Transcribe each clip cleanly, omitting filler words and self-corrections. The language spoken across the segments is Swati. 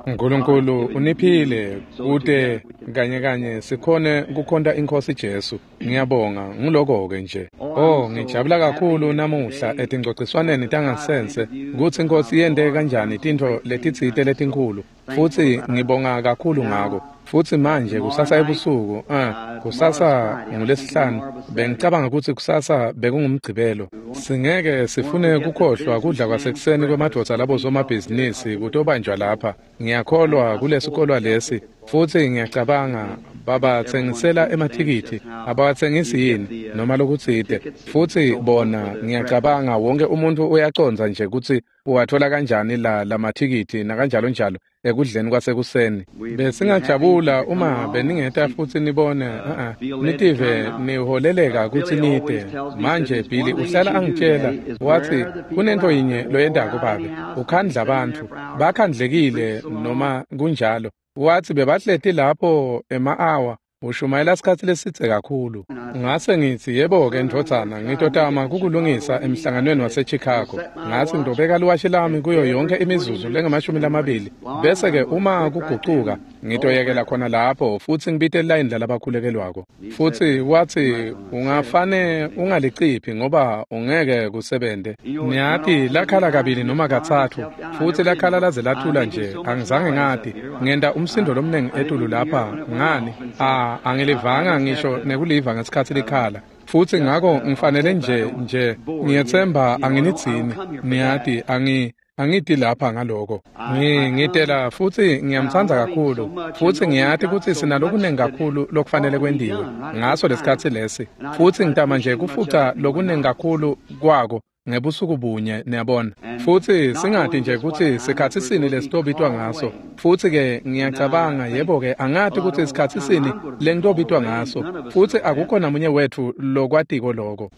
Nkulunkulu uniphile kute kanye kanye sikhone kukhonta iNkhosi Jesu. Ngiyabonga nguloko-ke nje. Oh, ngijabula kakhulu namuhla etingcociswaneni tangasense kutsi iNkhosi yente kanjani tintfo letitsite letinkhulu, futsi ngibonga kakhulu ngako. Futsi manje kusasa ebusuku, kusasa ngulesihlanu, bengicabanga kutsi kusasa bekungumgcibelo. Singeke sifune kukhohlwa kudla kwasekuseni kwemadvodza labosomabhizinisi kutobanjwa lapha. Ngiyakholwa kulesikolwa lesi, futsi ngiyacabanga babatsengisela emathikithi, abawatsengisi yini noma lokutsite. Futsi bona ngiyacabanga wonke umuntu uyacondza nje kutsi uwathola kanjani la lamathikithi nakanjalo njalo ekudleni kwasekuseni. Besingajabula uma beningeta futsi nibone nitive niholeleka kutsi nite. Manje Billy uhlala angitshela wathi kunento yinye loyentako babe, ukhandla bantfu bakhandlekile noma kunjalo. Wathi bebahleti lapho ema-awa ushumayela sikhatsi lesidze kakhulu. Ngase ngitsi yebo-ke ndvodzana, ngitotama kukulungisa emhlanganweni waseChicago. Ngatsi ngitobeka liwashi lami kuyo yonke imizuzu lengamashumi bese-ke uma kugucuka ngitoyekela khona lapho futsi ngibite lilayini lalabakhulekelwako. Futsi watsi ungafane ungaliciphi ngoba ungeke kusebente. Niyati lakhala kabili noma katsatfu futsi lakhala laze lathula nje, angizange ngati. Ngenta umsindo lomnengi etulu lapha ngani? Angilivanga ngisho nekuliva ngesikhatsi likhala. Futsi ngako ngifanele nje ngiyetsemba anginitsini. Niyati angiti lapha ngaloko. Ngitela futsi ngiyamtsandza kakhulu, futsi ngiyati kutsi sinalokunengi kakhulu lokufanele kwentiwe ngaso lesikhatsi lesi, futsi ngitama nje kufuca lokunengi kakhulu kwako ngebusuku bunye, niyabona. Futsi singati nje kutsi sikhatsi sini lesitobitwa ngaso. Futsi-ke ngiyacabanga yebo-ke angati kutsi sikhatsi sini lengitobitwa ngaso, futsi akukho namunye wetfu lokwatiko loko.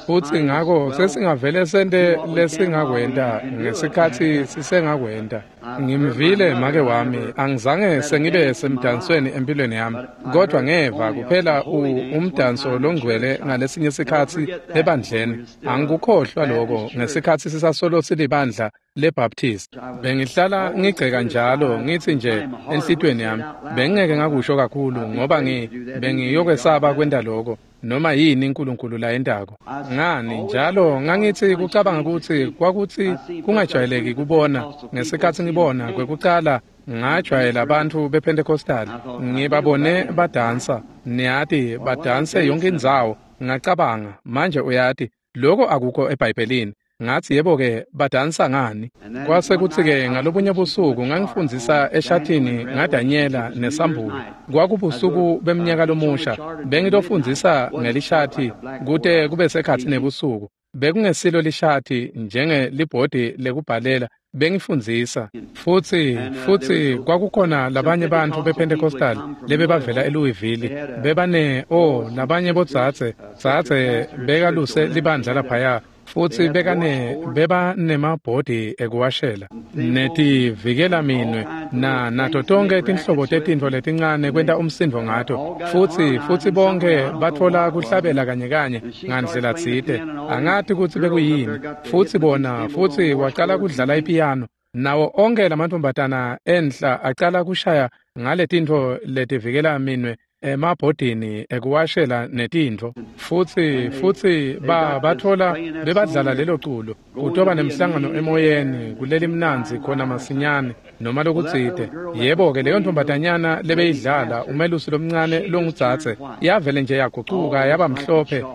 Futsi ngako sesingavele sente lesingakwenta ngesikhatsi sisengakwenta. Ngimvile make wami, angizange sengibe semdansweni empilweni yami, kodwa ngeva kuphela umdanso longcwele ngalesinye sikhatsi ebandleni. Angikukhohlwa loko ngesikhatsi sisasolo silibandla leBaptist. Bengihlala ngigceka njalo ngitsi nje enhlitiyweni yami, bengingeke ngakusho kakhulu ngoba bengiyokwesaba kwenta loko noma yini uNkulunkulu layentako. Ngani njalo ngangithi kucabanga kutsi kwakutsi kungajwayeleki kubona. Ngesikhatsi ngibona kwekucala ngajwayela abantu bePentecostal, ngibabone badansa, niyati badanse yonke indzawo. Ngacabanga manje uyati lokho akukho eBhayibhelini. Ngathi yebo-ke badansa ngani? Kwase kutsi-ke ngalobunye busuku ngangifundzisa eshathini ngaDanyela neSambulo. Kwakubusuku beminyaka lomusha, bengitofundzisa ngelishathi kute kube sekhatsi nebusuku. Bekungesilo lishathi njengelibhodi lekubhalela, bengifundzisa. Futsi kwakukhona labanye bantfu bePentecostal lebebavela eLouisville, bebane labanye bodzadze, dzadze bekaluse libandla laphaya. Futsi beba nemabhodi ekuwashela netivikela minwe na nato tonke tinhlobo tetintfo letincane kwenta umsindo ngato. Futsi bonke batfola kuhlabela kanye kanye ngandlela tsite, angati kutsi bekuyini. Futsi bona futsi wacala kudlala ipiyano, nawo onke lamantfombatana enhla acala kushaya ngaletintfo letivikela minwe emabhodini ekuwashela netintfo. Futsi bathola bebadlala lelo culo. Kutoba nemhlangano emoyeni kuleli mnandzi khona masinyane noma lokutsite. Yebo-ke leyo ntombatanyana lebeyidlala umelusi lomncane longudzadze yavele nje yagucuka yaba mhlophe,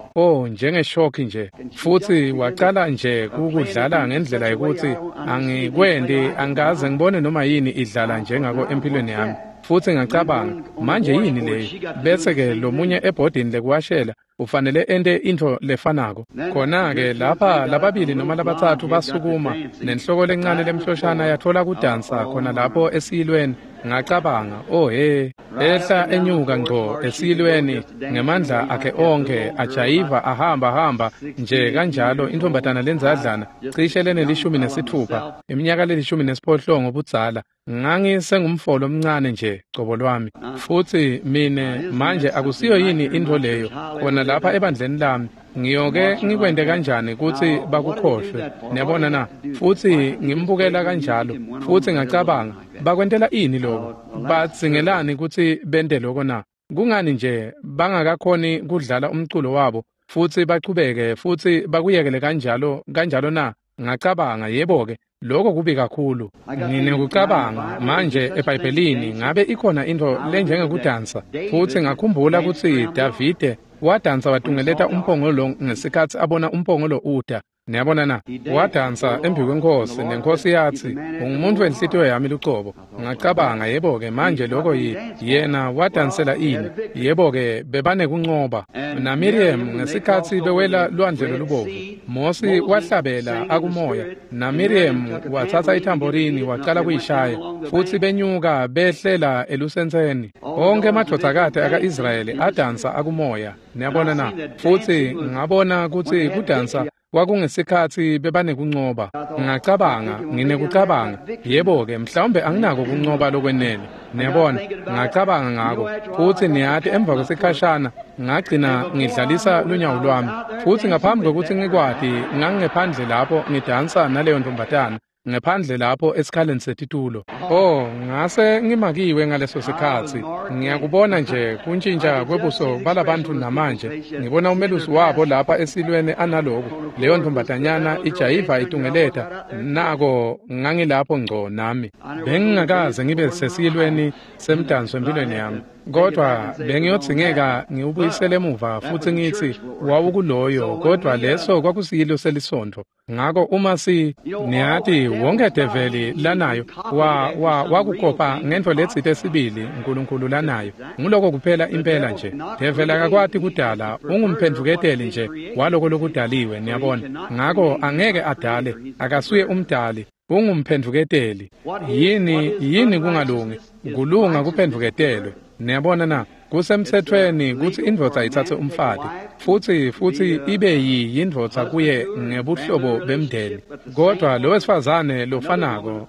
njengeshoki nje. Futsi wacala nje kukudlala ngendlela yokuthi angikwendi, angikaze ngibone noma yini idlala njengako empilweni yami. Futsi ngacabanga manje yini leyi? Bese-ke lomunye ebhodini lekuwashela ufanele ente intfo lefanako. Khona-ke lapha lababili noma labatsatfu basukuma nenhloko lencane lemhloshana yatfola kudansa khona lapho esiyilweni. Ngacabanga oh he, ehla enyuka ngco esiyilweni ngemandla akhe onke, ajayiva ahamba nje kanjalo. Intombatana lendzadlana cishe lenelishumi nesithupha, iminyaka lelishumi nesiphohlongo budzala. Ngangisengumfolo omncane nje cobo lwami. Futsi mine manje akusiyo yini intfo leyo khona lapha ebandleni lami. Ngiyoke ngikwente kanjani kutsi bakukhohlwe? Niyabona na? Futsi ngimbukela kanjalo, futsi ngacabanga, bakwentela ini lokho? Badzingelani kutsi bente lokho na? Kungani nje bangakakhoni kudlala umculo wabo futsi bachubeke futsi bakuyekele kanjalo kanjalo na? Ngacabanga, yebo-ke, lokho kubi kakhulu. Nginekucabanga manje eBhayibhelini ngabe ikhona intfo lenjengekudansa, futsi ngakhumbula kutsi Davide wadansa watungeleta umphongolo ngesikhatsi abona umphongolo uta. Niyabona na? Wadansa embi kwenkhosi, nenkosi yatsi, ungumuntu wenhlitiyo yami lucobo. Ngacabanga, yebo-ke, manje lokho yena wadansela ini? Yebo-ke, bebanekuncoba. NaMiriam ngesikhatsi bewela lwandle lolubovu, Mosi wahlabela akumoya, naMiriam watsatsa ithamborini wacala kuyishaya, futsi benyuka behlela elusentseni. Onkhe emadvodzakati aka-Israyeli adansa akumoya. Niyabona na? Futsi ngabona kutsi kudansa kwakungesikhatsi bebanekuncoba. Ngacabanga, nginekucabanga, yebo-ke, mhlawumbe anginako kuncoba lokwenele. Niyabona, ngacabanga ngako, futsi niyati emva kwesikhashana ngagcina ngidlalisa lunyawo lwami, futsi ngaphambi kwekutsi ngikwati ngangingephandle lapho ngidansa naleyo ntombazana, ngephandle lapho esikhaleni setitulo. Oh, ngase ngimakiwe ngaleso sikhatsi. Ngiyakubona nje kuntshintsha kwebuso balabantu namanje. Ngibona umelusi wabo lapha esilweni analoku. Leyo ntombazanyana ijayiva itungeleta. Nako ngangilapho ngco nami. Bengingakaze ngibe sesilweni semdanso empilweni yami. Kodwa bengiyodzingeka ngiwubuyisele emuva futsi ngitsi wawukuloyo, kodwa leso kwakusiyilo selisontfo. Ngako uma niyati wonke develi lanayo wakukopa ngentfo letsite sibili uNkulunkulu lanayo. Nguloko kuphela impela nje. Develi akakwati kudala, ungumphendvuketeli nje waloko lokudaliwe, niyabona. Ngako angeke adale, akasuye umdali, ungumphendvuketeli. Yini kungalungi? Kulunga kuphendvuketelwe. Niyabona na? Kusemtsetfweni kutsi indvodza itsatse umfati futsi ibe yindvodza kuye ngebuhlobo bemndeni. Kodwa lo wesifazane lofanako,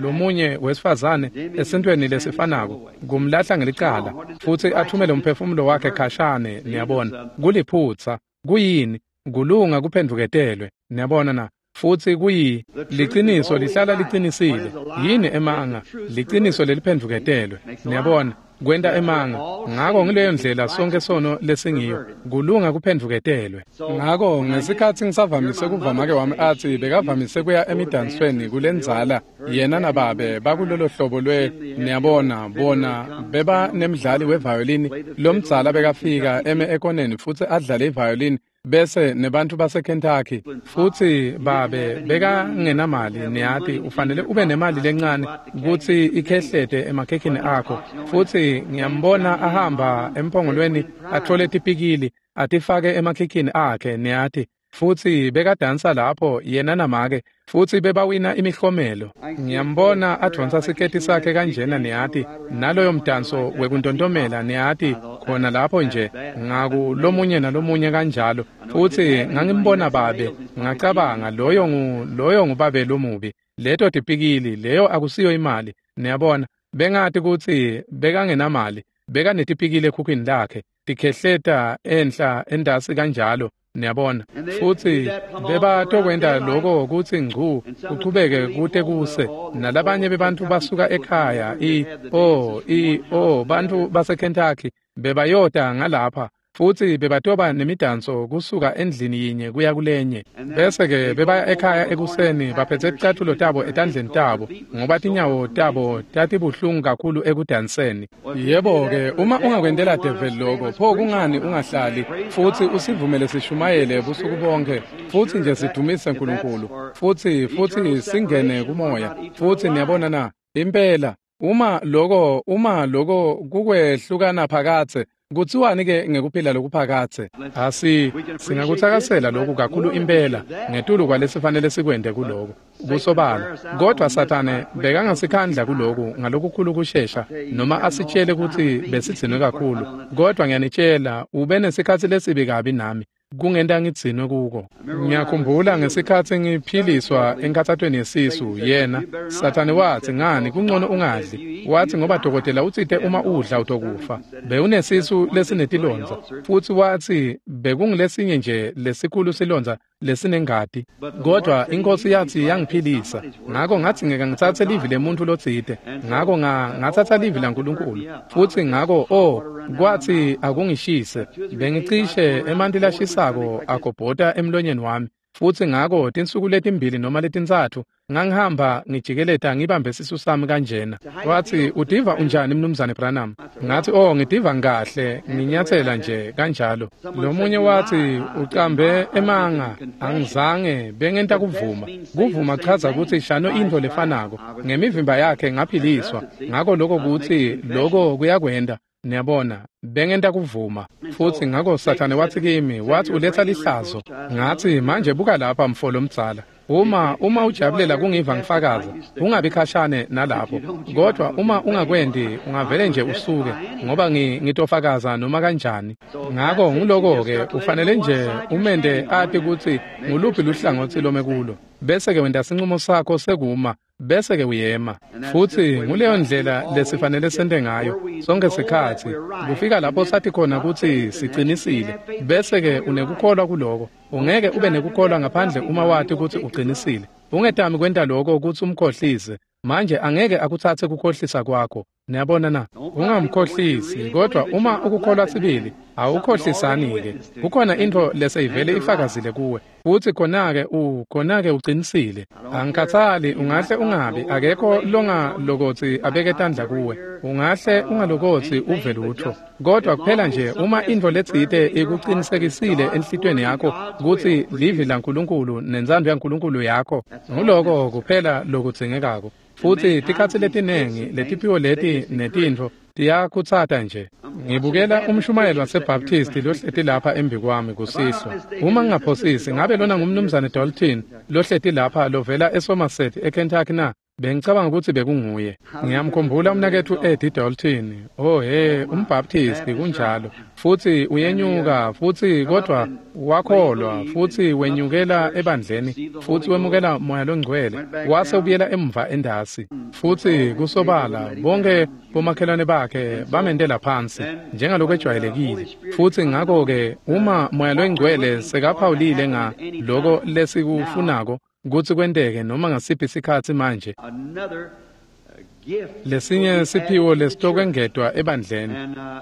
lomunye wesifazane esintweni lesifanako, kumlahla ngelicala futsi athumele umphefumulo wakhe khashane. Niyabona, kuliphutsa. Kuyini? Kulunga kuphendvuketelwe. Niyabona na? Futsi kuyi liciniso lihlala liqinisile. Yini emanga? Liciniso leliphendvuketelwe. Niyabona, kwenta emanga. Ngako ngileyo ndlela sonke sono lesingiyo, kulunga kuphendvuketelwe. Ngako ngesikhatsi ngisavamise kuva make wami atsi bekavamise kuya emidansweni kulendzala, yena nababe bakulolo hlobo lwe, niyabona, bona beba nemdlali wevayolini lomdzala bekafika eme ekoneni futsi adlale ivayolini bese nebantu baseKentucky, futsi babe bekangenamali. Niyati ufanele ube nemali lencane kutsi ikhehlete emakhekhini akho. Futsi ngiyambona ahamba emphongolweni athole tipikili atifake emakhekhini akhe, niyati. Futsi bekadansa lapho yena namake, futsi bebawina imihlomelo. Ngiyambona advonsa siketi sakhe kanjena, niyati, naloyo mdanso wekuntontomela, niyati, khona lapho nje ngaku lomunye nalomunye kanjalo. Futsi ngangimbona babe, ngacabanga, loyo ngubabe lomubi. Leto tipikili, leyo akusiyo imali. Niyabona, bengati kutsi bekangenamali, bekanetipikili ekhukhwini lakhe, tikhehleta enhla endasi kanjalo. Niyabona, futsi bebatokwenta lokho kutsi ngcu kuchubeke kute kuse. Nalabanye bebantu basuka ekhaya bantu baseKentucky bebayota ngalapha, futsi bebatoba nemidanso kusuka endlini yinye kuya kulenye. Bese-ke bebaya ekhaya ekuseni baphetse ticatfulo tabo etandleni tabo, ngoba tinyawo tabo tatibuhlungu kakhulu ekudanseni. Yebo-ke, uma ungakwentela develi lokho, pho kungani ungahlali futsi usivumele sishumayele busuku bonke, futsi nje sidumise uNkulunkulu, futsi singene kumoya. Futsi niyabona na? Impela, uma lokho kukwehlukana phakatse, kutsiwani ke ngekuphila lokuphakatse? Singakutsakasela lokhu kakhulu impela ngetulu kwalesifanele sikwente kuloko kusobala. Kodwa Sathane bekangasikhandla kuloku ngalokukhulu kushesha, noma asitshele kutsi besigcinwe kakhulu. Kodwa ngiyanitshela, ube nesikhatsi lesibi kabi nami. Kungenta ngidzinwe kuko. Ngiyakhumbula ngesikhatsi ngiphiliswa enkhatsatweni yesisu, yena Sathane watsi, ngani kungcono ungadli. Watsi ngoba dokotela utsite uma udla utokufa. Bewunesisu lesinetilondza, futsi watsi bekungulesinye nje lesikhulu silondza lesinengati. Kodwa iNkhosi yatsi yangiphilisa. Ngako ngadzingeka ngitsatse livi lemuntfu lotsite. Ngako ngatsatsa livi laNkulunkulu. Futsi ngako kwatsi akungishise. Bengicishe emanti lashisako agobhota emlonyeni wami. Futsi ngako tinsuku letimbili noma letintsatfu ngangihamba ngijikeleta ngibambe sisu sami kanjena. Watsi, utiva unjani Mnumzane Branham? Ngathi, ngitiva ngikahle, nginyathela nje kanjalo. Lomunye watsi, ucambe emanga, angizange bengenta kuvuma. Kuvuma chaza kutsi shano intfo lefanako. Ngemivimba yakhe ngaphiliswa. Ngako lokho kutsi lokho kuyakwenda. Niyabona, bengenta kuvuma. Futsi ngako Sathane watsi kimi, watsi uletsa lihlazo. Ngathi, manje buka lapha mfo lomdzala. Uma ujabulela kungiva ngifakaza, ungabi khashane nalapho. Kodwa uma ungakwendi, ungavele nje usuke, ngoba ngitofakaza noma kanjani. Ngako nguloko-ke ufanele nje umente ati kutsi nguluphi luhlangotsi lome kulo. Bese-ke wenta sincumo sakho sekuma, bese-ke uyema. Futsi nguleyo ndlela lesifanele sente ngayo sonke sikhatsi. Kufika lapho sathi khona kutsi sicinisile, bese-ke unekukholwa kuloko. Ungeke ube nekukholwa ngaphandle uma wati kutsi uqinisile. Ungetami kwenta lokho kutsi umkhohlise. Manje angeke akutsatse kukhohlisa kwakho. Niyabona na? Ungamkhohlisi, kodwa uma ukukholwa sibili, awukhohlisani-ke. Kukhona intfo leseyivele ifakazile kuwe. Futsi khona-ke uqinisile. Angikhathali, ungahle ungabi, akekho longalokotsi abeke tandla kuwe. Ungahle ungalokotsi uve lutfo. Kodwa kuphela nje uma intfo letsite ikuqinisekisile enhlitiyweni yakho kutsi livi laNkulunkulu nentsandvo yaNkulunkulu yakho, nguloko kuphela lokudzingekako. Futsi tikhatsi letinengi letiphiwo leti netintfo tiyakhutsata nje. Ngibukela umshumayeli waseBaptist lohleti lapha embikwami kusihlwa. Uma ngingaphosisi, ngabe lona ngumnumzane Dalton lohleti lapha lovela eSomerset eKentucky na? Bengicabanga kutsi bekunguye. Ngiyamkhumbula umnaketfu Eddie Dalton. UmBaptist kunjalo. Futsi uyenyuka, futsi kodwa wakholwa, futsi wenyukela ebandleni, futsi wemukela Moya loNgcwele, wase ubuyela emva endasi. Futsi kusobala bonke bomakhelwane bakhe bamentela phansi njengalokwejwayelekile. Futsi ngako-ke uma Moya loNgcwele sekaphawulile nga loko lesikufunako kutsi kwenteke noma ngasiphi sikhatsi manje, lesinye siphiwo lesitokwengetwa ebandleni,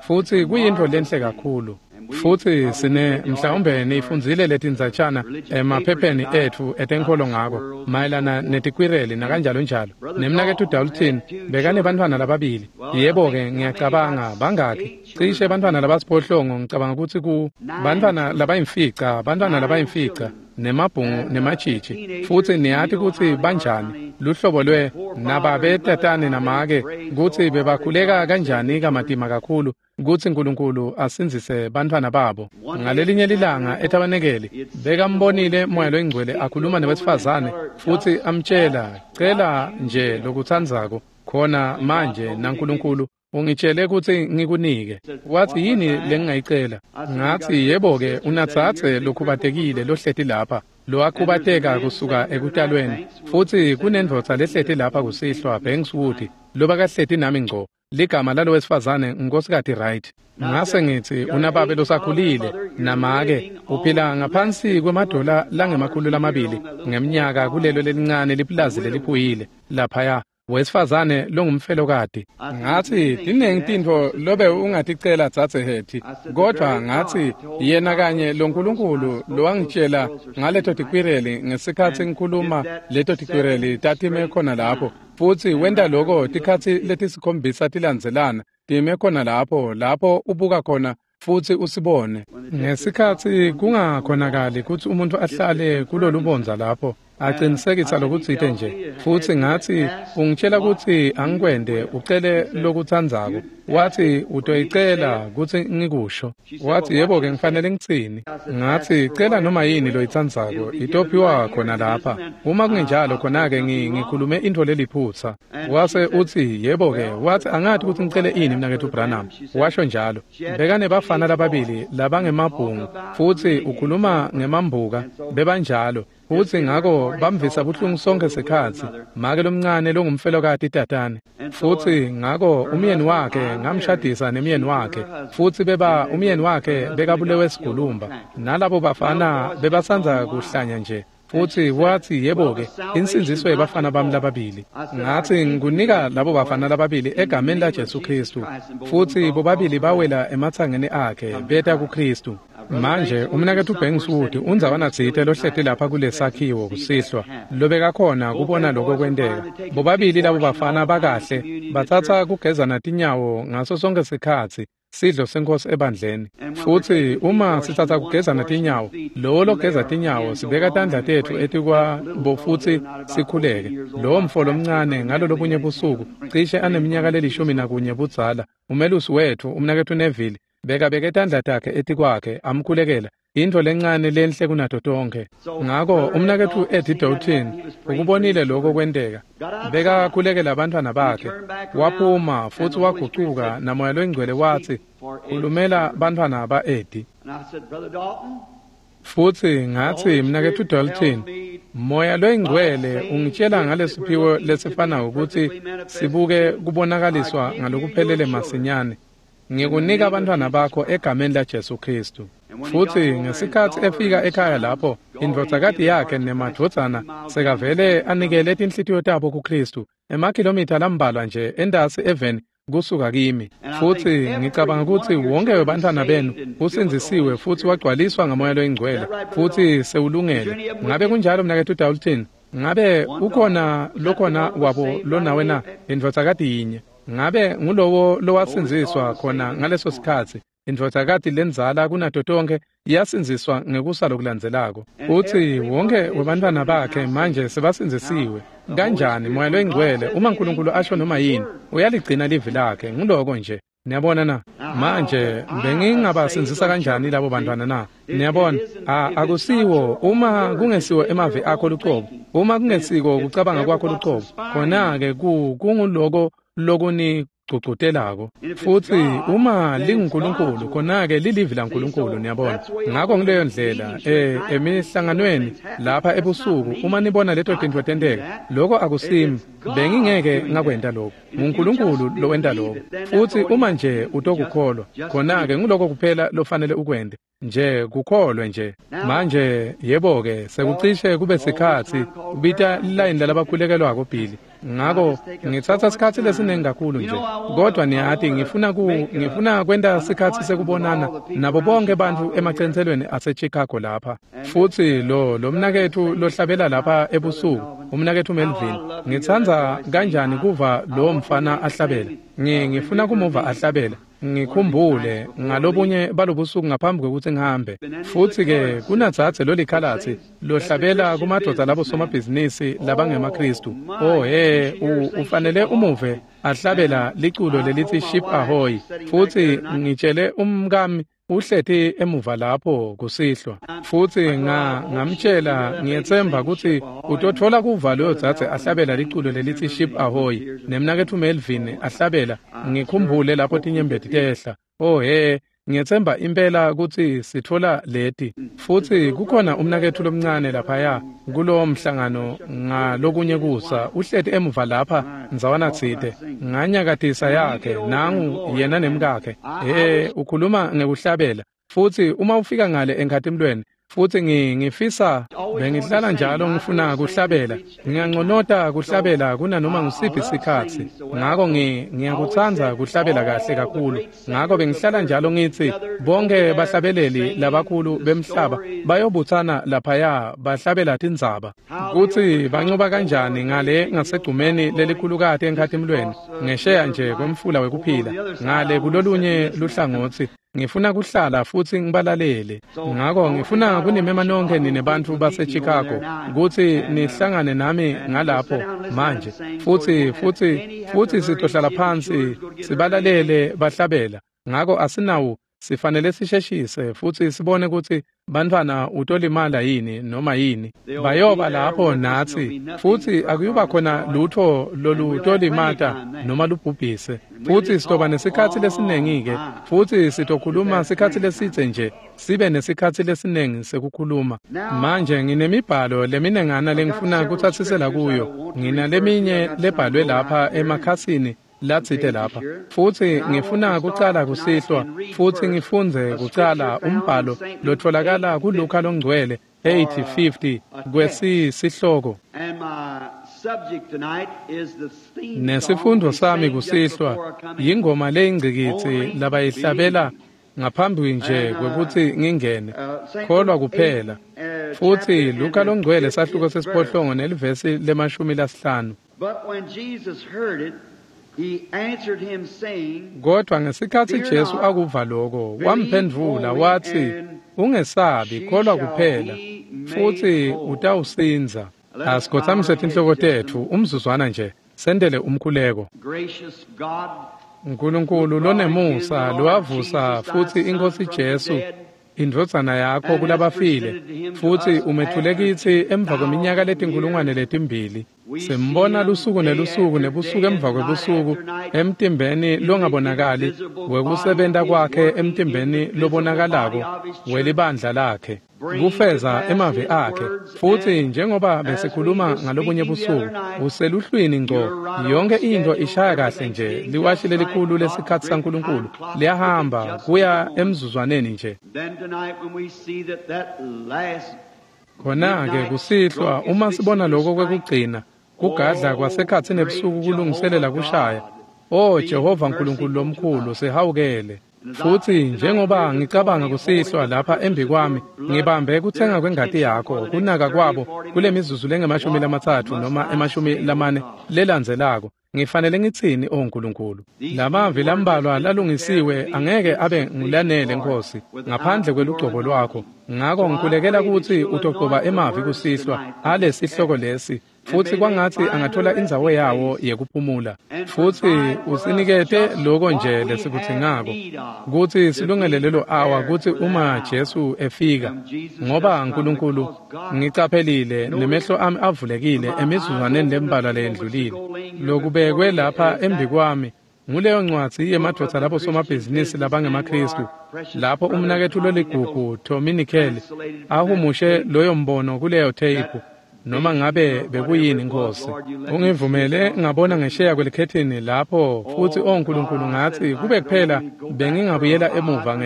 futsi kuyintfo lenhle kakhulu. Futsi sine mhlawumbe nifundzile letindzatshana emaphepheni etfu etenkholo ngako mayelana netikwireli nakanjalo njalo. Nemnaketfu Dalton bekanebantfwana lababili. Yebo-ke, ngiyacabanga bangakhi? Cishe bantfwana labasiphohlongo, ngicabanga kutsi ku bantfwana labayimfica, nemabhungu nematshitshi. Futsi niyati kutsi banjani luhlobo lwe nababe tatane namake kutsi bebakhuleka kanjani kamatima kakhulu kutsi Nkulunkulu asindzise bantfwana babo. Ngalelinye lilanga etabanekeli bekambonile Moya loNgcwele akhuluma newesifazane futsi amtshela, cela nje lokutsandzako khona manje naNkulunkulu ungitshele kutsi ngikunike. Watsi, yini lengingayicela? Ngatsi, yebo-ke, unatsatse lokhubatekile lohleti lapha, lowakhubateka kusuka ekutalweni. Futsi kunendvodza lehleti lapha kusihlwa, Bankswood, lobakahleti nami ngco. Ligama lalowesifazane Nkosikati Wright. Ngase ngitsi, unababe losakhulile namake, uphila ngaphansi kwemadola langama-200 ngemnyaka kulelo lelincane lipulazi leliphuyile laphaya. Wesifazane longumfelokati. Ngathi, tinengi tintfo lobe ungaticela dzadze Hetty, kodwa ngathi yena kanye loNkulunkulu lowangitshela ngaleto tikwireli ngesikhatsi ngikhuluma leto tikwireli tatime khona lapho, futsi wenta loko tikhatsi letisikhombisa tilandzelana time khona lapho ubuka khona futsi usibone. Ngesikhatsi kungakhonakali kutsi umuntu ahlale kulolubondza lapho, Aqinisekisa lokutsite nje. Futsi ngatsi, ungitshela kutsi angikwente ucele lokutsandzako. Watsi utoyicela kutsi ngikusho. Watsi yebo-ke ngifanele ngitsini. Ngatsi cela noma yini loyitsandzako itophiwa khona lapha. Uma kungenjalo khona-ke ngikhulume intfo leliphutsa. Wase utsi yebo-ke, watsi angati kutsi ngicele ini mnaketfu Branham. Washo njalo. Bekanebafana lababili labangemabhungu futsi ukhuluma ngemambuka bebanjalo. Futsi ngako bamvisa buhlungu sonke sikhatsi make lomncane longumfelokati tatane. Futsi ngako umyeni wakhe ngamshadisa nemyeni wakhe futsi beba umyeni wakhe bekabulewe sigulumba nalabo bafana bebasandza kuhlanya nje. Futsi watsi yebo-ke insindziso yebafana bami lababili. Ngatsi ngikunika labo bafana lababili egameni laJesu Khristu. Futsi bobabili bawela ematsangeni akhe beta kuKhristu. Manje umnaketfu Banks Wood undzawana tsite lohleti lapha kulesakhiwo kusihlwa lobekakhona kubona lokho kwenteka. Bobabili labo bafana bakahle batsatsa kugezana tinyawo ngaso sonke sikhatsi sidlo senkosi ebandleni. Futsi uma sitsatsa kugezana tinyawo, lowo logeza tinyawo sibeka tandla tetfu etikwabo futsi sikhuleke. Lowo mfo lomncane ngalolobunye busuku cishe aneminyaka le-11 budzala, umelusi wetfu umnaketfu Neville bekabeke tandla takhe etikwakhe amkhulekela intfo lencane lenhle kunato tonkhe. Ngako umnaketfu Eddie Dalton ukubonile lokho kwenteka. Bekakhulekela abantwana bakhe. Waphuma futsi wagucuka naMoya loNgcwele watsi khulumela bantfwana ba-Eddie. Futsi ngatsi mnaketfu Dalton, Moya loNgcwele ungitshela ngalesiphiwo lesifanako kutsi sibuke kubonakaliswa ngalokuphelele masinyane. Ngikunika abantwana bakho egameni laJesu Khristu. Futsi ngesikhatsi efika ekhaya lapho indvodzakati yakhe nemadvodzana sekavele anikele tinhlitiyo tabo kuKhristu emakhilomitha lambalwa nje entasi eveni kusuka kimi. Futsi ngicabanga kutsi wonke webantfwana benu usindzisiwe futsi wagcwaliswa ngaMoya loNgcwele futsi sewulungele. Ngabe kunjalo mnaketfu Dalton? Ngabe ukhona lokhona wabo lonawe na? Indvodzakati yinye. Ngabe ngulowo lowasindziswa khona ngaleso sikhatsi? Indvodzakati lendzala kunato tonkhe yasindziswa ngekusa lokulandzelako. Futsi wonke webantfwana bakhe manje sebasindzisiwe. Kanjani Moya loNgcwele uma uNkulunkulu asho noma yini uyaligcina livi lakhe? Nguloko nje. Niyabona na? Manje bengingabasindzisa kanjani labo bantwana na? Niyabona, akusiwo uma kungesiwo emavi akho lucobo, uma kungesiko kucabanga kwakho lucobo, khona-ke kunguloko lokunigcugcutelako. Futsi uma linguNkulunkulu, khona-ke lilivi laNkulunkulu, niyabona. Ngako ngileyo ndlela emihlanganweni lapha ebusuku uma nibona leto tintfo tenteka, lokho akusimi, bengingeke ngakwenta lokho. NguNkulunkulu lowenta lokho. Futsi uma nje utokukholwa, khona-ke nguloko kuphela lofanele ukwente. Nje kukholwe nje. Manje yebo-ke sekucishe kube sikhatsi ubita lilayini lalabakhulekelwako Billy. Ngako ngitsatsa sikhatsi lesiningi kakhulu nje. Kodwa niyati ngifuna kwenta sikhatsi sekubonana nabo bonke bantfu emacentselweni aseChicago lapha. Futsi lo mnaketfu lohlabela lapha ebusuku, umnaketfu Melvin, ngitsandza kanjani kuva lo mfana ahlabela. Ngifuna kumuva ahlabela. Ngikhumbule ngalobunye balobusuku ngaphambi kwekutsi ngihambe. Futsi-ke kunadzadze lolikhalatsi lohlabela kumadvodza labo somabhizinisi labangemaKhristu. Oh he, ufanele umuve ahlabela liculo lelithi Ship Ahoy. Futsi ngitshele umkami uhleti emuva lapho kusihlwa. Futsi ngamtshela ngiyetsemba kutsi utotfola kuva loyo dzadze ahlabela liculo lelithi Ship Ahoy nemnaketfu Melvin ahlabela. Ngikhumbule lapho tinyembeti tehla. Oh he, ngiyetsemba impela kutsi sitfola leti. Futsi kukhona umnaketfu lomncane laphaya kulowo mhlangano ngalokunye kusa uhleti emuva lapha ndzawana tsite nganyakatisa yakhe nangu yena nemkakhe. Ukhuluma ngekuhlabela. Futsi uma ufika ngale enkhatimlweni futsi ngifisa bengihlala njalo ngifuna kuhlabela. Ngiyanconota kuhlabela kunanoma ngusiphi sikhatsi. Ngako ngiyakutsandza kuhlabela kahle kakhulu. Ngako bengihlala njalo ngitsi bonke bahlabeleli labakhulu bemhlaba bayobutsana laphaya bahlabela tindzaba. Kutsi bancoba kanjani ngale ngasegcumeni lelikhulukati enkhatimlweni ngesheya nje kwemfula wekuphila ngale kulolunye luhlangotsi. Ngifuna kuhlala futsi ngibalalele. Ngako ngifuna kunimema nonke nine bantfu baseChicago kutsi nihlangane nami ngalapho manje. Futsi sitohlala phansi sibalalele bahlabela. Ngako asinawo, sifanele sisheshise futsi sibone kutsi bantfwana utolimala yini noma yini. Bayoba lapho natsi futsi akuyuba khona lutho lolutolimata noma lubhubhise. Futsi sitoba nesikhatsi lesinengi-ke, futsi sitokhuluma sikhatsi lesidze nje, sibe nesikhatsi lesinengi sekukhuluma. Manje nginemibhalo leminengana lengifuna kutsatsisela kuyo. Nginaleminye lebhalwe lapha emakhasini latsite lapha. Futsi ngifuna kucala kusihlwa futsi ngifundze kucala umbhalo lotfolakala kuLuka longcwele 8:50 kwesisihloko. Nesifundo sami kusihlwa yingoma leyingcikitsi labayihlabela ngaphambi nje kwekutsi ngingene, kholwa kuphela. Futsi Luka longcwele sahluko sesiphohlongo nelivesi le-50. Kodwa ngesikhatsi Jesu akuva loko, wamphendvula watsi, "Ungesabi, kholwa kuphela, futsi utawusindza." Asikhotsamise tinhloko tetfu umzuzwana nje, sendele umkhuleko. Nkulunkulu lonemusa lowavusa futsi iNkhosi Jesu indvodzana yakho kulabafile, futsi umethule kitsi emva kweminyaka 2000. Simbona lusuku nelusuku nebusuku emva kwebusuku emtimbeni longabonakali wekusebenta kwakhe emtimbeni lobonakalako welibandla lakhe, kufeza emavi akhe. Futsi njengoba besikhuluma ngalobunye busuku, useluhlwini ngco, yonke into ishaya kahle nje. Liwashi lelikhulu lesikhatsi saNkulunkulu liyahamba kuya emzuzwaneni nje. Khona-ke kusihlwa uma sibona lokho kwekugcina kugadla kwasekhatsi nebusuku kulungiselela kushaya, O Jehova Nkulunkulu lomkhulu, sihawukele. Futsi njengoba ngicabanga kusihlwa lapha embi kwami, ngibambe kutsenga kwengati yakho, kunaka kwabo kule mizuzu lengama-30 noma 40 lelandzelako. Ngifanele ngitsini, O Nkulunkulu? Lamavi lambalwa lalungisiwe angeke abe ngulanele, Nkosi, ngaphandle kwelugcobo lwakho. Ngako ngikhulekela kutsi utogcoba emavi kusihlwa alesihloko lesi, futsi kwangatsi angathola indzawo yawo yekuphumula. Futsi usinikete loko nje lesikudzingako kutsi silungele lelo awa, kutsi uma Jesu efika. Ngoba Nkulunkulu, ngicaphelile nemehlo ami avulekile emizuzwaneni lembalwa leyendlulile, lokubekwe lapha embi kwami nguleyo ncwadzi yemadvodza labo somabhizinisi labangemaKhristu, lapho umnaketfu loligugu Tommy Nickel ahumushe loyo mbono kuleyo theyiphu. Noma ngabe bekuyini, Nkosi, ungivumele ngabona ngesheya kwelikhethini lapho. Futsi o Nkulunkulu, ngatsi kube kuphela bengingabuyela emuva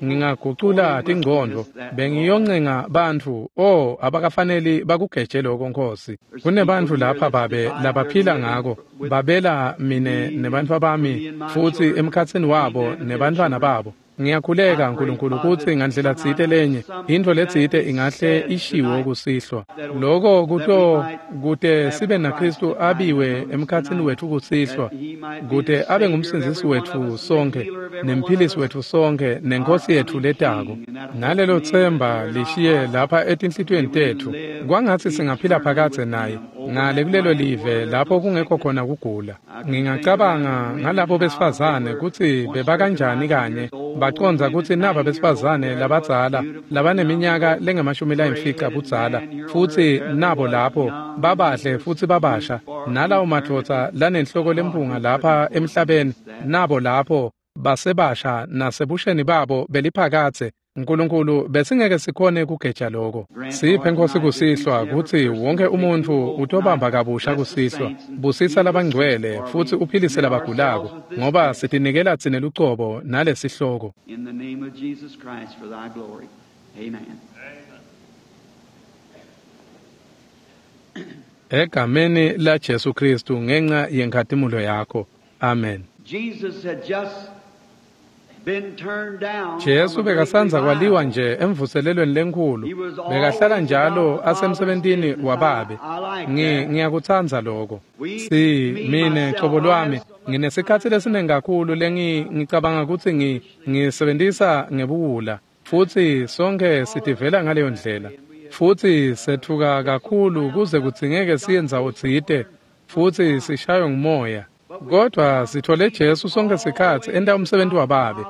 ngingagucula tingcondvo, bengiyoncenga bantfu. O, abakafaneli bakugeje lokho, Nkosi. Kunebantfu lapha, Babe, labaphila ngako, babela mine nebantfwa bami, futsi emkhatsini wabo nebantfwana babo. Ngiyakhuleka, Nkulunkulu, kutsi ngandlela tsite lenye intfo letsite ingahle ishiwo kusihlwa, loko kuto kute sibe naKhristu abiwe emkhatsini wetfu kusihlwa, kute abe ngumsindzisi wetfu sonke nemphilisi wetfu sonke nenkosi yetfu letako. Nalelo tsemba lishiye lapha etinhlitiyweni tetfu, kwangatsi singaphila phakadze naye ngale kulelo live lapho kungekho khona kugula. Ngingacabanga ngalabo besifazane kutsi bebakanjani kanye bacondza kutsi naba besifazane labadzala labaneminyaka lengama-50 budzala, futsi nabo lapho babahle futsi babasha, nalawo madvodza lanenhloko lempunga lapha emhlabeni, nabo lapho basebasha nasebusheni babo beliphakadze. Nkulunkulu, besingeke sikhone kugeja lokho. Siphe, Nkosi, kusihlwa kutsi wonke umuntfu utobamba kabusha kusihlwa. Busisa labangcwele futsi uphilise labagulako, ngoba sitinikela tsine lucobo nalesihloko. In the name of Jesus Christ for thy glory. Amen. Egameni la Jesu Kristu ngenxa yenkhatimulo yakho. Amen. Jesus had just been turned down. Jesu bekasandza kwaliwa nje emvuselelweni lenkhulu. Bekahlala njalo asemsebentini waBabe. Ngiyakutsandza lokho. Si mine cobo lwami Nginesikhatsi lesiningi kakhulu ngicabanga kutsi ngisebentisa ngebuwula, futsi sonke sitivela ngaleyo ndlela. Futsi sethuka kakhulu kuze kudzingeke siye ndzawo tsite, futsi sishaywe ngumoya. Kodwa sithole Jesu sonke sikhatsi enta umsebenzi waBabe.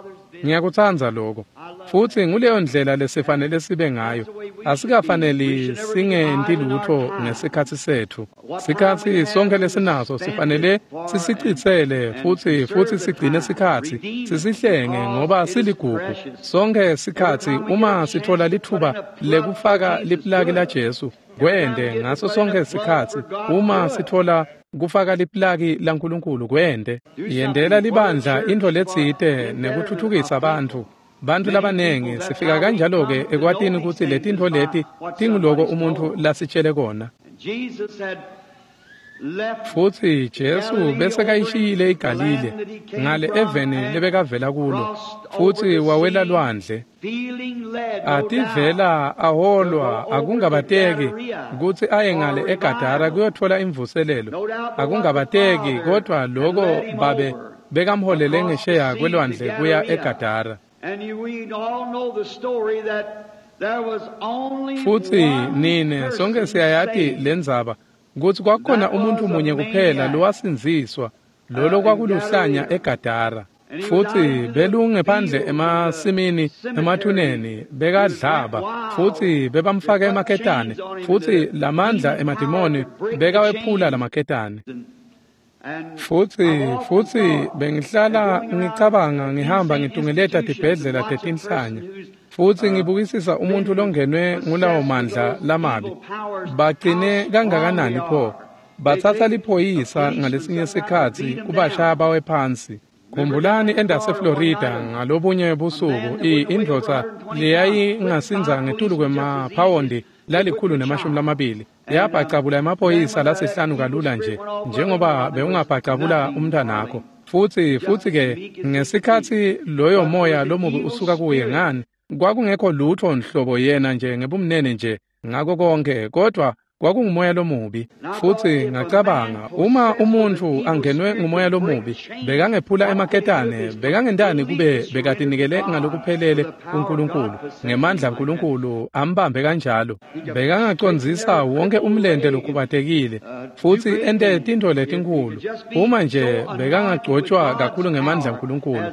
Ngiyakutsandza lokho. Futsi nguleyo ndlela lesifanele sibe ngayo. Asikafaneli singenti lutho ngesikhatsi setfu. Sikhatsi sonke lesinaso sifanele sisicitsele futsi sigcine sikhatsi, sisihlenge ngoba siligugu. Sonke sikhatsi uma sithola lithuba lekufaka liplaki la Jesu, kwende ngaso sonke sikhatsi. Uma sithola kufaka liplaki laNkulunkulu, kwende. Yendela libandla intfo letsite nekuthuthukisa bantfu. Bantfu labanengi sifika kanjalo-ke ekwatini kutsi letintfo leti tinguloko umuntfu lasitshele kona. Futsi Jesu besekayishiyile iGalile ngale eveni lebekavela kulo, futsi wawela lwandle. Ativela aholwa akungabateki kutsi aye ngale eGadara kuyotfola imvuselelo. Akungabateki, kodwa loko Babe bekamholele ngesheya kwelwandle kuya eGadara. Futsi nine sonke siyayati lendzaba kutsi kwakukhona umuntfu munye kuphela lowasindziswa, lolo kwakuluhlanya eGadara. Futsi belungephandle emasimini emathuneni bekadlaba, futsi bebamfaka emaketane, futsi lamandla emadimoni bekawephula lamaketane. Futsi bengihlala ngicabanga ngihamba ngitungeleta tibhedlela tetinhlanya, futsi ngibukisisa umuntfu longenwe ngulawo mandla lamabi. Bagcine kangakanani pho? Batsatsa liphoyisa ngalesinye sikhatsi kubashaya bawe phansi. Khumbulani endase Florida ngalobunye busuku indvodza leyayingasindza ngetulu kwemaphawondi 120 yabhacabula emaphoyisa lasihlanu kalula nje njengoba bewungabhacabula umntwanakho. Futsi-ke ngesikhatsi loyo moya lomubi usuka kuye, ngani kwakungekho lutho nhlobo, yena nje ngebumnene nje ngako konke, kodwa kwakungumoya lomubi. Futsi ngacabanga, uma umuntfu angenwe ngumoya lomubi, bekangephula emaketane, bekangentani kube bekatinikele ngalokuphelele kuNkulunkulu, ngemandla aNkulunkulu ambambe kanjalo. Bekangacondzisa wonke umlente lokhubatekile, futsi ente tintfo letinkhulu, uma nje bekangagcotshwa kakhulu ngemandla aNkulunkulu,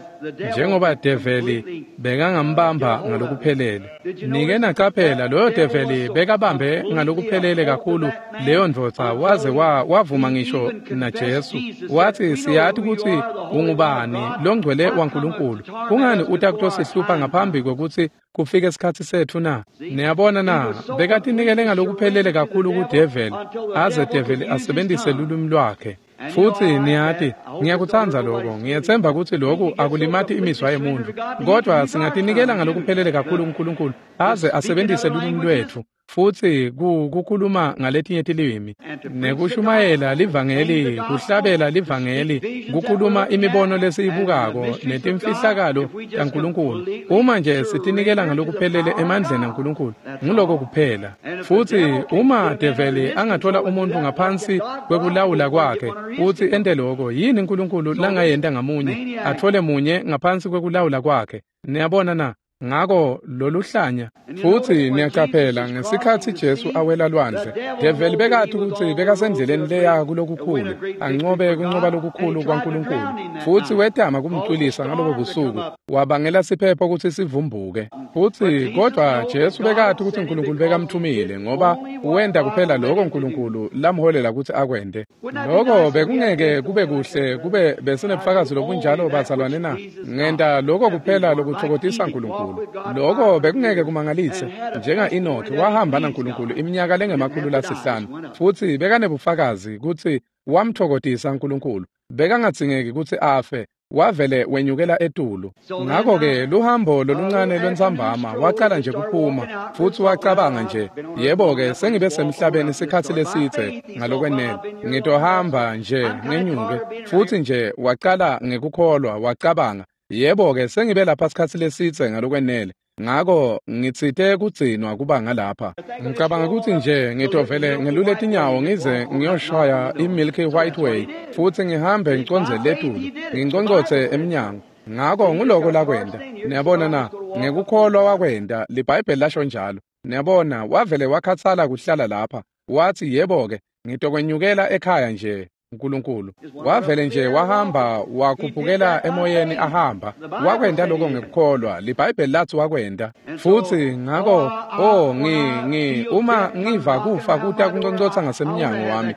njengoba develi bekangambamba ngalokuphelele. Nike nacaphela, loyo develi bekabambe ngalokuphelele kakhulu leyo ndvodza, waze wavuma ngisho naJesu. Wathi, siyati kutsi ungubani, longcwele waNkulunkulu. Kungani uta kutosihlupha ngaphambi kwekutsi kufike isikhatsi setfu na? Niyabona na, bekatinikele ngalokuphelele kakhulu kudeveli, aze develi asebentise lulwimi lwakhe. Futsi niyati, ngiyakutsandza lokho. Ngiyetsemba kutsi lokhu akulimati imizwa yemuntfu, kodwa singatinikela ngalokuphelele kakhulu kuNkulunkulu aze asebentise lulwimi lwetfu, futsi kukhuluma ngaletinye tilimi, nekushumayela livangeli, kuhlabela livangeli, kukhuluma imibono lesiyibukako netimfihlakalo taNkulunkulu. Uma nje sitinikela ngalokuphelele emandleni aNkulunkulu, nguloko kuphela. Futsi uma develi angathola umuntfu ngaphansi kwekulawula kwakhe futsi ente loko, yini uNkulunkulu langayenta ngamunye atfole munye ngaphansi kwekulawula kwakhe? Niyabona na? Ngako loluhlanya. Futsi niyacaphela, ngesikhatsi Jesu awela lwandle, develi bekati kutsi bekasendleleni leya kulokukhulu, ancobe kuncoba lokukhulu kwaNkulunkulu. Futsi wetama kumcwilisa ngalobo busuku, wabangela siphepho kutsi sivumbuke. Futsi kodwa Jesu bekati kutsi uNkulunkulu bekamthumile, ngoba wenta kuphela lokho uNkulunkulu lamholela kutsi akwente. Lokho bekungeke kube kuhle kube besinebufakazi lobunjalo, bazalwane na? Ngenta lokho kuphela lokutfokotisa uNkulunkulu. Lokho bekungeke kumangalise. Njenga-Enoki wahamba naNkulunkulu iminyaka lengama-500, futsi bekanebufakazi kutsi wamtfokotisa uNkulunkulu. Bekangadzingeki kutsi afe, wavele wenyukela etulu. Ngakho-ke luhambo loluncane lwentsambama wacala nje kuphuma, futsi wacabanga nje, yebo-ke, sengibe semhlabeni sikhatsi lesitse ngalokwenele, ngitohamba nje ngenyuke. Futsi nje wacala ngekukholwa, wacabanga, yebo-ke, sengibe lapha sikhatsi lesitse ngalokwenele. Ngako ngitsite kugcinwa kuba ngalapha. Ngicabanga ukuthi nje ngitovele ngelule tinyawo ngize ngiyoshaya iMilky White Way futhi ngihambe ngiconze letulu, nginconcotse emnyango. Ngako nguloko lakwenda. Niyabona na? Ngekukholwa wakwenda, liBhayibheli lasho njalo. Niyabona, wavele wakhatsala kuhlala lapha. Wathi yebo-ke, ngitokwenyukela ekhaya nje. uNkulunkulu wavele nje wahamba wakhuphukela emoyeni ahamba. Wakwenda lokho ngekukholwa, liBhayibheli lathi wakwenda. Futhi ngako uma ngiva kufa kuta kunconcotsa ngasemnyango wami,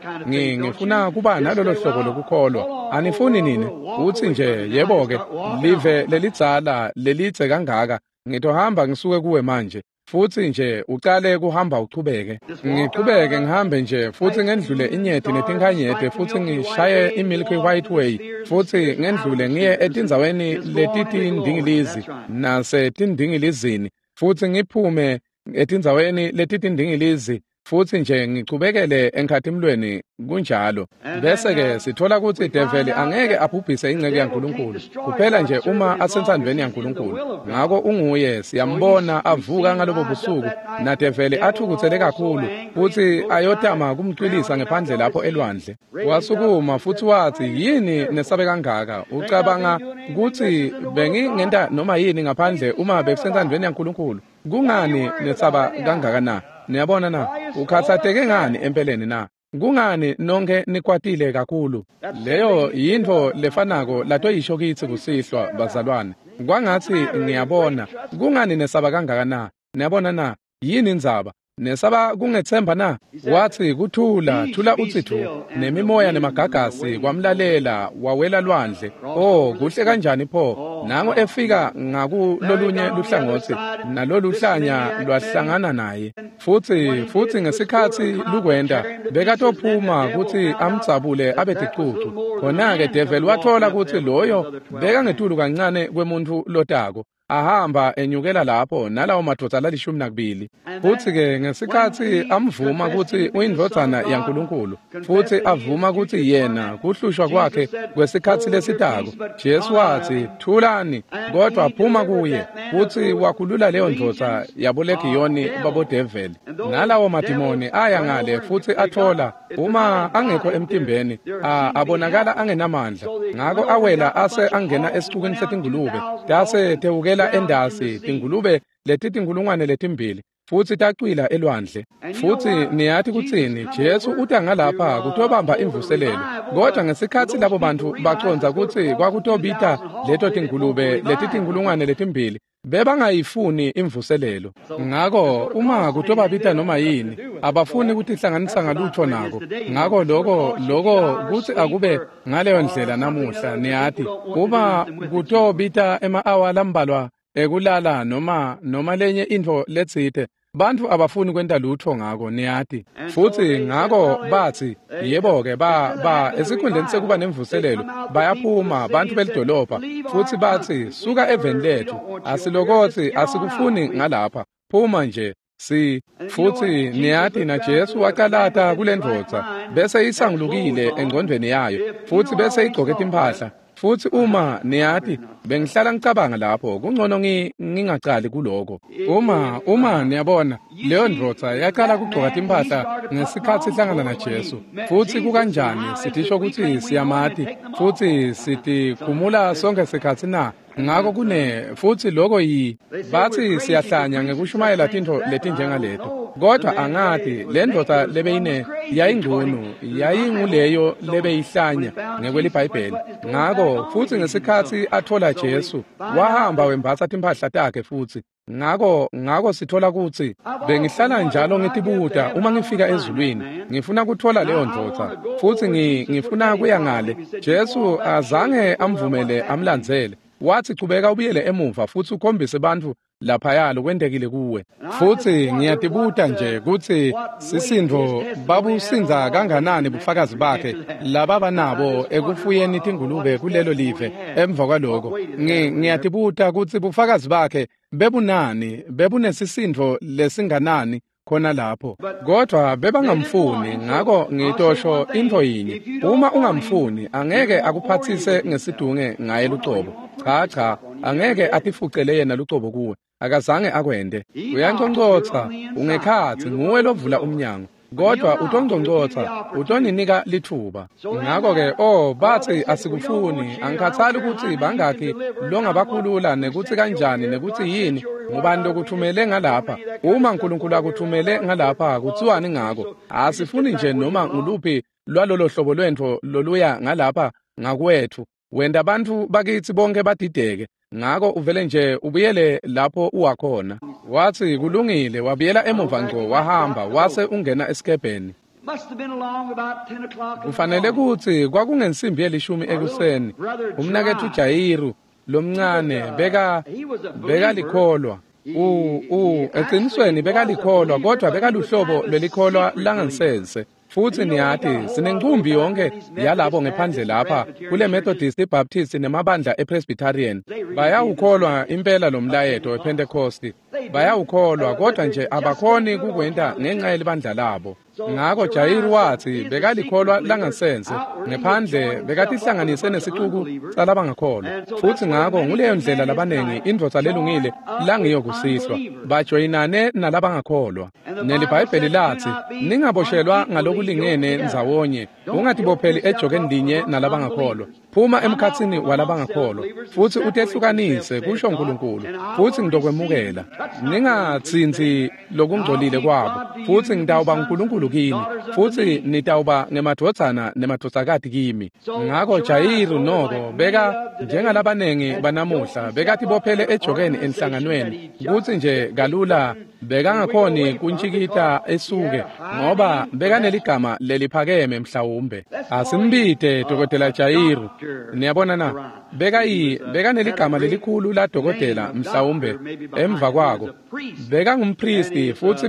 ngifuna kuba nalolo hlobo lokukholwa. Anifuni nini? Uthi nje yebo-ke, live lelidzala lelidze kangaka, ngitohamba ngisuke kuwe manje. Futhi nje ucale kuhamba uchubeke. Ngichubeke ngihambe nje futhi ngendlule inyeti netinkhanyete futhi ngishaye iMilky White Way futhi ngendlule ngiye etindzaweni letitindingilizi nasetindingilizini futhi ngiphume etindzaweni letitindingilizi futhi nje ngichubekele enkhatimlweni kunjalo. Bese-ke sithola ukuthi develi angeke abhubhise ingceke yaNkulunkulu kuphela nje uma asensandvweni yaNkulunkulu. Ngako unguye, siyambona avuka ngalobo busuku nadeveli athukuthele kakhulu futhi ayotama kumcwilisa ngephandle lapho elwandle. Wasukuma futhi wathi, yini nesabe kangaka? Ucabanga ukuthi bengingenta noma yini ngaphandle uma bekusensandvweni yaNkulunkulu? Kungani nesaba kangaka na? Niyabona na? Ukhathatheke ngani empeleni na? Kungani nonke nikwatile kakhulu? Leyo yintfo lefanako latoyisho kitsi kusihlwa bazalwane. Kwangatsi ngiyabona, kungani nesaba kangaka na? Niyabona na? Yini indzaba? Nesaba kungethemba na? Wathi kuthula, thula uthi thu, nemimoya nemagagasi kwamlalela wawela lwandle. Oh, kuhle kanjani pho? Nango efika ngakulolunye luhlangothi, nalolu hlanya lwahlangana naye. Futhi ngesikhatsi lukwenda, bekatophuma kutsi amdzabule abe ticucu. Khona-ke develi wathola kutsi loyo bekangetulu kancane kwemuntfu lotako. Ahamba enyukela lapho nalawo madvodza la12. Futhi-ke ngesikhatsi amvuma kutsi uyindvodzana yaNkulunkulu, futhi avuma kutsi yena kuhlushwa kwakhe kwesikhatsi lesitako, Jesu wathi, thulani, kodwa phuma kuye. Futhi wakhulula leyo ndvodza yabolegiyoni babodeveli. Nalawo madimoni aya ngale futhi athola uma angekho emtimbeni, abonakala angenamandla. Ngako awela ase angena esicukweni setingulube, tase tewukela endasi tingulube letitinkulungwane letimbili futhi tacwila elwandle. Futhi niyati kutsini? Jesu uta ngalapha kutobamba imvuselelo. Kodwa ngesikhatsi labo bantu baconza kutsi kwakutobita leto tingulube letitinkulungwane letimbili, bebangayifuni imvuselelo. Ngako uma kutobabita noma yini, abafuni kutihlanganisa ngalutho nako. Ngako loko kutsi akube ngaleyo ndlela namuhla. Niyati, uma kutobita ema-awa lambalwa ekulala noma lenye intfo letsite, bantfu abafuni kwenta lutho ngako, niyati. Futhi ngako bathi, yebo-ke, ba esikhundleni sekuba nemvuselelo, bayaphuma bantfu belidolobha futhi bathi, suka eveni lethu, asilokotsi, asikufuni ngalapha, phuma nje. Futhi niyati na Jesu wacalata kule ndvodza bese isangulukile engcondvweni yayo futhi bese igcoke timphahla. Futhi uma niyati, bengihlala ngicabanga lapho, kungcono ngingacali kuloko. Uma niyabona, leyo ndvodza yaqala kugcoka timphahla ngesikhatsi ihlangana naJesu. Futhi kukanjani sitisho kutsi siyamati futhi sitikhumula sonke sikhatsi na? Ngako futhi loko bathi siyahlanya ngekushumayela tintfo letinjengaleto. Kodwa angati, le ndvodza lebeyine yayingcunu, yayinguleyo lebeyihlanya ngekweliBhayibheli. Ngako futhi ngesikhatsi athola Jesu, wahamba wembatsa timphahla takhe futhi. Ngako sithola kutsi bengihlala njalo ngitibuta uma ngifika ezulwini, ngifuna kuthola leyo ndvodza futhi ngifuna kuya ngale. Jesu azange amvumele amlandzele. Wathi chubeka ubuyele emuva futhi ukhombise bantfu laphaya lokwentekile kuwe. Futhi ngiyatibuta nje kutsi sisindvo babusindza kanganani bufakazi bakhe lababa nabo ekufuyeni tingulube kulelo live emva kwaloko. Ngiyatibuta kutsi bufakazi bakhe bebunani, bebunesisindvo lesinganani khona lapho. Kodwa bebangamfuni. Ngako ngitosho intfo yinye, uma ungamfuni angeke akuphathise ngesidunge ngaye lucobo. Cha, angeke atifucele yena lucobo kuwe. Akazange akwente. Uyanconcocha, ungekhatsi, nguwe lovula umnyango. Kodwa utongcongcotha, utoninika lithuba. Ngakho-ke, bathi asikufuni, angikhathali ukuthi bangakhi longabakhulula nekuthi kanjani nekuthi yini, ngubani lokuthumele ngalapha. Uma uNkulunkulu akuthumele ngalapha, kuthiwani ngako? Asifuni nje noma nguluphi lwalolo hlobo lwentfo loluya ngalapha ngakwethu. Wenta bantfu bakithi bonke badideke. Ngako uvele nje ubuyele lapho uwakhona. Wathi kulungile, wabuyela emuva ngco, wahamba wase ungena esikebheni. Kufanele kutsi kwakungensimbi yelishumi ekuseni. Umnaketfu Jayiru lomncane bekalikholwa. Eqinisweni bekalikholwa, kodwa bekaluhlobo lwelikholwa langansense. Futhi niyati sinencumbi yonke yalabo ngephandle lapha kule Methodist, iBaptist nemabandla ePresbyterian. Bayawukholwa impela lo mlayeto wePentecost, bayawukholwa, kodwa nje abakhoni kukwenta ngenxa yelibandla labo. Ngako Jayiru wathi bekalikholwa langasense, ngephandle bekatihlanganise nesicuku salabangakholwa. Futhi ngako nguleyo ndlela labanengi indvodza lelungile langiyo kusihlwa, bajoyinane nalabangakholwa. NeliBhayibheli lathi ningaboshelwa ngalokulingene ndzawonye, ungatibopheli ejokeni linye nalabangakholwa. Phuma emkhatsini walabangakholwa futhi utehlukanise, kusho uNkulunkulu, futhi ngitokwemukela. Ningatsintsi lokungcolile kwabo, futhi ngitawuba uNkulunkulu kini, futhi nitawuba ngemadvodzana nemadvodzakati kimi. Ngako Jayiru noko beka njengalabanengi banamuhla, bekatibophele ejokeni enhlanganweni, kutsi nje kalula bekangakhoni kuntjikita esuke, ngoba bekaneligama leliphakeme mhlawumbe. Asimbite Dokotela Jayiru. Niyabona na? Bekaneligama lelikhulu la dokotela mhlawumbe emva kwako. Bekangumpristi futhi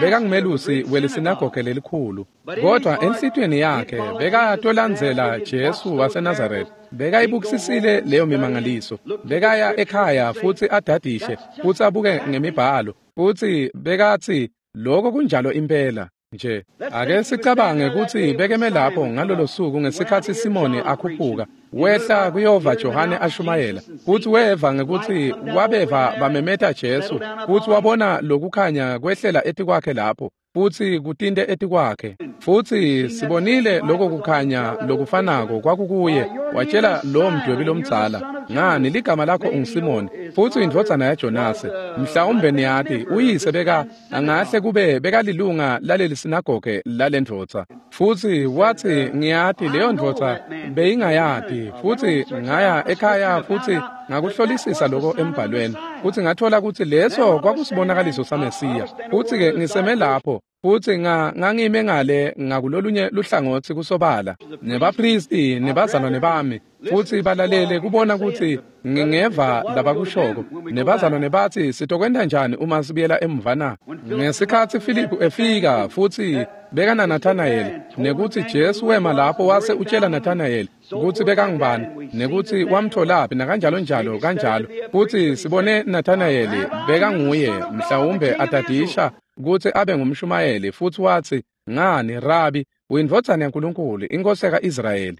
bekangumelusi welisinagoge lelikhulu. Kodwa enhlitiyweni yakhe bekatolandzela Jesu waseNazaretha. Bekayibukisisile leyo mimangaliso. Bekaya ekhaya futhi adadishe futhi abuke ngemibhalo. Futhi bekathi lokho kunjalo impela. Nje ake sicabange ukuthi bekeme lapho ngalolo suku ngesikhathi Simoni akhuphuka wehla kuyova Johane ashumayela, futhi weva ngekuthi wabeva bamemeta Jesu, futhi wabona lokukhanya kwehlela etikwakhe lapho futhi kutinte etikwakhe. Futhi sibonile lokho kukhanya lokufanako kwakukuye. Watshela lo mdwebi lomdzala, ngani ligama lakho unguSimoni futhi indvodzana yaJonase. Mhlawumbe niyati uyise beka angahle kube bekalilunga laleli sinagoge lalendvodza. Futhi wathi ngiyati leyo ndvodza beyingayati, futhi ngaya ekhaya futhi ngakuhlolisisa lokho embhalweni, futhi ngathola ukuthi leso kwakusibonakaliso saMesiya. Futhi ke ngiseme lapho futhi ngangime ngale ngakulolunye luhlangothi kusobala nebapristi nebazalwane bami, futhi balalele kubona ukuthi ngingeva labakushoko. Nebazalwane bathi sitokwenta njani uma sibuyela emuva na? Ngesikhathi Philip efika futhi bekana Nathanael, nekuthi Jesu wema lapho wase utshela Nathanael ukuthi bekangubani nekuthi wamtholaphi nakanjalo njalo kanjalo. Futhi sibone Nathanael bekanguye mhlawumbe atadisha ukuthi abe ngumshumayeli, futhi wathi ngani Rabi, uyindvodzana yaNkulunkulu, inkosi yaka-Israyeli.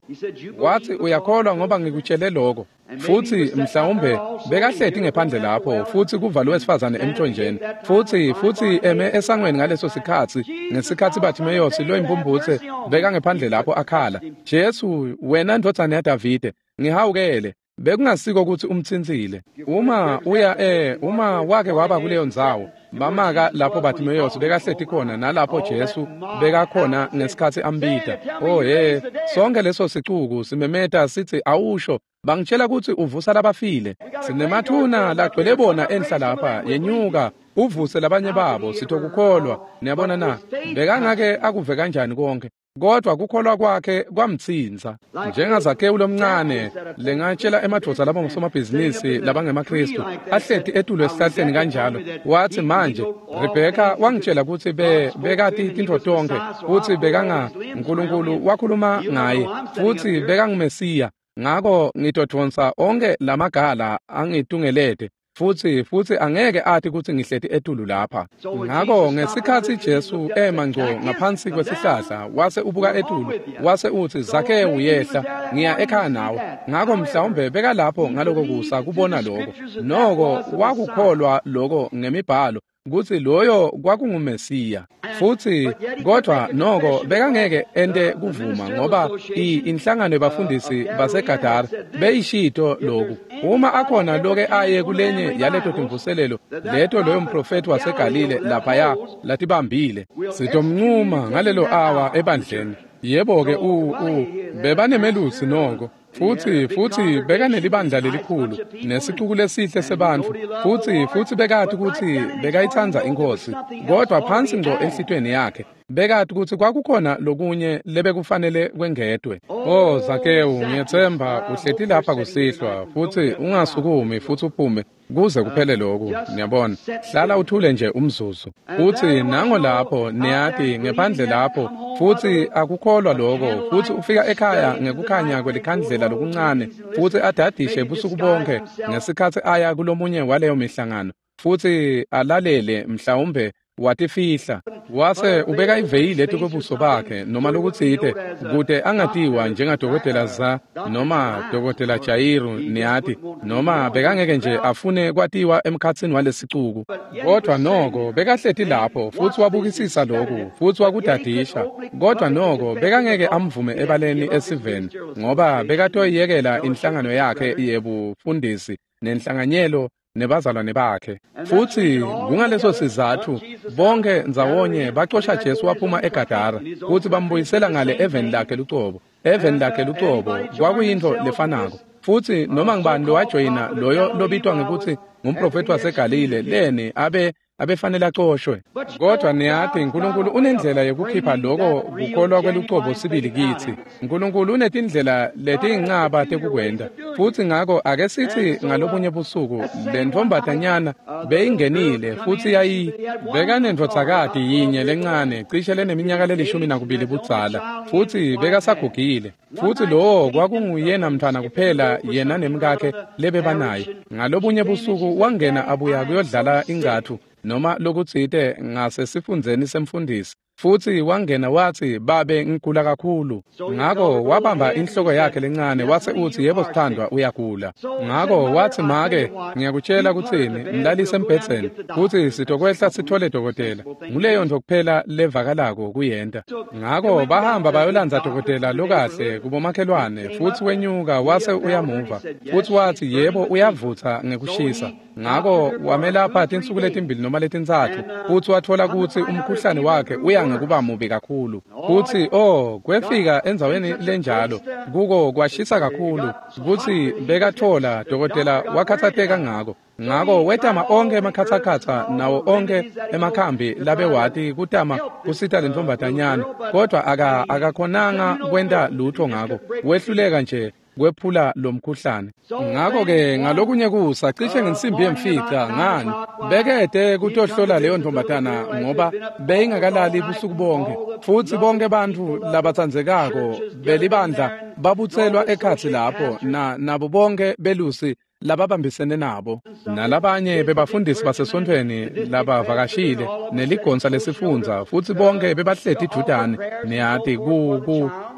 Wathi uyakholwa ngoba ngikutshele lokho. Futhi mhlawumbe bekahleti ngephandle lapho futhi kuvalwe wesifazane emthonjeni, futhi eme esangweni ngaleso sikhathi ngesikhathi Bartimaeus lo impumputhe bekangephandle lapho akhala, Jesu wena ndvodzana yaDavide ngihawukele. Bekungasiko ukuthi umthintsile. Uma uya uma wake waba kuleyo ndzawo, bamaka lapho Bartimaeus bekahleti khona nalapho Jesu bekakhona ngesikhathi ambita. Oh hey, sonke leso sicuku simemeta sithi awusho, bangitshela ukuthi uvusa labafile. Sinemathuna lagcwele bona enhla lapha, yenyuka uvuse labanye babo sitokukholwa. Niyabona na? Bekangake akuve kanjani konke, kodwa kukholwa kwakhe kwamtsinza. NjengaZakewu lomncane lengatshela emadvodza labo ngosomabhizinisi labangemaKristu ahleti etulo esihlahleni kanjalo, wathi manje Rebheka wangitshela ukuthi bekati tintfo tonkhe, futhi bekanga uNkulunkulu wakhuluma ngaye, futhi bekanguMesiya, ngako ngitodvonsa onke lamagala angitungelete. Futsi angeke ati kutsi ngihleti etulu lapha. Ngako ngesikhatsi Jesu ema ngco ngaphansi kwesihlahla, wase ubuka etulu, wase utsi, Zakewu yehla, ngiya ekhaya nawe. Ngako mhlawumbe bekalapho ngaloko kusa kubona lokho. Noko wakukholwa lokho ngemibhalo kutsi loyo kwakunguMesiya. Futsi kodwa noko bekangeke ente kuvuma ngoba inhlangano yebafundisi baseGadara beyishito lokhu. Uma akhona loke aye kulenye yaleto timvuselelo leto loyo mprofethi waseGalile laphaya latibambile, sitomncuma ngalelo awa ebandleni. Yebo-ke bebanemelusi noko. Futsi bekanelibandla lelikhulu nesicuku lesihle sebantfu, futsi bekati kutsi bekayitsandza iNkhosi, kodwa phansi ngco enhlitiyweni yakhe bekati kutsi kwakukhona lokunye lebekufanele kwengedwe. Oh Zakewu, ngiyetsemba uhleti lapha kusihlwa, futsi ungasukumi futsi uphume kuze kuphele lokhu. Niyabona, hlala uthule nje umzuzu. Futsi nango lapho, niyati, ngephandle lapho, futsi akukholwa lokho, futsi ufika ekhaya ngekukhanya kwelikhandlela lokuncane, futsi adadishe busuku bonke ngesikhatsi aya kulomunye waleyo mihlangano, futsi alalele mhlawumbe watifihla, wase ubeka iveyili etikwebuso bakhe noma lokutsite kute angatiwa njengadokotela Za noma dokotela Jayiru, niyati, noma bekangeke nje afune kwatiwa emkhatsini walesicuku. Kodwa noko bekahleti lapho futsi wabukisisa lokhu futsi wakudadisha, kodwa noko bekangeke amvume ebaleni esiveni ngoba bekatoyiyekela inhlangano yakhe yebufundisi nenhlanganyelo nebazalwane bakhe. Futsi kungaleso sizatfu bonke ndzawonye bacosha Jesu waphuma eGadara futsi bambuyisela ngale eveni lakhe lucobo. Eveni lakhe lucobo kwakuyintfo lefanako. Futsi noma ngubani lowajoyina loyo lobitwa ngekutsi ngumprofethi waseGalile leni abefanele acoshwe. Kodwa niyati, uNkulunkulu unendlela yekukhipha loko kukholwa kwelucobo sibili kitsi. uNkulunkulu unetindlela letiyincaba tekukwenta. Futsi ngako ake sithi ngalobunye busuku le ntombazanyana beyingenile futsi bekanendvodzakati yinye lencane cishe leneminyaka le12 budzala, futsi bekasagugile. Futsi lowo kwakunguyena mntfwana kuphela yena nemkakhe lebebanaye. Ngalobunye busuku wangena abuya kuyodlala ingcathu noma lokutsite ngasesifundzeni semfundisi, futsi wangena watsi, babe ngigula kakhulu. Ngako wabamba inhloko yakhe lencane wase utsi, yebo sithandwa, uyagula. Ngako watsi, make, ngiyakutshela kutsini, mlalise embhedzeni futsi sitokwehla sithole dokotela. Nguleyo nto kuphela levakalako kuyenta. Ngako bahamba bayolandza dokotela lokahle kubomakhelwane, futsi wenyuka wase uyamuva futsi watsi, yebo uyavutsa ngekushisa. Ngako wamelapha tinsuku letimbili noma letintsatfu, futsi watfola kutsi umkhuhlane wakhe uya ngekuba mubi kakhulu. Futsi kwefika endzaweni lenjalo kuko kwashisa kakhulu kutsi bekatfola dokotela wakhatsateka ngako. Ngako wetama onkhe emakhatsakhatsa nawo onkhe emakhambi labewati kutama kusita lentombazanyana, kodwa akakhonanga kwenta lutho ngako, wehluleka nje kwephula lomkhuhlane. Ngako-ke ngalokunye kusa cishe ngensimbi yemfica ngani bekete kutohlola leyo ntombazana ngoba beyingakalali busuku bonke, futsi bonke bantfu labatsandzekako belibandla babutselwa ekhatsi lapho nabo bonke belusi lababambisene nabo nalabanye bebafundisi basesontfweni labavakashile neligonsa lesifundza, futsi bonke bebahleti idvutane, niyati,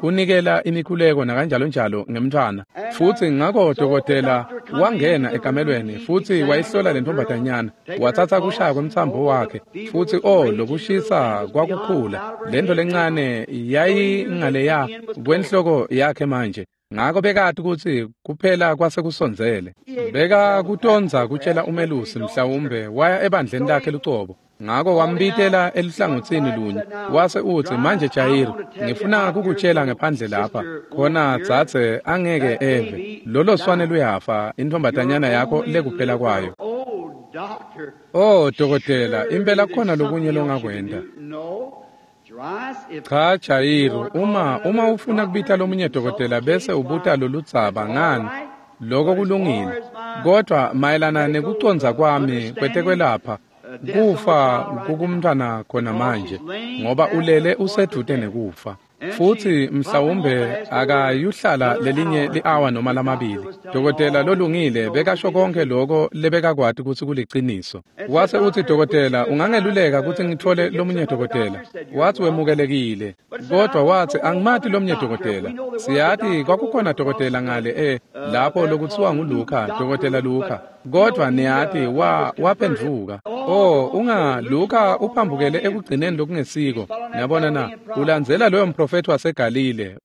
kunikela imikhuleko nakanjalo njalo ngemntfwana. Futsi ngako dokotela wangena ekamelweni futsi wayihlola le ntombazanyana, watsatsa kushaya kwemtsambo wakhe, futsi lokushisa kwakukhula. Lento lencane yayingaleya kwenhloko yakhe manje. Ngako bekati kutsi kuphela kwasekusondzele. Beka kutondza kutshela umelusi, mhlawumbe waya ebandleni lakhe lucobo. Ngako wambitela eluhlangotsini lunye wase utsi, manje Jayiru, ngifuna kukutshela ngephandle lapha khona dzadze angeke eve lolo swane luyafa, intombazanyana yakho lekuphela kwayo. Oh dokotela, impela khona lokunye longakwenta. Cha Jayiru, uma ufuna kubita lomunye dokotela bese ubuta loludzaba ngani, lokho kulungile. Kodwa mayelana nekucondza kwami kwetekwelapha, kufa kukumntfwana khona manje, ngoba ulele usedvute nekufa. Futhi mhlawumbe akayuhlala lelinye li-awa noma lamabili. Dokotela lolungile bekasho konke lokho lebekakwati kutsi kuliciniso. Wase uthi, dokotela, ungangeluleka kutsi ngithole lomunye dokotela? Wathi wemukelekile. Kodwa wathi, angimati lomunye dokotela. Siyati kwakukhona dokotela ngale lapho lokutsiwa nguLuka, dokotela Luka. Kodwa niyati waphendvuka. Oh, Luka uphambukele ekugcineni lokungesiko. Niyabona na? Ulandzela loyo mprofethi waseGalile.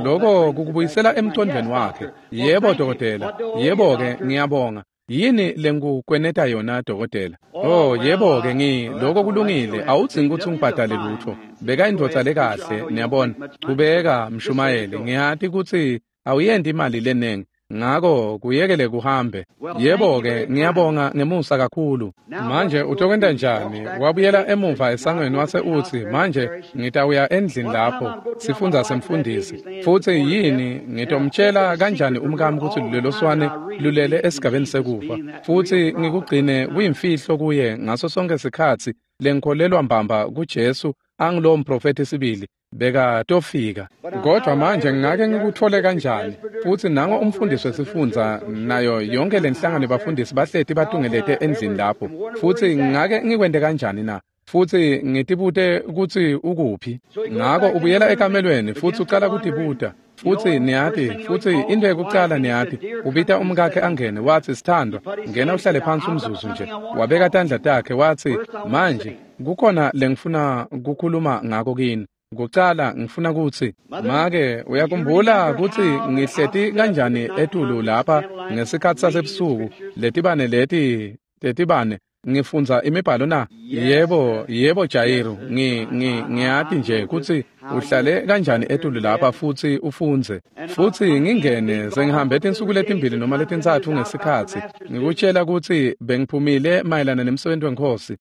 Lokho kukubuyisela emcondvweni wakhe. Yebo dokotela. Yebo ke, ngiyabonga. Yini lengikweneta yona dokotela? Oh, yebo ke, lokho kulungile. Awudzingi kutsi ungibhadale lutho. Beka indvodza lekahle, niyabona. Chubeka mshumayeli. Ngiyati kutsi awuyenti imali lenengi. Ngako kuyekele kuhambe. Yebo-ke, ngiyabonga ngemusa kakhulu. Manje utokwenta njani? Wabuyela emuva esangweni wase utsi, manje ngitawuya endlini lapho sifundza semfundisi. Futsi yini ngitomtshela kanjani umkami kutsi lelo swane lulele esigabeni sekufa? Futsi ngikugcine kuyimfihlo kuye ngaso sonke sikhatsi lengikholelwa mbamba kuJesu angulowo mprofethi sibili. Beka tofika. Kodwa manje ngake ngikuthole kanjani? Futhi nango umfundisi wesifundza nayo yonke lenhlangano bafundisi bahleti batungelete endlini lapho. Futhi ngake ngikwente kanjani na? Futhi ngitibute kutsi ukuphi. Ngako ubuyela ekamelweni futhi ucala kutibuta. Futhi niyati, futhi into yokucala niyati, ubita umkakhe angene, wathi, sithandwa, ngena uhlale phansi umzuzu nje. Wabeka tandla takhe wathi, manje kukhona lengifuna kukhuluma ngako kini. Kucala ngifuna kutsi, make, uyakhumbula kutsi ngihleti kanjani etulu lapha ngesikhatsi sasebusuku, letibane leti tetibane, ngifundza imibhalo na? Yebo, yebo Jairo, ngiyati nje kutsi uhlale kanjani etulu lapha futsi ufundze. Futsi ngingene sengihambe tinsuku letimbili noma letintsatfu ngesikhatsi ngikutshela kutsi bengiphumile mayelana nemsebenzi weNkhosi.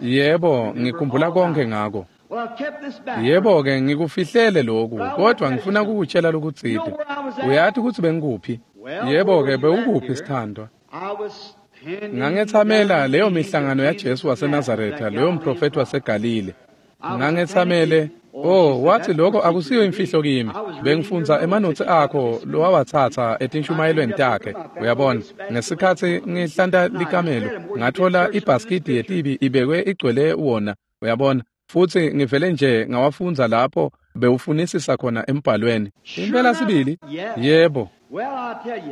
Yebo, ngikhumbula konke ngako. Yebo-ke, ngikufihlele lokhu, kodwa ngifuna kukutshela lokutsite. Uyati kutsi bengikuphi? Yebo-ke, bewukuphi sithandwa? Ngangetsamela leyo mihlangano yaJesu waseNazaretha, leyo mprofethi waseGalile. Ngangetsamele, oh, wathi lokho akusiyo imfihlo kimi. Bengifundza emanotsi akho lowawatsatsa etinshumayelweni takhe. Uyabona, ngesikhatsi ngihlanta likamelo, ngathola ibhaskidi yetibi ibekwe igcwele wona. Uyabona? Futhi ngivele nje ngawafundza lapho bewufunisisa khona embhalweni. Impela sibili? Yebo.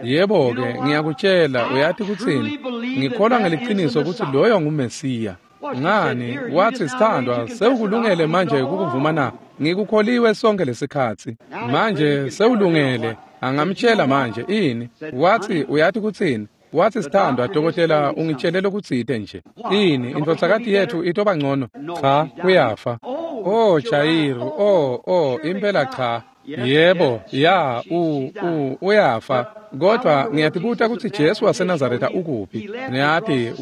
Yebo-ke, ngiyakutshela, uyati kutsini? Ngikholwa ngeliqiniso kutsi loyo nguMesiya. Ngani? Wathi, sithandwa, sewukulungele manje kukuvuma na? Ngikukholiwe sonke lesikhatsi. Manje sewulungele. Angamtshela manje ini? Wathi, uyati kutsini? Wathi, sithandwa, dokotela ungitshele lokutsite nje. Ini, indvodzakati yethu itoba ngcono? Cha, uyafa. Oh, Jairo, oh, impela cha. Yebo, ya, uyafa. Kodwa ngiyatibuta kutsi Jesu waseNazaretha ukuphi. Niyati,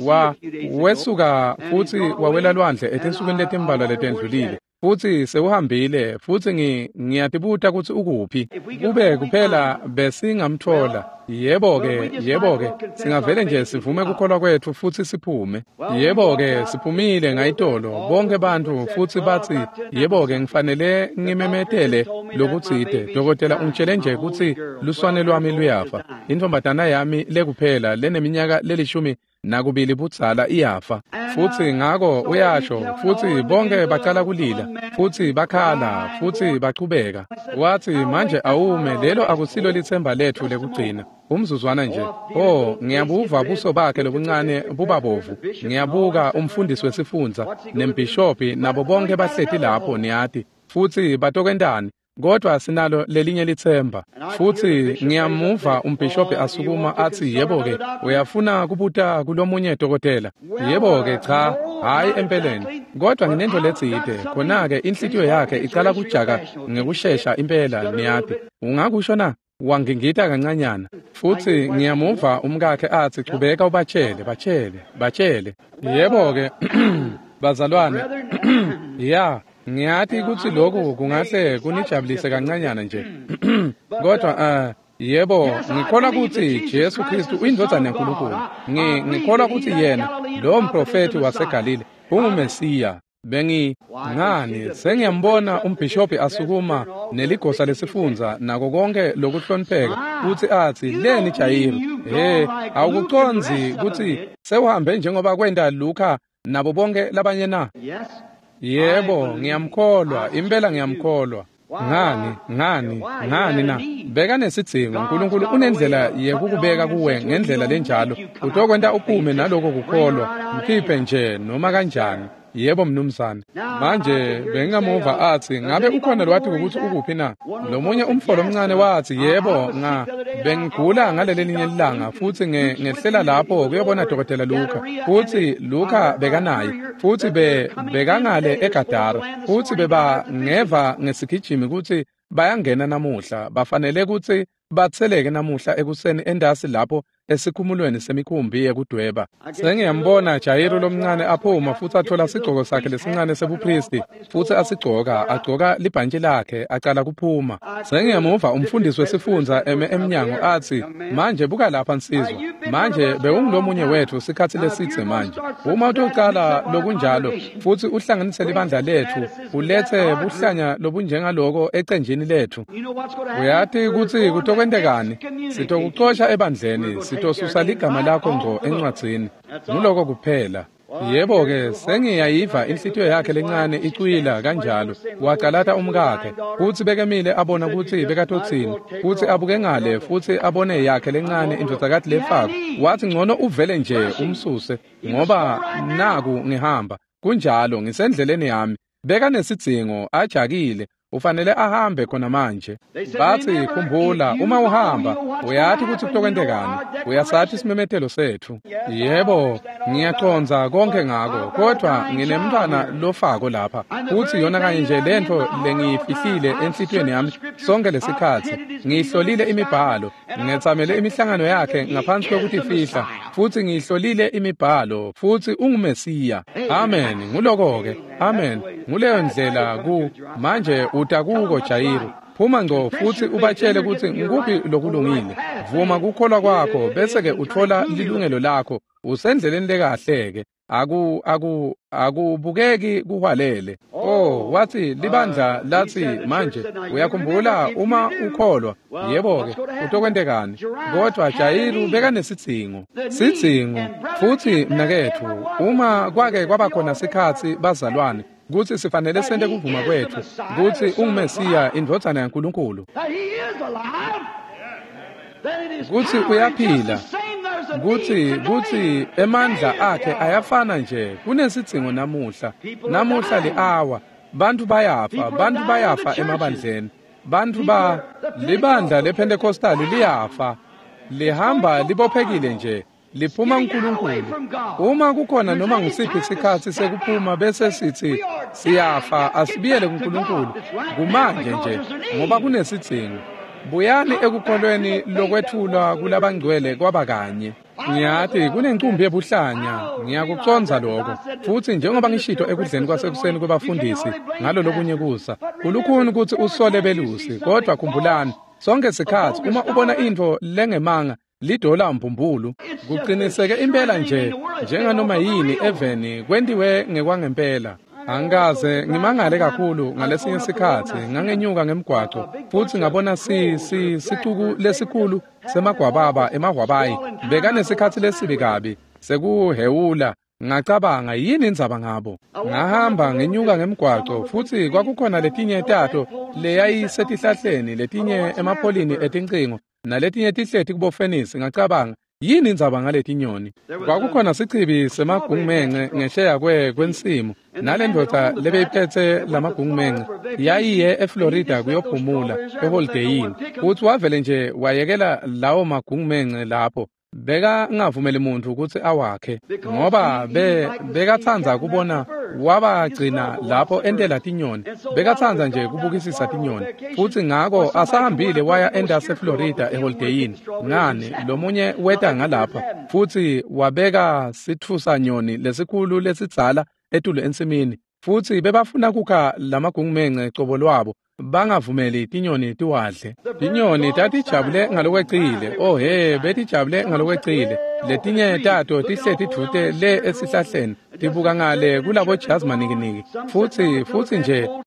wesuka futsi wawela lwandle etinsukwini letimbalwa letendlulile. Futsi sewuhambile, futsi ngiyatibuta kutsi ukuphi. Kube kuphela besingamthola. Yebo-ke, yebo-ke, singavele nje sivume kukholwa kwetfu futsi siphume. Yebo-ke, siphumile ngayitolo, bonke bantfu futsi batsi, yebo-ke, ngifanele ngimemetele lokutsite. Dokotela ungitshele nje kutsi luswane lwami luyafa. Intfombatana yami lekuphela leneminyaka 12 budzala iyafa. Futsi ngako uyasho, futsi bonke bacala kulila, futsi bakhala, futsi bachubeka. Wathi, manje awume, lelo akusilo litsemba letfu lekugcina. Umzuzwana nje. Oh, ngiyabuva buso bakhe lobuncane bubabovu. Ngiyabuka umfundisi wesifundza nembhishobhi nabo bonke bahleti lapho niyati. Futsi batokwentani? Kodwa sinalo lelinye litsemba. Futsi ngiyamuva umbhishobhi asukuma athi, yebo-ke, uyafuna kubuta kulomunye dokotela? Yebo-ke, cha, hhayi empeleni. Kodwa nginento letsite. Khona-ke inhlitiyo yakhe icala kujaka ngekushesha impela, niyati. Ungakusho na? Wangingita kancanyana. Futsi ngiyamuva umkakhe athi, chubeka ubatshele, batshele, batshele. Yebo-ke, bazalwane, ya. Ngiyati kutsi lokhu kungahle kunijabulise kancanyana nje. Kodwa yebo, ngikholwa kutsi Jesu Kristu uyindvodzana yaNkulunkulu. Ngikholwa kutsi yena, lowo mprofethi waseGalile, unguMesiya. Bengi ngani sengiyambona umbhishobhi asukuma neligosa lesifundza nako konke lokuhlonipheka kutsi atsi leni Jayiru, he awukucondzi kutsi sewuhambe njengoba kwenta Luka nabo bonke labanye na? Yebo, ngiyamkholwa, impela ngiyamkholwa. Ngani na? Beka nesidzingo. uNkulunkulu unendlela yekukubeka kuwe ngendlela lenjalo. Utokwenta uphume naloko kukholwa. Mkhiphe nje noma kanjani. Yebo mnumzane. Manje bengingamuva atsi ngabe ukhona lwati ukuthi ukuphi na? Lomunye umfolo omncane wathi yebo bengigula ngalelelinye ilanga futhi ngehlela lapho kuyobona Dokotela Luka. Futhi Luka bekanaye futhi bekangale eGadara futhi beba ngeva ngesigijimi ukuthi bayangena namuhla, bafanele ukuthi batseleke namuhla ekuseni endasi lapho esikhumulweni semikhumbi yekudweba. Sengiyambona Jayiru lomncane aphuma futhi athola sigcoko sakhe lesincane sebupristi futhi asigcoka, agcoka libhantshi lakhe acala kuphuma. Sengiyamuva umfundisi wesifundza eme emnyango athi manje buka lapha nsizwa, manje bewungulomunye wethu sikhathi lesitse manje. Uma utocala lokunjalo futhi uhlanganise libandla lethu, ulethe buhlanya lobunjengaloko ecenjini lethu, uyati kutsi kutokwentekani? Sitokucosha ebandleni, sitosusa ligama lakho ngco encwadzini. Nguloko kuphela. Yebo-ke, sengiyayiva inhlitiyo yakhe lencane icwila kanjalo. Wacalata umkakhe futsi bekemile abona kutsi bekatotsini, futsi abuke ngale futsi abone yakhe lencane indvodzakati lefako. Wathi ngcono uvele nje umsuse ngoba naku ngihamba. Kunjalo, ngisendleleni yami. Bekanesidzingo, ajakile. Ufanele ahambe khona manje. Bathi khumbula, uma uhamba uyati kutsi kutokwentekani, uyasathi isimemetelo sethu. Yebo, ngiyacondza konke ngako, kodwa nginemntwana lofako lapha futsi yona kanye nje lentfo lengiyifihlile enhlitiyweni yami sonke lesikhatsi. Ngiyihlolile imibhalo, ngetsamele imihlangano yakhe ngaphansi kwekutifihla, futsi ngiyihlolile imibhalo, futsi unguMesiya. Amen. Nguloko-ke. Amen. Nguleyo ndlela ku manje utakuko Jayiru. Phuma ngco futhi ubatshele kutsi ngikuphi lokulungile. Vuma kukholwa kwakho bese-ke uthola lilungelo lakho. Usendleleni lekahle-ke. Akubukeki kuhwalele. Oh, wathi libandla lathi manje uyakhumbula uma ukholwa. Yebo-ke, utokwentekani? Kodwa Jayiru bekanesidzingo. Sidzingo. Futhi mnaketfu, uma kwake kwabakhona sikhatsi bazalwane kutsi sifanele sente kuvuma kwethu kutsi unguMesiya indvodzana yaNkulunkulu, kutsi uyaphila, kutsi emandla akhe ayafana nje. Kunesidzingo namuhla. Namuhla li-awa, bantu bayafa, bantu bayafa emabandleni, bantu ba libandla lePentecostal liyafa, lihamba libophekile nje, liphuma uNkulunkulu. Uma kukhona noma ngusiphi isikhatsi sekuphuma bese sithi siyafa, asibiyele kuNkulunkulu kumanje nje, ngoba kunesidzingo. Buyani ekukholweni lokwethulwa kulabangcwele kwaba kanye. Ngiyati kunencumbi yebuhlanya, ngiyakucondza lokho. Futhi njengoba ngishito ekudleni kwasekuseni kwebafundisi ngalo lokunye kusa, kulukhuni kutsi usole belusi, kodwa khumbulani sonke sikhatsi uma ubona intfo lengemanga lidola mbumbulu, kuqiniseke impela nje njenganoma yini eveni kwentiwe ngekwangempela. Angikaze ngimangale kakhulu ngalesinye sikhatsi ngangenyuka ngemgwaco futsi ngabona sicuku lesikhulu semagwababa emahwabayi bekanesikhatsi lesibi kabi sekuhewula. Ngacabanga yini indzaba ngabo? Ngahamba ngenyuka ngemgwaco futsi kwakukhona letinye tato leyayisetihlahleni, letinye emapholini etincingo, naletinye tihleti kubofenisi. Ngacabanga yini indzaba ngaletinyoni? Kwakukhona sichibi semagungumence ngesheya kwensimu, nalendvodza lebeyiphethe lamagungumence yayiye eFlorida kuyophumula eholideyini, futsi wavele nje wayekela lawo magungumence lapho. Bekangavumeli muntu kutsi awakhe ngoba bekatsandza kubona wabagcina lapho entela tinyoni, bekatsandza nje kubukisisa tinyoni. Futsi ngako asahambile waya endase Florida eholideyini, ngani lomunye weta ngalapha futsi wabeka sitfusanyoni lesikhulu lesidzala etulu ensimini, futsi bebafuna kukha lamagungumence cobo lwabo. Bangavumeli tinyoni tiwadle. Tinyoni tatijabule ngalokwecile. Oh he, betijabule ngalokwecile. Letinye tato tihleti dvute le esihlahleni tibuka ngale kulabo jazz manikiniki. Futsi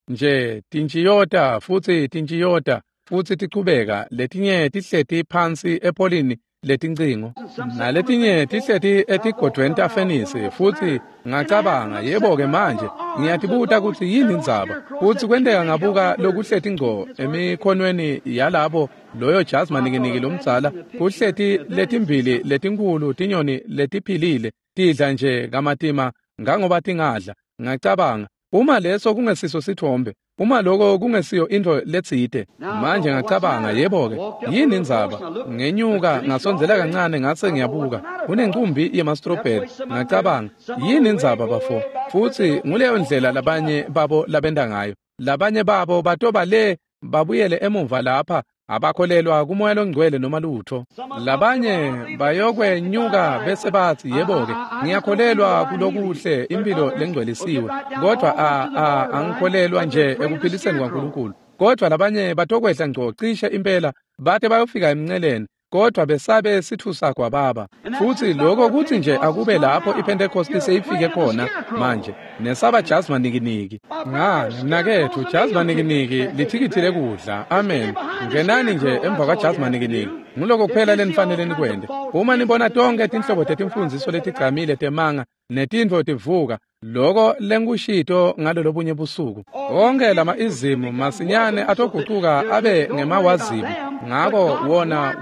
nje tintjiyota futsi tintjiyota futsi tichubeka. Letinye tihleti phansi epholini letincingo, naletinye tihleti etigodvweni tafenisi. Futsi ngacabanga, yebo-ke manje ngiyatibuta kutsi yini indzaba. Futsi kwenteka ngabuka lokuhleti ngco emikhonweni yalabo loyo jazz manikiniki lomdzala, kuhleti letimbili letinkhulu tinyoni letiphilile tidla nje kamatima ngangoba tingadla. Ngacabanga, uma leso kungesiso sithombe, uma lokho kungesiyo into letsite. Manje ngacabanga, yebo-ke, yini indzaba? Ngenyuka ngasondzela kancane ngase ngiyabuka, kunencumbi yema-strawberry. Ngacabanga, yini indzaba bafo? Futsi nguleyo ndlela labanye babo labenta ngayo. Labanye babo batoba le babuyele emuva lapha, abakholelwa kumoya longcwele noma lutho. Labanye bayokwenyuka bese bathi, yebo-ke, ngiyakholelwa kulokuhle impilo lengcwelisiwe, kodwa angikholelwa nje ekuphiliseni kwaNkulunkulu. Kodwa labanye batokwehla ngco cishe impela bate bayofika emnceleni, kodwa besabe sithusa kwababa. Futsi lokho kuthi nje akube lapho iPentecost seyifike khona manje, nesaba jazz manikiniki. Ngani mnaketfu, jazz manikiniki lithikithi lekudla. Amen. Ngenani nje emva kwa jazz manikiniki. Nguloko kuphela lenifanele nikwente. Uma nibona tonke tinhlobo tetimfundziso letigcamile temanga netintfo tivuka, loko lengikushito ngalolobunye busuku. Onke lama izimu masinyane atogucuka abe ngemawazimu. Ngako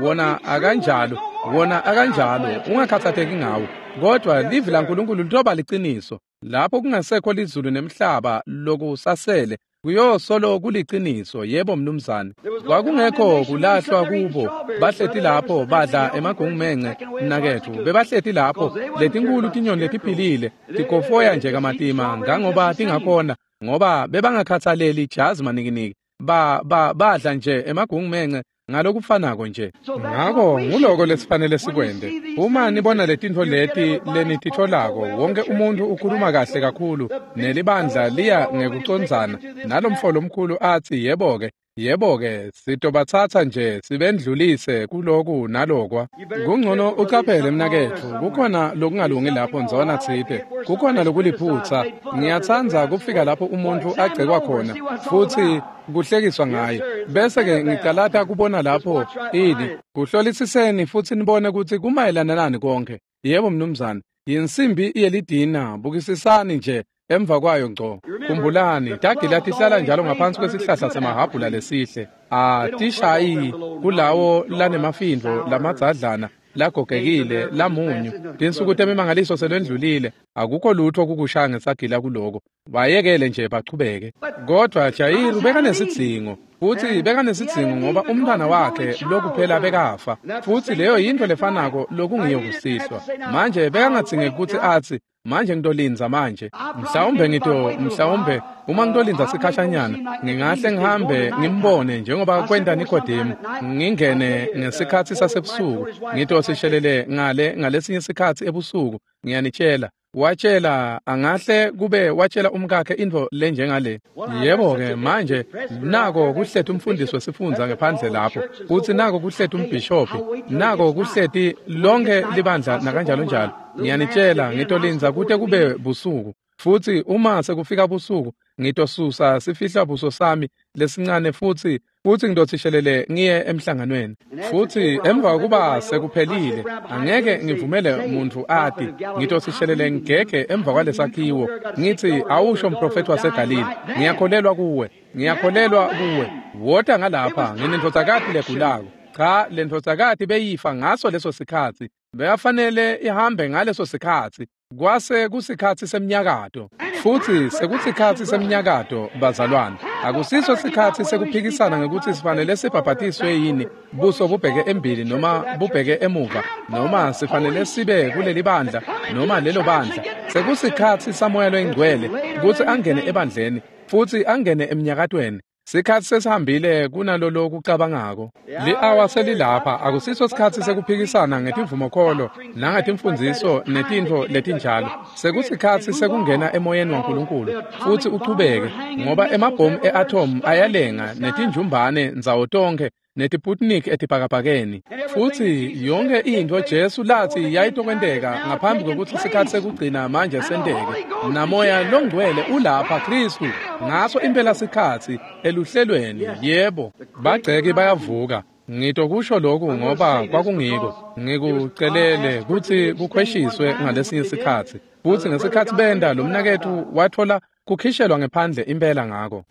wona akanjalo, wona akanjalo, ungakhathatheki ngawo. Kodwa livi laNkulunkulu litoba liciniso. Lapho kungasekho lizulu nemhlaba lokusasele, kuyosolo kuliciniso. Yebo mnumzane. Kwakungekho kulahlwa kubo. Bahleti lapho badla emagungumence mnaketfu. Bebahleti lapho letinkulu tinyoni letiphilile tikofoya nje kamatima ngangoba tingakhona, ngoba bebangakhathaleli jazz manikiniki. Badla nje emagungumence ngalokufanako nje. Ngako nguloko lesifanele sikwente. Uma nibona letintfo leti lenititfolako, wonke umuntu ukhuluma kahle kakhulu nelibandla liya ngekucondzana nalomfo lomkhulu athi, yebo-ke, yebo-ke, sitobatsatsa nje sibendlulise kuloku nalokwa. Kungcono ucaphele mnaketfu, kukhona lokungalungi lapho ndzona tsite, kukhona lokuliphutsa. Ngiyatsandza kufika lapho umuntu agcekwa khona futsi kuhlekiswa ngaye, bese-ke ngicalata kubona lapho ini. Kuhlolisiseni futsi nibone kutsi kumayelana nani konke. Yebo mnumzane, yinsimbi yelidina, bukisisani nje emva kwayo ngco. Khumbulani, tagila tihlala njalo ngaphansi kwesihlahla semahabhula lesihle. Atishayi kulawo lanemafindvo lamadzadlana lagogekile lamunyu. Tinsuku temimangaliso selwendlulile, akukho lutho kukushaya ngesagila kuloko. Bayekele nje bachubeke. Kodwa Jayiru bekanesidzingo, futsi bekanesidzingo ngoba umntwana wakhe lokuphela bekafa. Futsi leyo yintfo lefanako lokungiyo kusihlwa. Manje bekangadzingeki kutsi atsi, manje ngitolindza manje. Mhlawumbe uma ngitolindza sikhashanyana, ngingahle ngihambe ngimbone njengoba kwenta Nikodemu, ngingene ngesikhatsi sasebusuku, ngitosishelele ngale ngalesinye sikhatsi ebusuku. Ngiyanitshela, watshela, angahle kube watshela umkakhe intfo lenjengale. Yebo-ke manje nako kuhleti umfundisi wesifundza ngephandle lapho, futsi nako kuhleti umbhishophi, nako kuhleti lonke libandla nakanjalo njalo. Ngiyanitshela, ngitolindza kute kube busuku. Futsi uma sekufika busuku, ngitosusa sifihla buso sami lesincane futsi ngitothishelele ngiye emhlanganweni. Futsi emva kokuba sekuphelile, angeke ngivumele umuntu ati, ngitothishelele ngigege emva kwalesakhiwo, ngithi, awusho mprofethi waseGalile, ngiyakholelwa kuwe, ngiyakholelwa kuwe. Wota ngalapha, nginendvodzakati legulako. Cha, lendvodzakati beyifa ngaso leso sikhatsi. Beyafanele ihambe ngaleso sikhatsi. Kwase kusikhatsi semnyakato. Futsi sekusikhatsi semnyakato, bazalwane. Akusiso sikhatsi sekuphikisana ngekutsi sifanele sibhabhatiswe yini, buso bubheke embili noma bubheke emuva, noma sifanele sibe kuleli bandla noma lelo bandla. Sekusikhatsi saMoya loyiNgcwele kutsi angene ebandleni futsi angene emnyakatweni. Sikhatsi sesihambile kunalolo kucabangako. Li-awa selilapha, akusiso sikhatsi sekuphikisana ngetivumokholo nangetimfundziso netintfo letinjalo. Sekusikhatsi sekungena emoyeni waNkulunkulu futsi uchubeke, ngoba emabhomu e-atom ayalenga netinjumbane ndzawo tonkhe netiputnik etibhakabhakeni. Futsi yonke intfo Jesu latsi yayitokwenteka ngaphambi kwekutsi sikhatsi sekugcina manje senteke. Namoya longcwele ulapha Khristu ngaso impela sikhatsi eluhlelweni. Yebo, bagceki bayavuka. Ngitokusho lokhu ngoba kwakungiko. Ngikucelele kutsi kukhweshiswe ngalesinye sikhatsi. Futsi ngesikhatsi benda lo mnaketfu wathola kukhishelwa ngephandle impela ngako.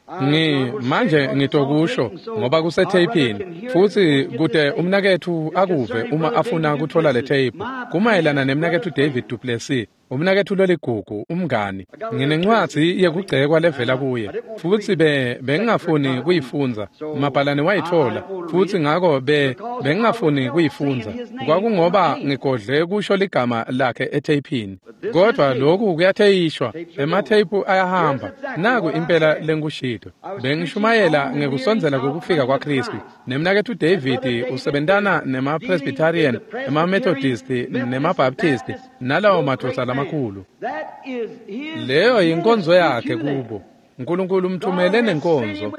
Manje ngitokusho ngoba kusetheyiphini, futsi kute umnaketfu akuve uma afuna kuthola le tape. Kumayelana nemnaketfu David duPlessis, umnaketfu loligugu, umngani. Nginencwadzi yekugcekwa levela kuye, futsi bengingafuni kuyifundza. Mabhalane wayitfola, futsi ngako bengingafuni kuyifundza. Kwakungoba ngigodle kusho ligama lakhe etheyiphini. Kodwa lokhu kuyatheyishwa, ematheyiphu ayahamba. Naku impela lengikushito. Bengishumayela ngekusondzela kokufika kwaKhristu. Nemnaketfu David usebentana nema-Presbyterian, ema-Methodist, nema-Baptist, nalawo madvodza lamakhulu. Leyo yinkonzo yakhe kubo. Nkulunkulu umthumele nenkonzo.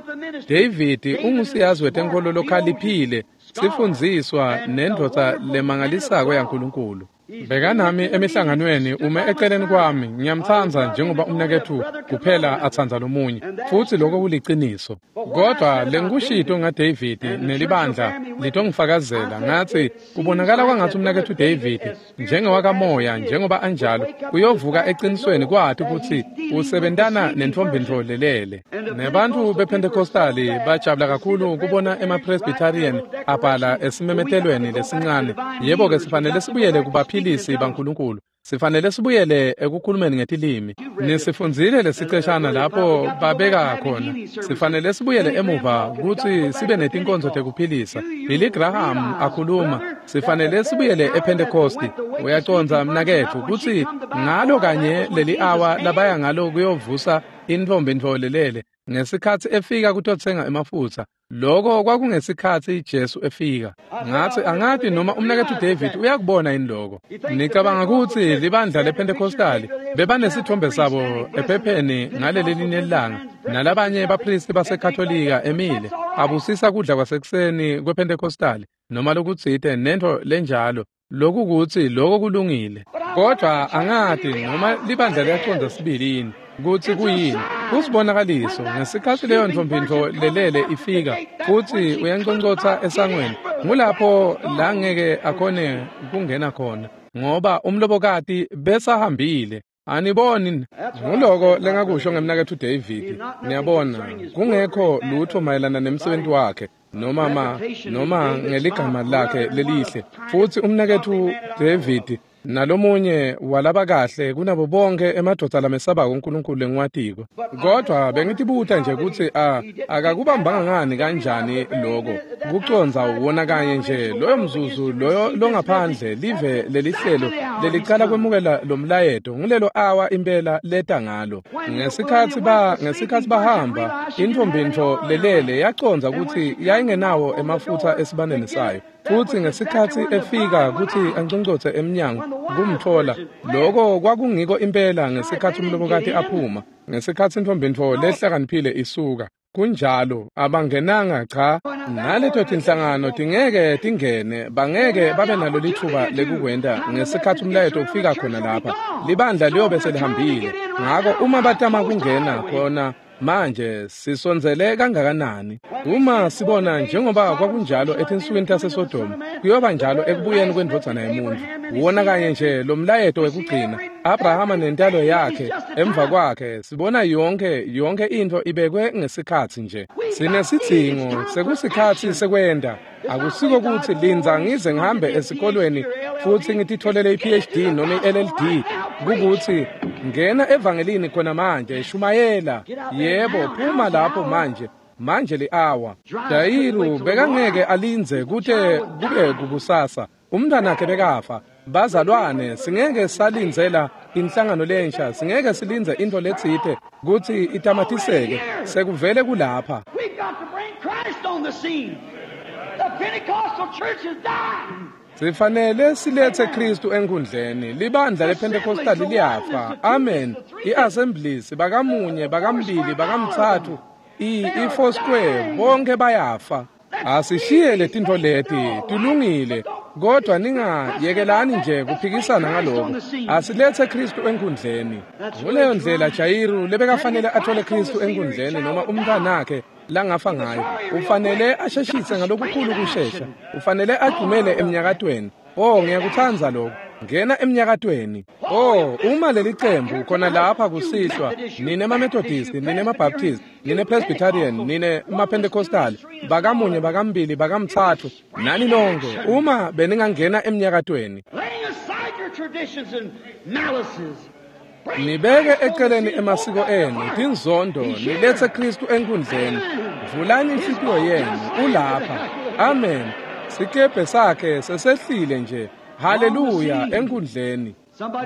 David ungusiyazi wetenkholo lokhaliphile, sifundziswa nendvodza lemangalisako yaNkulunkulu. Bekanami emihlanganweni ume eceleni kwami, ngiyamtsandza njengoba umnaketfu kuphela atsandza lomunye, futsi lokho kuliciniso. Kodwa lengikushito ngaDavid nelibandla litongifakazela, ngatsi kubonakala kwangatsi umnaketfu David njengewakamoya njengoba anjalo kuyovuka eqinisweni kwati kutsi usebentana nentfombi lelele. Nebantfu bePentecostali bajabula kakhulu kubona ema-Presbyterian abhala esimemetelweni lesincane. Yebo-ke, sifanele sibuyele kubaphilisi baNkulunkulu. Sifanele sibuyele ekukhulumeni ngetilimi. Nisifundzile lesiceshana lapho babeka khona. Sifanele sibuyele emuva kutsi sibe netinkonzo tekuphilisa. Billy Graham akhuluma. Sifanele sibuyele ePentecosti. Uyacondza mnaketfu kutsi ngalo kanye leli awa labaya ngalo kuyovusa intfombi lelele ngesikhatsi efika kutotsenga emafutsa. Lokho kwakungesikhatsi Jesu efika. Ngatsi angati noma umnaketfu David uyakubona yini lokho. Nicabanga kutsi libandla lePentecostali bebanesithombe sabo ephepheni ngaleli linye lilanga nalabanye baphristi baseKatolika emile abusisa kudla kwasekuseni kwePentecostali noma lokutsite nentfo lenjalo. Lokhu kutsi lokho kulungile. Kodwa angati noma libandla liyacondza sibili yini kutsi kuyini. Kusibonakaliso ngesikhatsi leyo ntfombi lelele ifika futsi uyanconcotsa esangweni, ngulapho la ngeke akhone kungena khona ngoba umlobokati besahambile. Aniboni? Nguloko lengakusho ngemnaketfu David. Niyabona, kungekho lutho mayelana nemsebenzi wakhe noma ngeligama lakhe lelihle. Futsi umnaketfu David nalomunye walabakahle kunabo bonke emadvodza lamesabako uNkulunkulu lengiwatiko. Kodwa bengitibuta nje kutsi akakubambanga ngani kanjani lokho kucondza wona kanye nje loyo mzuzu loyo longaphandle live lelihlelo lelicala kwemukela lo mlayeto ngulelo awa impela leta ngalo. Ngesikhatsi bahamba, intfombi lelele yacondza kutsi yayingenawo emafutsa esibaneni sayo. Futsi ngesikhatsi efika kutsi anconcotse emnyango kumtfola, lokho kwakungiko impela ngesikhatsi umlobokati aphuma, ngesikhatsi intfombi lehlakaniphile isuka. Kunjalo, abangenanga cha. Naleto tinhlangano tingeke tingene, bangeke babe nalo lithuba lekukwenta ngesikhatsi umlayeto ufika khona lapha. Libandla liyobe selihambile. Ngako uma batama kungena khona manje sisondzele kangakanani? Uma sibona njengoba kwakunjalo etinsukwini taseSodoma, kuyoba njalo ekubuyeni kwendvodzana yemuntfu. Wona kanye nje lo mlayeto wekugcina, Abrahama nentalo yakhe emva kwakhe, sibona yonke intfo ibekwe ngesikhatsi nje. Sinesidzingo sekusikhatsi sekwenda. Akusiko kutsi lindza ngize ngihambe esikolweni futsi ngititfolele i-PhD noma i-LLD. Kukutsi ngena evangelini khona manje, shumayela. Yebo, phuma lapho manje. Manje li-awa. Jayiru bekangeke alindze kute kube kukusasa. Umntwanakhe bekafa. Bazalwane, singeke salindzela inhlangano lensha, singeke silindze intfo letsite kutsi itamatiseke, sekuvele kulapha. We've got to bring Christ on the scene. The Pentecostal church is dying. Sifanele siletse Kristu enkundleni. Libandla lePentecostal liyafa. Amen. I-Assemblies bakamunye, bakambili, bakamtsatfu, i-Four Square bonke bayafa. Asishiye letintfo leti, tilungile, kodwa ningayekelani nje kuphikisana ngaloko. Asiletse Kristu enkundleni. Nguleyo ndlela Jayiru lebekafanele athole Kristu enkundleni noma umntwanakhe langafa ngayo. Ufanele asheshise ngalokukhulu kushesha. Ufanele adumele emnyakatweni. Oh, ngiyakutsandza lokho. Ngena emnyakatweni. Oh, uma leli cembu khona lapha kusihlwa, nine ma-Methodist, nine ma-Baptist, nine Presbyterian, nine ma-Pentecostal, bakamunye, bakambili, bakamtsatfu, nani nonke, uma beningangena emnyakatweni. Laying aside your traditions and malices. Bring Nibeke Christ on the eceleni scene. emasiko Open enu, heart. tinzondo, He's here. niletse Kristu enkundleni. Vulani inhlitiyo yenu, ulapha. Amen. Sikebhe sakhe sesehlile nje. Haleluya enkundleni.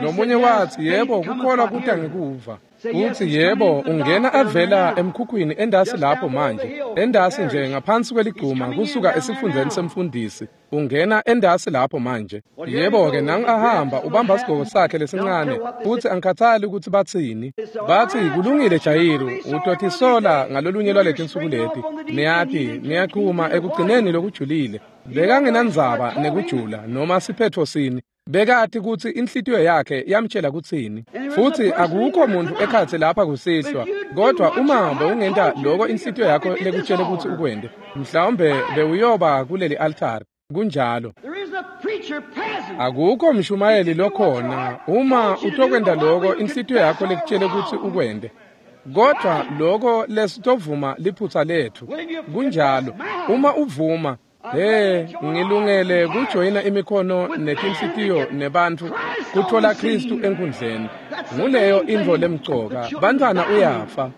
Lomunye wathi yebo, kukholwa kuta ngekuva. Uthi yebo, ungena avela emkhukhwini endasi lapho manje. Endasi nje ngaphansi kweliguma kusuka esifundzeni semfundisi. Ungena endasi lapho manje. Yebo-ke nangu ahamba ubamba sigqoko sakhe lesincane futhi angikhathali ukuthi bathini. Bathi kulungile Jayiru, utotisola ngalolunye lwaletinsuku leti. Niyati, niyaqhuma ekugcineni lokujulile. Bekangenandzaba nekujula noma siphetfo sini. Bekati kutsi inhlitiyo yakhe yamtshela kutsini. Futhi akukho muntu ekhatsi lapha kusihlwa, kodwa uma bewungenta loko inhlitiyo yakho lekutshele kutsi ukwente, mhlawumbe bewuyoba kuleli altari. Kunjalo. There isn't a preacher present. Akukho mshumayeli lokhona uma utokwenta loko inhlitiyo yakho lekutshele kutsi ukwente. Kodwa loko lesitovuma liphutsa letfu. Kunjalo. Uma uvuma, hey, ngilungele kujoyina imikhono netinhlitiyo nebantfu kutfola Kristu enkundleni. Nguleyo intfo lemcoka. Bantfwana uyafa.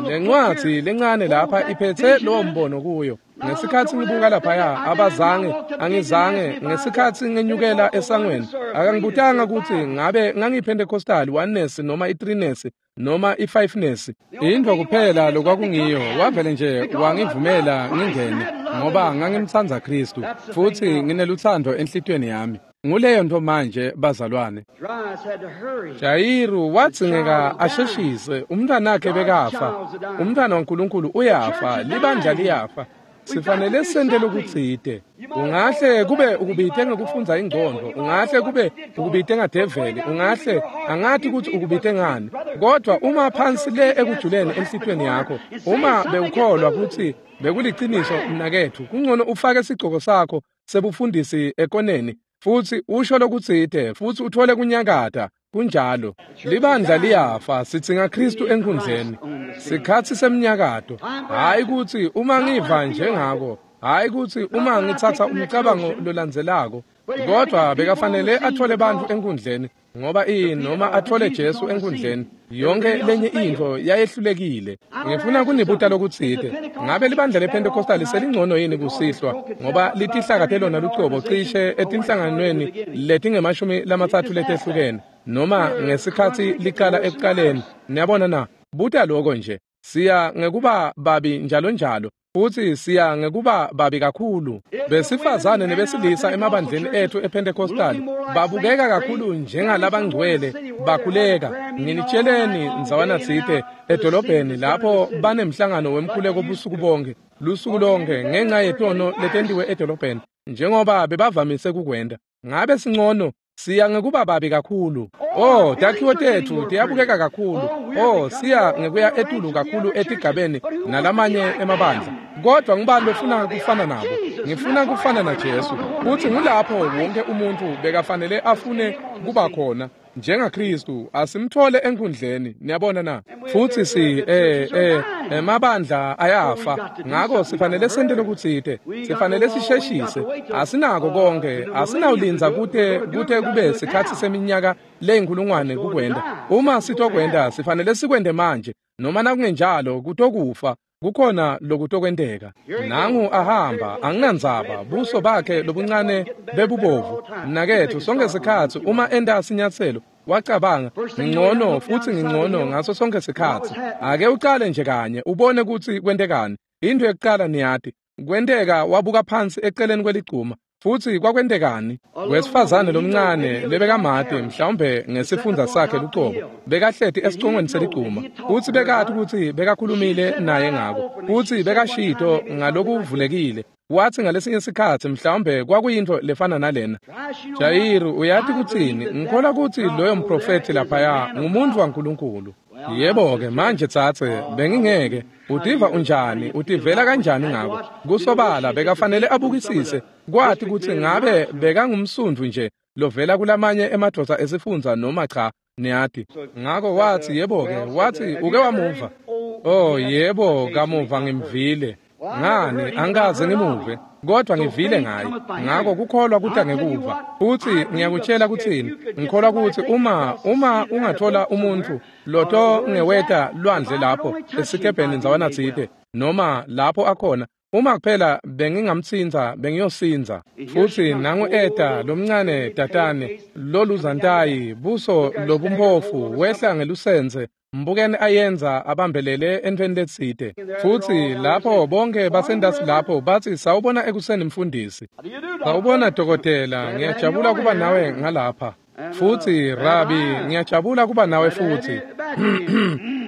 Lencwadzi lencane lapha iphethe lowo mbono kuyo. Ngesikhatsi ngibuka laphaya, abazange, angizange, ngesikhatsi ngenyukela esangweni, akangibutanga kutsi ngabe ngangiyiPentecostal oneness noma i-threeness noma i-fiveness. Intfo kuphela lokwakungiyo, wavele nje wangivumela ngingene, ngoba ngangimtsandza Kristu, futsi nginelutsandvo enhlitiyweni yami. Nguleyo nto manje bazalwane. Jairus had to hurry. Jayiru wadzingeka asheshise, umntwanakhe bekafa. Umntwana waNkulunkulu uyafa, libandla liyafa. Sifanele sente lokutsite. Ungahle kube ukubite ngekufundza ingcondvo, ungahle kube ukubite ngadeveli, ungahle angati kutsi ukubite ngani. Kodwa uma phansi le ekujuleni enhlitiyweni yakho, uma bewukholwa kutsi bekuliciniso mnaketfu, kungcono ufake sigcoko sakho sebufundisi ekoneni futsi usho lokutsite futsi uthole kunyakata. Kunjalo. Libandla liyafa, sidzinga Kristu enkundleni. Sikhatsi semnyakato. Hayi kutsi uma ngiva njengako, hayi kutsi uma ngitsatsa umcabango lolandzelako, kodwa bekafanele athole bantfu enkundleni ngoba noma athole Jesu enkundleni. Yonke lenye intfo yayehlulekile. Ngifuna kunibuta lokutsite. Ngabe libandla lePentecostal selingcono yini kusihlwa ngoba litihlakate lona lucobo cishe etinhlanganweni letingemashumi lamatsatfu letehlukene noma ngesikhatsi liqala ekuqaleni? Niyabona na? Buta loko nje. Siya ngekuba babi njalo njalo, futsi siya ngekuba babi kakhulu. Besifazane nebesilisa emabandleni etfu ePentecostal babukeka kakhulu njengalabangcwele bakhuleka. Nginitsheleni ndzawana tsite edolobheni lapho banemhlangano wemkhuleko busuku bonke, lusuku lonke ngenca yetono letentiwe edolobheni, njengoba bebavamise kukwenta. Ngabe singcono? Siya ngekuba babi kakhulu. Oh, takhiwo tetfu tiyabukeka kakhulu. Oh, siya ngekuya etulu kakhulu etigabeni nalamanye emabandla. Kodwa ngubani lofuna kufana nabo? Ngifuna kufana na Jesu. Futsi ngulapho wonke umuntu bekafanele afune kuba khona. NjengaKristu asimthole enkundleni, niyabona na? Futsi si emabandla ayafa. Ngako sifanele sente lokutsite, sifanele sisheshise. Asinako konke, asinawulindza kute kube sikhatsi seminyaka leyinkulungwane kukwenta. Uma sitokwenta, sifanele sikwente manje, noma nakungenjalo kutokufa. Kukhona lokutokwenteka. Nangu ahamba, anginandzaba, buso bakhe lobuncane bebubovu. Mnaketfu, sonke sikhatsi uma enta sinyatselo, Wacabanga, ngingcono futhi ngingcono ngaso sonke sikhatsi. Ake ucale nje kanye ubone kutsi kwentekani. Into yokuqala niyati, kwenteka wabuka phansi eceleni kweligcuma. Futhi kwakwentekani? Wesifazane lomncane lebekamati mhlawumbe ngesifundza sakhe lucobo, bekahleti esicongweni seligcuma. Futhi bekati kutsi bekakhulumile naye ngako. Futhi bekashito ngalokuvulekile. Wathi ngalesinye sikhatsi mhlawumbe kwakuyintfo lefana nalena. Jayiru, uyati kutsini? Ngikholwa kutsi loyo mprofethi laphaya ngumuntfu waNkulunkulu. Yebo-ke manje tsatse, bengingeke. Utiva unjani? Utivela kanjani ngako? Kusobala bekafanele abukisise kwati kutsi ngabe bekangumsundvu nje lovela kulamanye emadvodza esifundza noma cha, niyati. Ngako wathi yebo-ke, wathi uke wamuva. Oh yebo, kamuva ngimvile. Ngani angikaze ngimuve, kodwa ngivile ngaye. Ngako kukholwa kuta ngekuva. Futhi ngiyakutshela kutsini, ngikholwa kutsi uma ungathola umuntfu loto ngeweta lwandle lapho esikebheni ndzawana tsite noma lapho akhona, uma kuphela bengingamtsintsa bengiyosindza. Futhi nangu eta lomncane tatane loluzantayi, buso lobumphofu, wehla ngelusenze. Mbukeni ayenza abambelele entweni letsite. Futhi lapho bonke basendasi lapho bathi sawubona ekuseni mfundisi. Sawubona dokotela, ngiyajabula kuba nawe ngalapha. Futhi Rabi, ngiyajabula kuba nawe futhi.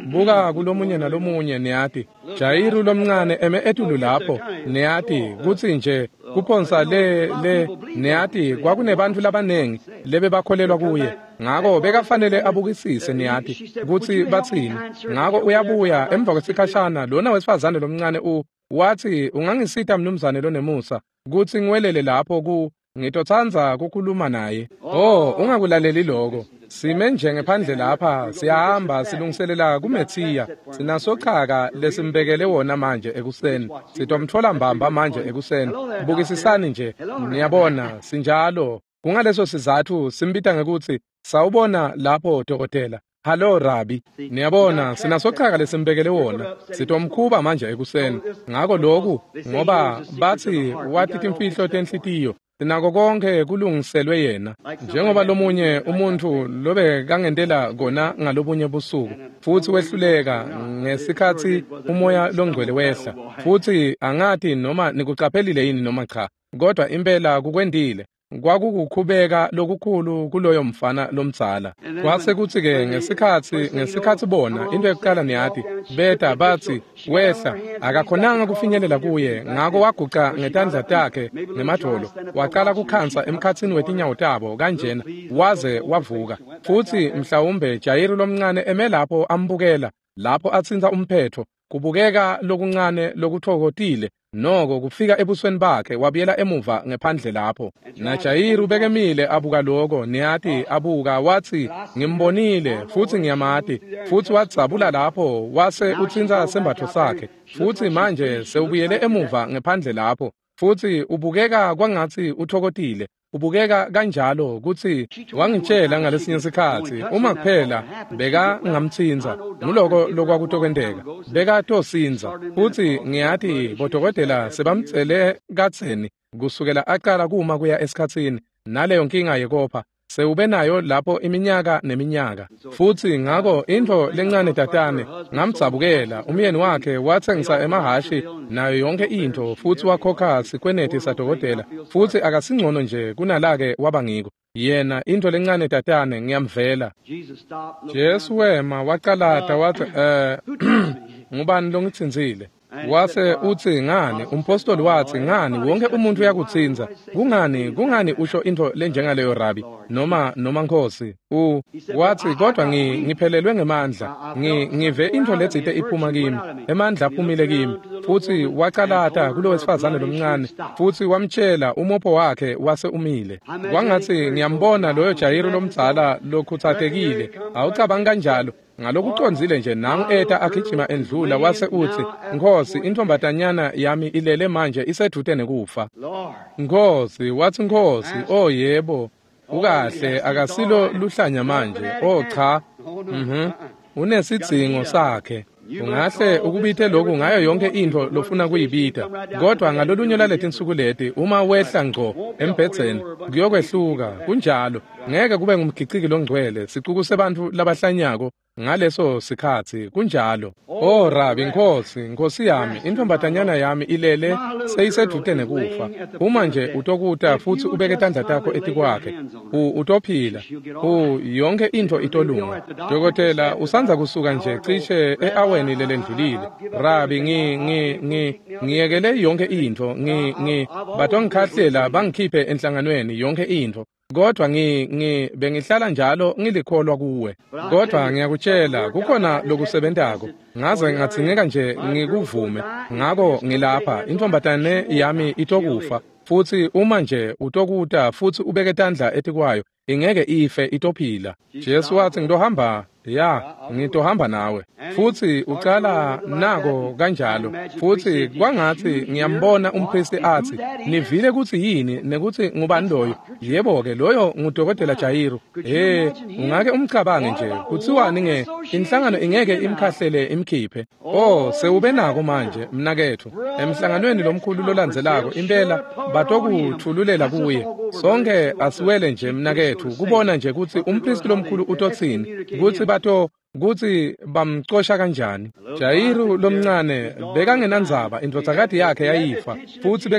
Buka kulomunye nalomunye niyati. Jayiru lomncane eme etulu lapho niyati kutsi nje kuphonsa le niyati kwakunebantfu labanengi lebebakholelwa kuye. Ngako bekafanele abukisise niyati kutsi batsini. Ngako uyabuya emva kwesikhashana lona wesifazane lomncane wathi ungangisita mnumzane lonemusa kutsi ngiwelele lapho ngitotsandza kukhuluma naye. Oh, ungakulaleli lokho. Sime nje ngephandle lapha, siyahamba silungiselela kuMethiya. Sinasochaka lesimbekele wona manje ekuseni. Sitomtfola mbamba manje ekuseni. Bukisisani nje, niyabona, sinjalo. Kungaleso sizatfu simbita ngekutsi sawubona lapho dokotela. Hallo Rabi, niyabona sinasochaka lesimbekele wona. Sitomkhuba manje ekuseni. Ngako lokhu ngoba bathi wathi timfihlo tenhlitiyo. Sinako konke kulungiselwe yena. Njengoba lomunye umuntfu lobe kangentela kona ngalobunye busuku futhi wehluleka ngesikhatsi umoya longcwele wehla. Futhi angati noma nikucaphelile yini noma cha, kodwa impela kukwendile. Kwakukukhubeka lokukhulu kuloyo mfana lomdzala. Kwase kutsi-ke ngesikhatsi bona into yokuqala niyati, beta bathi wehla, akakhonanga kufinyelela kuye, ngako waguca ngetandla takhe ngemadvolo, waqala kukhansa emkhatsini wetinyawo tabo kanjena, waze wavuka. Futhi mhlawumbe Jayiru lomncane eme lapho ambukela, lapho atsintsa umphetho, kubukeka lokuncane lokutfokotile noko kufika ebusweni bakhe, wabuyela emuva ngephandle lapho. NaJayiru bekemile abuka lokho, niyati abuka wathi ngimbonile futhi ngiyamati. Futhi wadzabula lapho wase utsintsa sembatfo sakhe. Futhi manje sewubuyele emuva ngephandle lapho. Futhi ubukeka kwangatsi uthokotile. Ubukeka kanjalo kutsi wangitshela ngalesinye sikhatsi uma kuphela bekangamtsintsa nguloko lokwakutokwenteka bekatosindza. Futhi ngiyati bodokotela sebamtsele kadzeni kusukela aqala kuma kuya esikhatsini naleyo nkinga yekopha sewube nayo lapho iminyaka neminyaka. Futhi ngako intfo lencane tatane ngamdzabukela. Umyeni wakhe watsengisa emahashi nayo yonke intfo futhi wakhokha sikweneti sadokotela futhi akasingcono nje kunalake waba ngiko. Yena intfo lencane tatane ngiyamvela. Jesu wema wacalata wathi ngubani longitsintsile? Wase utsi ngani? Umpostoli wathi ngani? Wonke umuntu uyakutsintsa. Kungani usho intfo lenjengaleyo Rabi noma Nkosi? Wathi kodwa ngiphelelwe ngemandla. Ngive intfo letsite iphuma kimi. Emandla aphumile kimi. Futhi wacalata kulo wesifazane lomncane futhi wamtshela umopho wakhe wase umile. Kwangatsi ngiyambona loyo Jayiru lomdzala lokhutsatekile. Awucabangi kanjalo? Ngalokucondzile nje nangu eta agijima endlula wase utsi Nkosi, intombatanyana yami ilele manje isedvute nekufa. Nkosi, wathi Nkosi, oh yebo, ukahle akasilo luhlanya manje. Oh cha. Unesidzingo sakhe. Ungahle ukubite lokhu ngayo yonke intfo lofuna kuyibita, kodwa ngalolunye laletinsuku leti uma wehla ngco embhedzeni kuyokwehluka. Kunjalo, ngeke kube ngumgiciki longcwele, sicuku sebantfu labahlanyako ngaleso sikhatsi. Kunjalo. Oh Rabi, Nkosi, Nkosi yami, intfombatanyana yami ilele seyisedvute nekufa. Uma nje utokuta futsi ubeke tandla takho etikwakhe, utophila. Yonke intfo itolunga. Dokotela usandza kusuka nje cishe e-aweni lelendlulile. Rabi, ngiyekele yonke intfo, batongikhahlela bangikhiphe enhlanganweni yonke intfo. Kodwa bengihlala njalo ngilikholwa kuwe. Kodwa ngiyakutshela kukhona lokusebentako. Ngaze ngadzingeka nje ngikuvume. Ngako ngilapha, intfombatane yami itokufa. Futsi uma nje utokuta futsi ubeke tandla etikwayo, ingeke ife, itophila. Jesu watsi ngitohamba, ya, ngitohamba nawe. Futsi ucala nako kanjalo. Futsi kwangatsi ngiyambona umpristi atsi, nivile kutsi yini nekutsi ngubani loyo? Yebo-ke, loyo ngudokotela Jairo. He, ungake umcabange nje, kutsiwani nge inhlangano ingeke imkhahlele imkhiphe. Oh, sewube nako manje, mnaketfu. Emhlanganweni lomkhulu lolandzelako, impela batokuthululela kuye. Sonke asiwele nje mnaketfu, kubona nje kutsi umpristi lomkhulu utotsini, kutsi kutsi bamcosha kanjani. Jairo lomncane bekangenandzaba, indvodzakati yakhe yayifa, futsi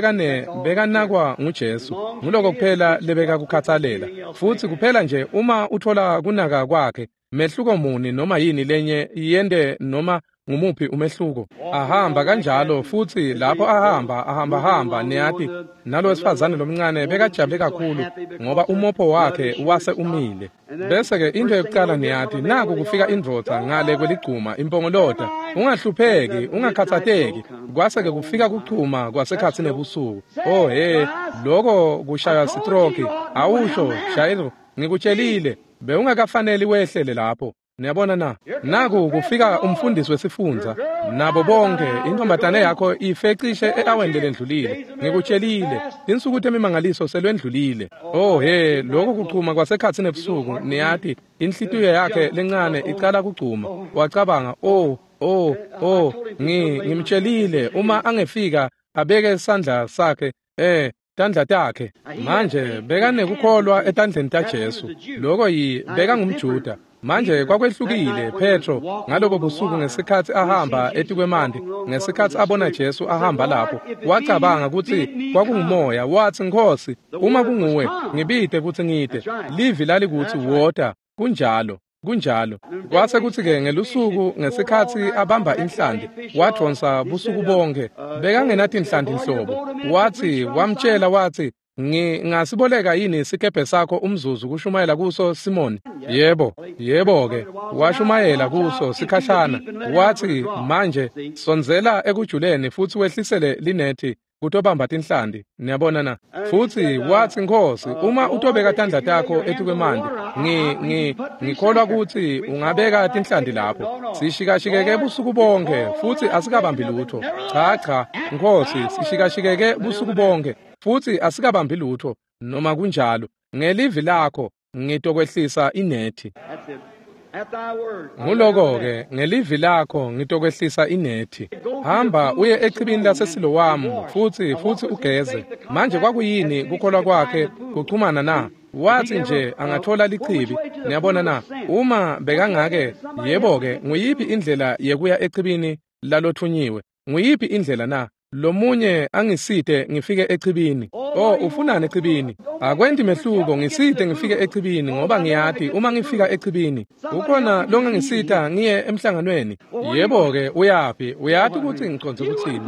bekanakwa nguJesu. Nguloko kuphela lebekakukhatsalela. Futsi kuphela nje uma uthola kunaka kwakhe, mehluko muni noma yini lenye yente noma ngumuphi umehluko. Ahamba kanjalo, futsi lapho ahamba niyati, nalo wesifazane lomncane bekajabule kakhulu ngoba umopho wakhe wase umile. Bese-ke into yokucala niyati, naku kufika indvodza ngale kweligcuma impongolota, ungahlupheki, ungakhathateki. Kwase-ke kufika kuchuma kwasekhatsi nebusuku. Oh he, loko kushaya sitroki. Awusho Jairo, ngikutshelile, bewungakafaneli wehlele lapho. Niyabona na? Naku kufika umfundisi wesifundza, nabo bonke, intfombatane yakho ife cishe e-aweni lelendlulile. Ngikutshelile, tinsuku temimangaliso selwendlulile. Oh he, lokho kuchuma kwasekhatsi nebusuku, niyati, inhlitiyo yakhe lencane icala kuchuma. Wacabanga, oh, ngimtshelile uma angefika abeke sandla sakhe, tandla takhe. Manje bekanekukholwa etandleni taJesu. Lokho bekangumJuda. Manje kwakwehlukile Petro ngalobo busuku ngesikhatsi ahamba etikwemanti, ngesikhatsi abona Jesu ahamba lapho, wacabanga kutsi kwakungumoya. Watsi, Nkosi, uma kunguwe, ngibite kutsi ngite. Livi lalikutsi wota. Kunjalo. Kunjalo. Kwase kutsi-ke ngelusuku ngesikhatsi abamba inhlanti, wadvonsa busuku bonke, bekangenatinhlanti nhlobo. Watsi, wamtshela watsi, ngingasiboleka yini sikebhe sakho umzuzu kushumayela kuso Simoni? Yebo, yebo-ke, washumayela kuso sikhashana. Watsi, manje sondzela ekujuleni futsi wehlisele linethi kutobamba tinhlanti. Niyabona na? Futsi watsi, Nkosi, uma utobeka tandla takho etikwemanti, ngikholwa kutsi ungabeka tinhlanti lapho. Sishikashikeke busuku bonke futsi asikabambi lutho. Cha, Nkosi, sishikashikeke busuku bonke futsi asikabambi lutho. Noma kunjalo, ngelivi lakho ngitokwehlisa inethi. Nguloko-ke, ngelivi lakho ngitokwehlisa inethi. Hamba uye echibini laseSilowamu futsi ugeze. Manje kwakuyini kukholwa kwakhe kuchumana na? Watsi nje angathola lichibi. Niyabona na? Uma bekangake, yebo-ke, nguyiphi indlela yekuya echibini lalothunyiwe? Nguyiphi indlela na? Lomunye angisite ngifike echibini. Oh, ufunani echibini? Akwenti mehluko, ngisite ngifike echibini ngoba ngiyati uma ngifika echibini ukhona longangisita ngiye emhlanganweni. Yebo-ke, uyaphi? Uyati kutsi ngicondze kutsini.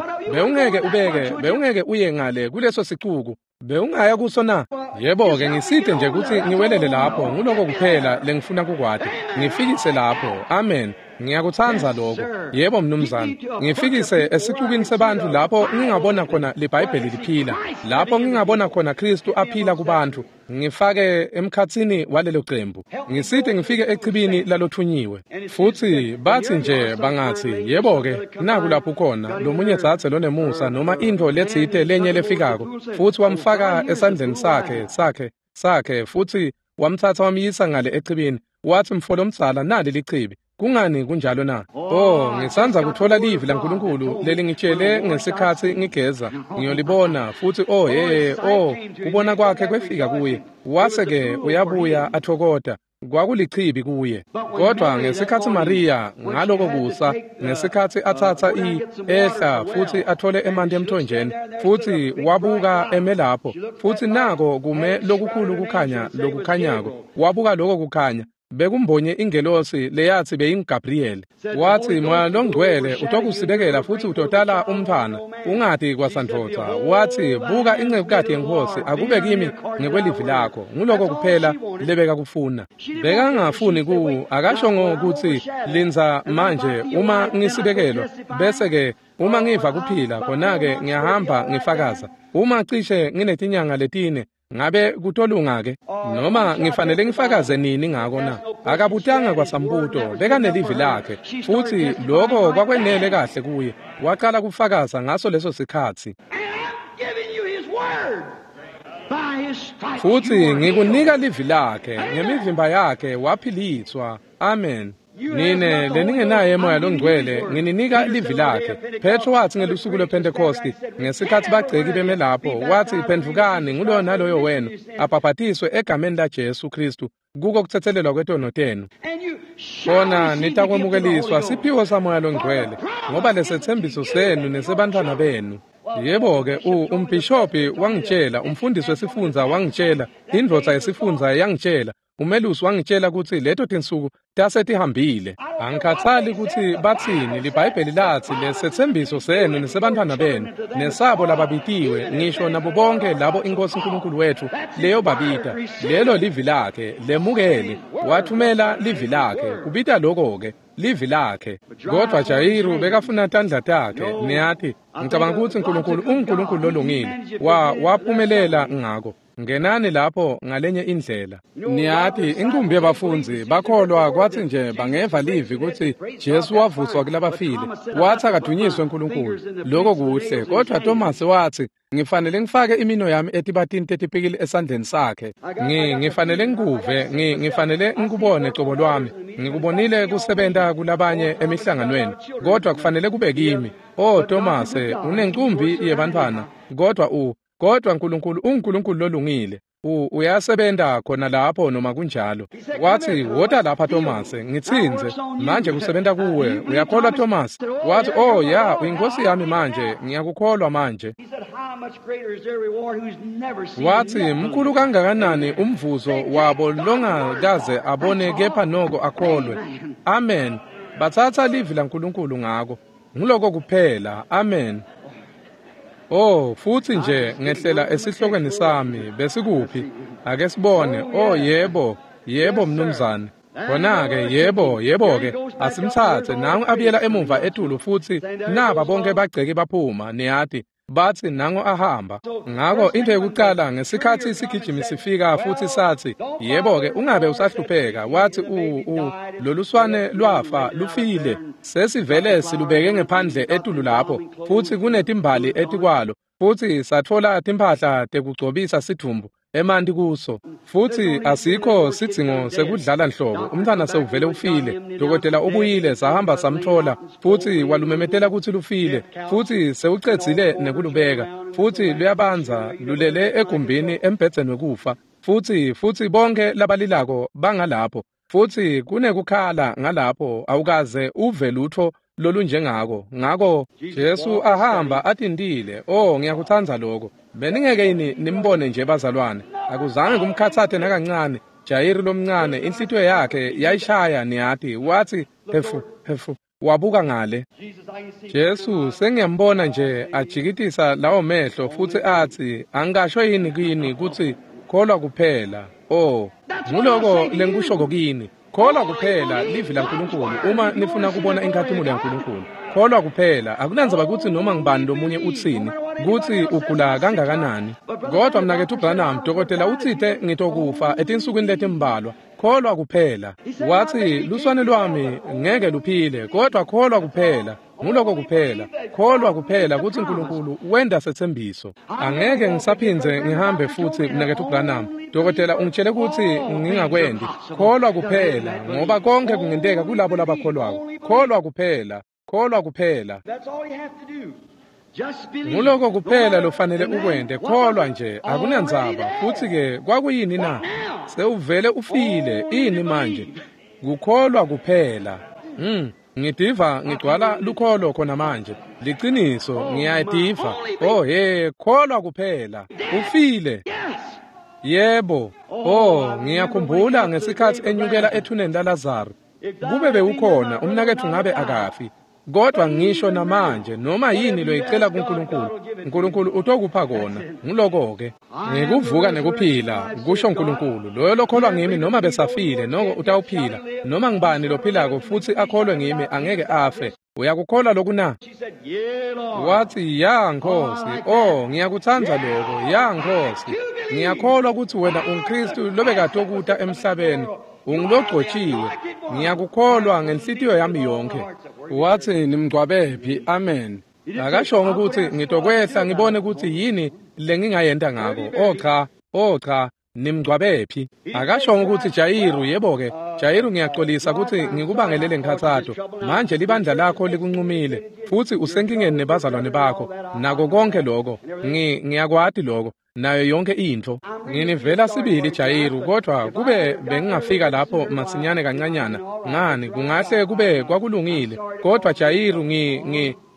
Bewungeke uye ngale kuleso sicuku. Bewungaya kuso na? Yebo-ke, ngisite nje kutsi ngiwelele lapho. Nguloko kuphela lengifuna kukwati. Ngifikise lapho. Amen. Ngiyakutsandza lokho. Yebo mnumzane. Ngifikise esicukini sebantfu lapho ngingabona khona liBhayibheli liphila, lapho ngingabona khona Kristu aphila kubantfu. Ngifake emkhatsini walelo cembu. Ngisite ngifike echibini lalothunyiwe. Futsi batsi nje bangatsi, yebo-ke, naku lapho khona lomunye dzadze lonemusa noma intfo letsite lenye lefikako, futsi wamfaka esandleni sakhe futsi wamtsatsa wamyisa ngale echibini. Watsi, mfo lomdzala, nali lichibi. Kungani kunjalo na? Oh, ngisandza kutfola livi laNkulunkulu lelingitshele ngesikhatsi ngigeza. Ngiyolibona futhi oh hey, oh, kubona kwakhe kwefika kuye. Wase-ke uyabuya athokota. Kwakulichibi kuye. Kodwa ngesikhatsi Maria ngaloko kusa, ngesikhatsi atsatsa ehla futhi athole emanti emthonjeni, futhi wabuka eme lapho, futhi nako kume lokukhulu kukhanya lokukhanyako. Wabuka lokho kukhanya. Bekumbonye ingelosi leyathi beyinguGabriel. Wathi Moya loNgcwele utokusibekela futhi utotala umntfwana ungati kwasandvodza. Wathi buka incekukati yeNkhosi akube kimi ngekwelivi lakho. Nguloko kuphela lebeka kufuna. Bekangafuni ku akasho ngokuthi lindza manje uma ngisibekelwa bese ke uma ngiva kuphila khona-ke ngiyahamba ngifakaza. Uma cishe nginetinyanga letine ngabe kutolunga ke noma ngifanele ngifakaze nini ngako na? Akabutanga kwasambuto, bekanelivi lakhe futhi lokho kwakwenele kahle kuye. Waqala kufakaza ngaso leso sikhatsi. Futhi ngikunika livi lakhe, ngemivimba yakhe waphiliswa. Amen. Nine leningenaye Moya loNgcwele ngininika livi lakhe. Petro wathi ngelusuku lwePhentekosti ngesikhatsi bagceki beme lapho, wathi phendvukani nguloyo naloyo wenu abhabhatiswe egameni laJesu Kristu kuko kutsetselelwa kwetono tenu, khona nitakwemukeliswa siphiwo saMoya loNgcwele, ngoba lesetsembiso senu nesebantfwana benu. Yebo-ke, umbhishobhi wangitshela, umfundisi wesifundza wangitshela, indvodza yesifundza yangitshela, umelusi wangitshela kutsi leto tinsuku tase tihambile. Angikhathali kutsi batsini, liBhayibheli latsi lesetsembiso senu nesebantfwana benu nesabo lababitiwe, ngisho nabo bonke labo iNkhosi uNkulunkulu wethu leyobabita. Lelo livi lakhe, lemukele. Wathumela livi lakhe, kubita loko-ke livi lakhe. Kodwa Jayiru bekafuna tandla takhe, niyati. Ngicabanga kutsi uNkulunkulu unguNkulunkulu lolungile. Waphumelela ngako. Ngenani lapho ngalenye indlela. Niyati, inkumbi yabafundzi bakholwa kwathi nje bangeva livi kutsi Jesu wavuswa kulabafile. Wathi akadunyiswe uNkulunkulu. Lokho kuhle, kodwa Thomas wathi ngifanele ngifake imino yami etibatini tetipikili esandleni sakhe. Ngifanele ngikuve, ngifanele ngikubone cobo lwami. Ngikubonile kusebenta kulabanye emihlanganweni, kodwa kufanele kube kimi. Oh Thomas, unencumbi yebantfwana, kodwa uNkulunkulu unguNkulunkulu lolungile. Uyasebenta khona lapho noma kunjalo. Wathi wota lapha Thomas, ngitsinze manje kusebenta kuwe. Uyakholwa Thomas? Wathi oh ya, uyinkosi yami manje, ngiyakukholwa manje. Wathi mkhulu kangakanani umvuzo wabo longakaze abone kepha noko akholwe. Amen. Batsatsa livi laNkulunkulu ngako. Nguloko kuphela. Amen. Oh, futhi nje ngehlela esihlokweni sami besikuphi? Ake sibone. Oh yebo, yebo mnumzane. Khona-ke yebo, yebo-ke asimthathe nangu abuyela emuva etulu futhi naba bonke bagceki baphuma, niyati. Bathi nangu ahamba. Ngako into yokuqala ngesikhatsi isigijimi sifika futhi sathi yebo-ke ungabe usahlupheka. Wathi loluswane lwafa lufile, sesivele silubeke ngephandle etulu lapho futhi kunetimbali etikwalo, futhi satfola timphahla tekugcobisa sidvumbu emanti kuso, futhi asikho sidzingo sekudlala nhlobo. Umntwana sewuvele ufile. Dokotela ubuyile, sahamba samthola futhi walumemetela kutsi lufile, futhi sewucedzile nekulubeka, futhi luyabanza lulele egumbini embhedzeni wekufa, futhi bonke labalilako bangalapho, futhi kunekukhala ngalapho, awukaze uve lutho lolunjengako. Ngako Jesu ahamba atintile. Oh, ngiyakutsandza lokho. Beningeke yini nimbone nje bazalwane? Akuzange kumkhatsate nakancane. Jayiru lomncane inhlitiyo yakhe yayishaya, niyati. Wathi hefu hefu, wabuka ngale. Jesu sengiyambona nje ajikitisa lawo mehlo futhi athi angasho yini kini kutsi kholwa kuphela. Oh, nguloko lengikushoko kini. Kholwa kuphela livi laNkulunkulu uma nifuna kubona inkhatimulo yaNkulunkulu. Kholwa kuphela, akunandzaba kutsi noma ngibani lomunye utsini, kutsi ugula kangakanani. Kodwa mnaketfu Branham, dokotela utsite ngitokufa etinsukwini letimbalwa. Kholwa kuphela. Wathi, luswane lwami ngeke luphile, kodwa kholwa kuphela. Nguloko kuphela. Kholwa kuphela kutsi uNkulunkulu wenda setsembiso. Angeke ngisaphindze ngihambe futsi mnaketfu Branham. Dokotela ungitshele kutsi ngingakwendi. Kholwa kuphela, ngoba konke kungenteka kulabo labakholwako. Kholwa kuphela. Kholwa kuphela. Nguloko kuphela lofanele ukwente. Kholwa nje, akunandzaba. Futsi ke kwakuyini na? Sewuvele ufile. Ini manje? Kukholwa kuphela. Ngidiva ngigcwala lukholo khona manje. Liciniso, ngiyayidiva. Oh he, kholwa kuphela. Ufile. Yebo. Oh, ngiyakhumbula ngesikhatsi enyukela ethuneni laLazaro. Kube bewukhona, umnaketfu ngabe akafi. Kodwa ngisho namanje noma yini loyicela kuNkulunkulu, uNkulunkulu utokupha kona. Nguloko-ke. Ngikuvuka nekuphila, kusho uNkulunkulu. Loyo lokholwa ngimi noma besafile noko utawuphila. Noma ngibani lophilako futsi akholwe ngimi angeke afe. Uyakukholwa loku na? Wathi, ya Nkosi. Oh, ngiyakutsandza loko. Ya Nkosi. Ngiyakholwa kutsi wena unguKristu lobekatokuta emhlabeni. Ungulogcotshiwe. Ngiyakukholwa ngenhlitiyo yami yonke. Wathi, nimgcwabephi? Amen. Akashongo kutsi ngitokwehla ngibone kutsi yini lengingayenta ngako. Oh cha, oh cha, nimgcwabephi? Akashongo kutsi Jayiru, yebo-ke, Jayiru ngiyaxolisa kutsi ngikubangelele nkhatsato. Manje libandla lakho likuncumile futsi usenkingeni nebazalwane bakho. Nako konke lokho, ngiyakwati lokho. Nayo yonke intfo. Nginivela sibili Jayiru, kodwa kube bengingafika lapho masinyane kancanyana, ngani kungahle kube kwakulungile. Kodwa Jayiru,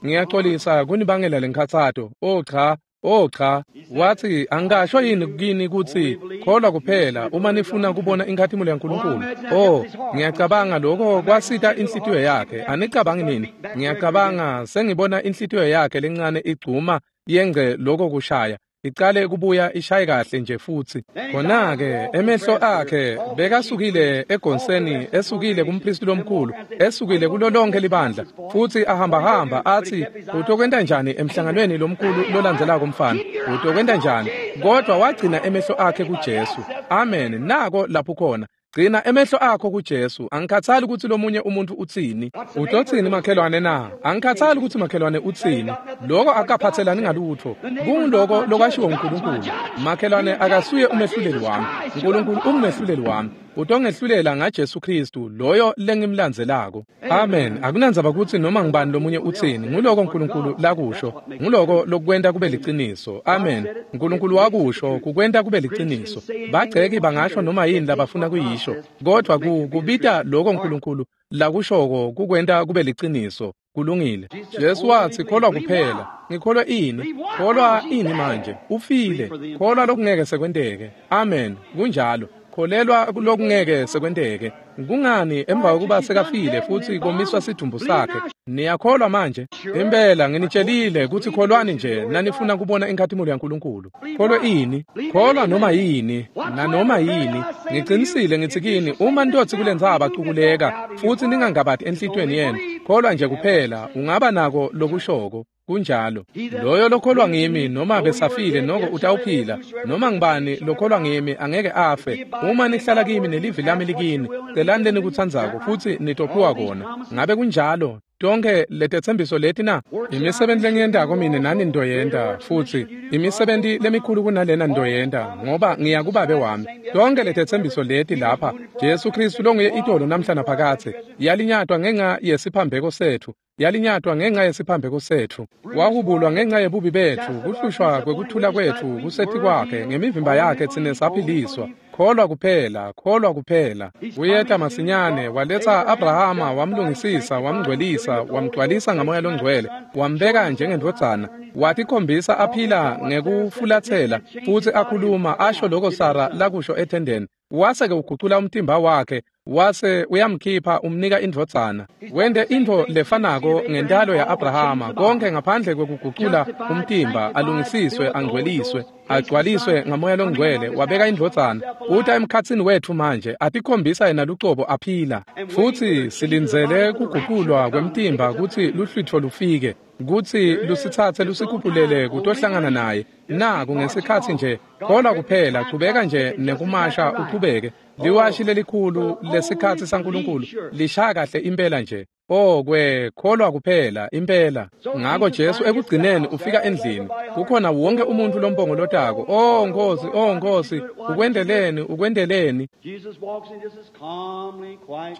ngiyaxolisa kunibangela lenkhatsato. Oh cha, oh cha. Wathi, angasho yini kini kutsi kholwa kuphela uma nifuna kubona inkhatimulo yaNkulunkulu? Oh, ngiyacabanga lokho kwasita inhlitiyo yakhe. Anicabangi nini? Ngiyacabanga sengibona inhlitiyo yakhe lencane igcuma yengce lokho kushaya. Icale kubuya ishaye kahle nje futsi. Khona-ke emehlo akhe bekasukile egonseni, esukile kumpristi lomkhulu, esukile kulo lonke libandla, futsi ahambahamba athi, utokwenta njani emhlanganweni lomkhulu lolandzelako mfana? Utokwenta njani? Kodwa wagcina emehlo akhe kuJesu. Amen. Nako lapho khona. Gcina emehlo akho kuJesu. Angikhathali kutsi lomunye umuntu utsini. Utotsini makhelwane na? Angikhathali kutsi makhelwane utsini. Lokho akaphathelani ngalutho. Kunguloko lokwashiwo uNkulunkulu. Makhelwane akasuye umehluleli wami. uNkulunkulu ungumehluleli wami. Utongehlulela ngaJesu Kristu, loyo lengimlandzelako. Amen. Akunandzaba kutsi noma ngibani lomunye utsini. Nguloko uNkulunkulu lakusho. Nguloko lokwenta kube liciniso. Amen. uNkulunkulu wakusho kukwenta kube liciniso. Bagceki bangasho noma yini labafuna kuyisho, kodwa kubita lokho uNkulunkulu lakushoko kukwenta kube liciniso. Kulungile. Jesu wathi, kholwa kuphela. Ngikholwa ini? Kholwa ini manje? Ufile. Kholwa lokungeke sekwenteke. Amen. Kunjalo. Kholelwa lokungeke sekwenteke. Kungani emva kokuba sekafile futsi komiswa sidumbu sakhe? Niyakholwa manje? Impela nginitshelile kutsi kholwani nje nanifuna kubona inkhatimulo yaNkulunkulu. Kholwa ini? Kholwa noma yini, nanoma yini. Ngicinisile ngitsi kini, uma nitotsi kulentsaba cukuleka futsi ningangabati enhlitiyweni yenu, kholwa nje kuphela, ungaba nako lokushoko. Kunjalo. Loyo lokholwa ngimi noma besafile noko utawuphila. Noma ngibani lokholwa ngimi angeke afe. Uma nihlala kimi nelivi lami likini, celani lenikutsandzako futsi nitophiwa kona. Ngabe kunjalo? Tonke letetsembiso leti na? Imisebenti lengiyentako mine nani nitoyenta, futsi imisebenti lemikhulu kunalena nitoyenta, ngoba ngiya kuBabe wami. Tonke letetsembiso leti lapha, Jesu Kristu longuye itolo namhla naphakadze, yalinyatwa ngenxa yesiphambeko setfu. Yalinyatwa ngenxa yesiphambeko setfu. Wahubulwa ngenxa yebubi betfu, kuhlushwa kwekuthula kwetfu kuseti kwakhe, ngemivimba yakhe tsine saphiliswa. Kholwa kuphela, kholwa kuphela. Uyeta masinyane, waletsa Abrahama, wamlungisisa, wamngcwelisa, wamgcwalisa ngamoya longcwele, wambeka njengendvodzana, watikhombisa aphila ngekufulatsela, futsi akhuluma asho lokho Sara lakusho ethendeni. Wase-ke ugucula umtimba wakhe, wase uyamkhipha umnika indvodzana. Wente intfo lefanako ngentalo ya-Abrahama, konke ngaphandle kwekugucula umtimba, alungisiswe, angcweliswe, agcwaliswe ngamoya longcwele, wabeka indvodzana. Uta emkhatsini wetfu manje, atikhombisa yena lucobo aphila. Futsi silindzele kuguculwa kwemtimba kutsi luhlwitfo lufike, kutsi lusitsatse lusikhuphulele kutohlangana naye. Naku ngesikhatsi nje, kholwa kuphela, chubeka nje nekumasha uchubeke. Liwashi lelikhulu lesikhatsi saNkulunkulu lishaya kahle impela nje. Oh, kwekholwa kuphela impela. Ngako Jesu ekugcineni ufika endlini. Kukhona wonke umuntu lompongolotako. Oh Nkosi, oh Nkosi, ukwendeleni, ukwendeleni.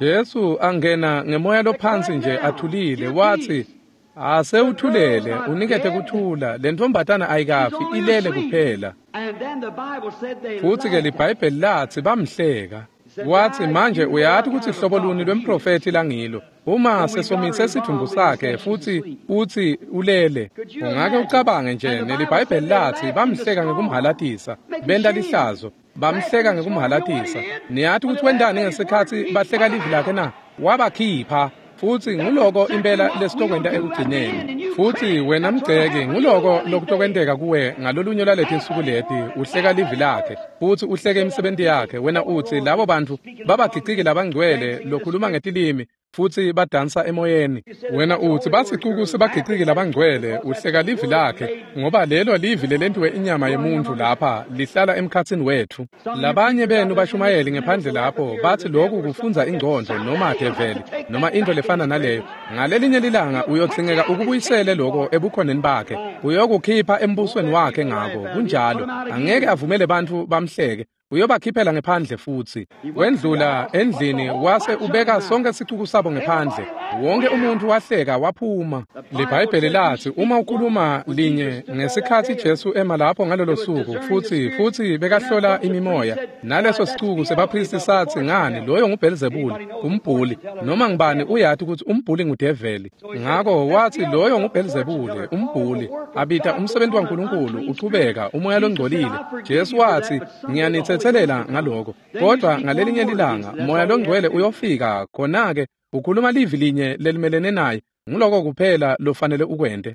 Jesu angena ngemoya lophansi nje athulile wathi, asewuthulele, unikete kuthula. Le ntombatana ayikafi, ilele kuphela. Futhi ke liBhayibheli lathi bamhleka. Wathi manje uyati ukuthi hlobo luni lwemprofethi langilo. Uma sesomise sidumbu sakhe futhi uthi ulele, ungake ucabange nje. NeliBhayibheli lathi bamhleka ngekumhalatisa, benta lihlazo, bamhleka ngekumhalatisa. Niyati ukuthi wendani ngesikhatsi bahleka livi lakhe na? Wabakhipha. Futhi nguloko impela lesitokwenta ekugcineni. Futhi wena mgceki, nguloko lokutokwenteka kuwe ngalolunye lwaleti nsuku leti. Uhleka livi lakhe futhi uhleke imisebenti yakhe. Wena uthi labo bantu babagiciki labangcwele lokhuluma ngetilimi futhi badansa emoyeni. Wena uthi basicuku sebagiciki labangcwele. Uhleka livi lakhe, ngoba lelo livi lelentiwe inyama yemuntu lapha lihlala emkhatsini wethu. Labanye benu bashumayeli ngephandle lapho bathi lokhu kufunza ingqondo noma develi noma into lefana naleyo. Ngalelinye lilanga uyodzingeka ukubuyisele lokho ebukhoneni bakhe, uyokukhipha embusweni wakhe. Ngako kunjalo, angeke avumele bantfu bamhleke, uyobakhiphela ngephandle. Futhi wendlula endlini wase ubeka sonke sicuku sabo ngephandle. Wonke umuntu wahleka waphuma. LiBhayibheli lathi uma ukhuluma linye ngesikhathi Jesu ema lapho ngalolo suku futhi bekahlola imimoya, naleso sicuku sebaphristi sathi, ngani, loyo nguBhelzebule, umbhuli. Noma ngibani uyati ukuthi umbhuli ngudeveli. Ngako wathi loyo nguBhelzebule, umbhuli, abita umsebenzi waNkulunkulu uchubeka, umoya longcolile. Jesu wathi, ngiyanithetselela ngaloko, kodwa ngalelinye lilanga moya longcwele uyofika, khona-ke ukhuluma livi linye lelimelene naye. Nguloko kuphela lofanele ukwente.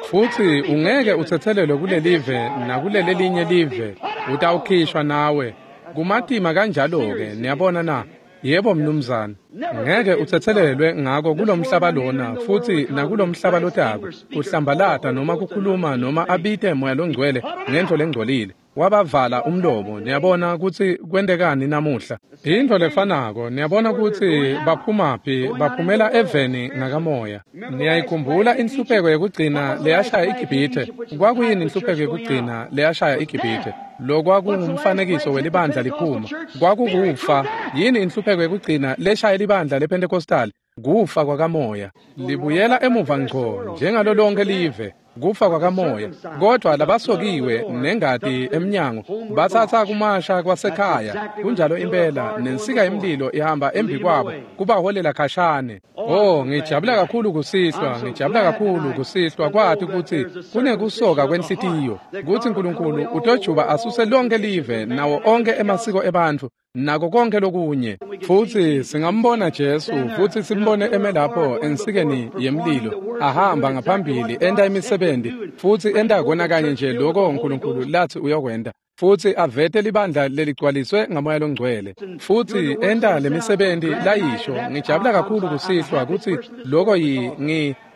Futhi ungeke uthethelelwe kulelive nakulelelinye live, utawukhishwa nawe. Kumatima kanjalo-ke, niyabona na? Yebo mnumzane, ngeke uthethelelwe ngako kulomhlaba lona futhi nakulomhlaba lotako. Kuhlambalata noma kukhuluma noma abite moya longcwele ngento lengcolile. Wabavala umlomo. Niyabona ukuthi kwentekani namuhla? Into lefanako. Niyabona ukuthi baphumaphi? Baphumela eveni ngakamoya. Niyayikhumbula inhlupheko yekugcina leyashaya iGibhithe? Kwakuyini inhlupheko yekugcina leyashaya iGibhithe? Lokwakungumfanekiso welibandla liphuma. Kwakukufa. Yini inhlupheko yekugcina leshaya libandla lePentecostal? Kufa kwakamoya. Libuyela emuva ngco njengalo lonke live, kufa kwakamoya. Kodwa labasokiwe nengati emnyango bathatha kumasha kwasekhaya. Kunjalo impela, nensika yemlilo ihamba embi kwabo kubaholela khashane. Oh, ngijabula kakhulu kusihlwa, ngijabula kakhulu kusihlwa kwathi ukuthi kunekusoka kwenhlitiyo, kuthi uNkulunkulu utojuba asuse lonke live nawo onke emasiko ebantfu nako konke lokunye. Futhi singambona Jesu, futhi simbone eme lapho ensikeni yemlilo, ahamba ngaphambili enta imisebenzi futhi enta kona kanye nje lokho uNkulunkulu lathi uyokwenta, futhi avete libandla leligcwaliswe ngamoya longcwele, futhi enta lemisebenzi layisho. Ngijabula kakhulu kusihlwa ukuthi lokho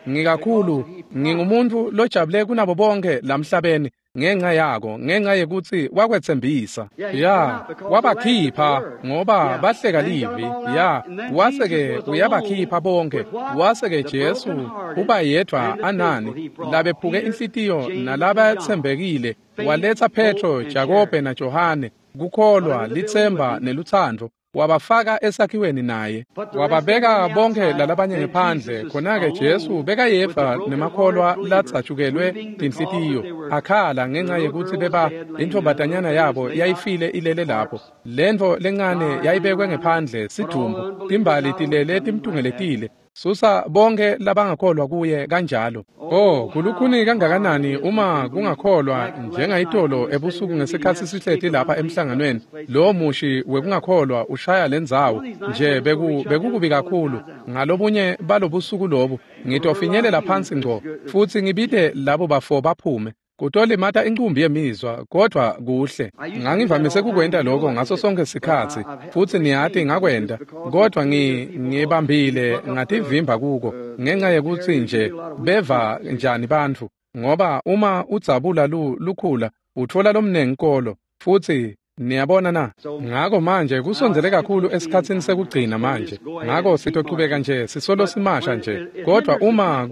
ngikakhulu ngingumuntu lojabule kunabo bonke lamhlabeni ngenxa yako, ngenxa yekuthi wakwethembisa. Ya, wabakhipha ngoba bahleka livi. Ya, wase-ke uyabakhipha bonke. Wase-ke Jesu uba yedwa anani labephuke inhlitiyo nalabathembekile. Waletha Petro, Jakobe naJohane, kukholwa, lithemba neluthando. Wabafaka esakhiweni naye, wababeka bonke lalabanye ngephandle. Khona-ke Jesu bekayedvwa nemakholwa latsatshukelwe tinhlitiyo, akhala ngenxa yekuthi beba intombatanyana yabo yayifile ilele lapho. Lentfo lencane yayibekwe ngephandle, sidumbu, timbali tilele timtungeletile. Susa bonke labangakholwa kuye kanjalo. Oh, kulukhuni kangakanani uma kungakholwa njengayitolo ebusuku ngesikhathi sihleti lapha emhlanganweni. Lo mushi wekungakholwa ushaya lendzawo nje bekukubi kakhulu. Ngalobunye balobusuku lobu ngitofinyelela phansi ngco futhi ngibite labo bafo baphume. Kutolimata incumbi yemizwa, kodwa kuhle. Ngangivamise kukwenta lokho ngaso sonke sikhatsi, futhi niyati ngakwenta, kodwa ngibambile ngativimba kuko ngenxa yekuthi nje beva njani bantfu, ngoba uma udzabula lukhula utfola lomnengi kolo futhi Niyabona na? Ngako manje kusondzele kakhulu esikhatsini sekugcina manje. Ngako sitochubeka nje sisolo simasha nje. Kodwa uma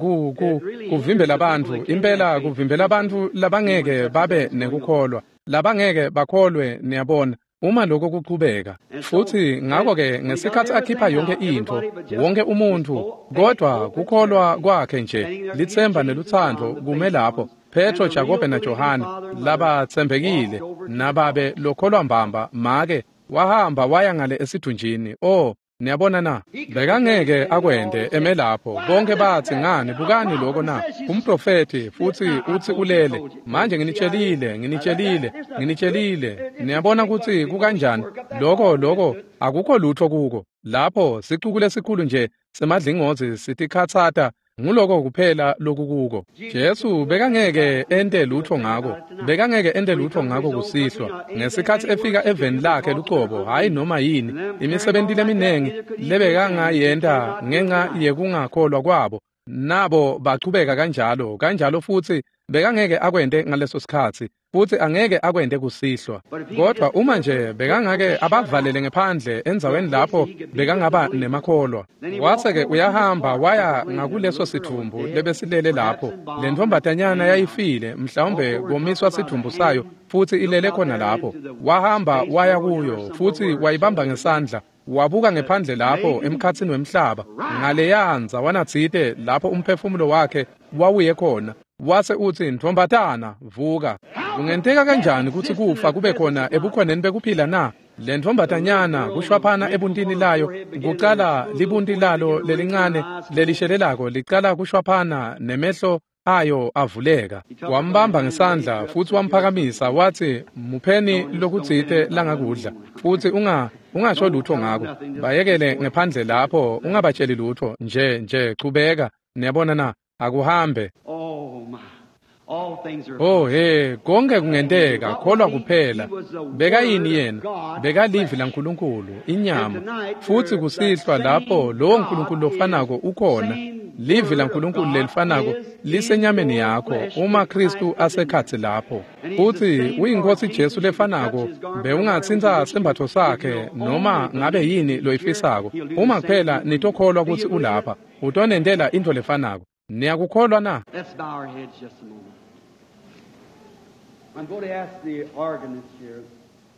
kuvimbela bantfu, impela kuvimbela bantfu labangeke babe nekukholwa, labangeke bakholwe, niyabona. Uma lokho kuchubeka. Futhi ngakho-ke ngesikhathi akhipha yonke intfo, wonke umuntfu, kodwa kukholwa kwakhe nje, litsemba nelutsandvo kume lapho. Petro, Jakobe naJohane labatsembekile nababe lokholwa mbamba make wahamba waya ngale esidunjini. Oh, niyabona na? Bekangeke akwente eme lapho. Bonke bathi ngani, bukani lokho na? Umprofeti futhi uthi ulele. Manje nginitshelile. Niyabona ukuthi kukanjani? Lokho akukho lutho kuko. Lapho sicuku lesikhulu nje semadlingozi sitikhatsata. Nguloko kuphela lokukuko. Jesu bekangeke ente lutho ngako. Bekangeke ente lutho ngako kusihlwa. Ngesikhathi efika eveni lakhe lucobo, hayi noma yini, imisebenti leminingi lebekangayenta ngenxa yekungakholwa kwabo. Nabo bachubeka kanjalo, kanjalo futhi bekangeke akwente ngaleso sikhathi, futhi angeke akwente kusihlwa. Kodwa uma nje bekangake abavalele ngephandle endzaweni lapho bekangaba nemakholwa. Wase-ke uyahamba waya ngakuleso sidvumbu lebesilele lapho. Le ntombatanyana yayifile, mhlawumbe komiswa sidvumbu sayo futhi ilele khona lapho. Wahamba waya kuyo futhi wayibamba ngesandla. Wabuka ngephandle lapho emkhatsini wemhlaba ngaleyanza wanatsite lapho umphefumulo wakhe wawuye khona. Wase uthi, ntombatana, vuka. Kungenteka kanjani ukuthi kufa kube khona ebukhoneni bekuphila na? Le ntombatanyana kushwaphana ebuntini layo, kucala libunti lalo lelincane lelishelelako licala kushwaphana nemehlo ayo avuleka. Wambamba ngesandla futhi wamphakamisa wathi, mupheni lokutsite langakudla futhi ungasho lutho ngako. Bayekele ngephandle lapho, ungabatsheli lutho nje chubeka. Niyabona na? Akuhambe. Oh he, konke kungenteka, kholwa kuphela. Bekayini yena? Bekalivi laNkulunkulu, inyama. Futhi kusihlwa lapho lowo Nkulunkulu lofanako ukhona. Livi laNkulunkulu lelifanako lisenyameni yakho uma Kristu asekhatsi lapho. Futhi uyinkosi Jesu lefanako, bewungatsintsa sembatfo sakhe noma ngabe yini loyifisako. Uma kuphela nitokholwa kutsi ulapha, utonentela intfo lefanako. Niyakukholwa na? Let's bow our heads just a moment. I'm going to ask the organist here.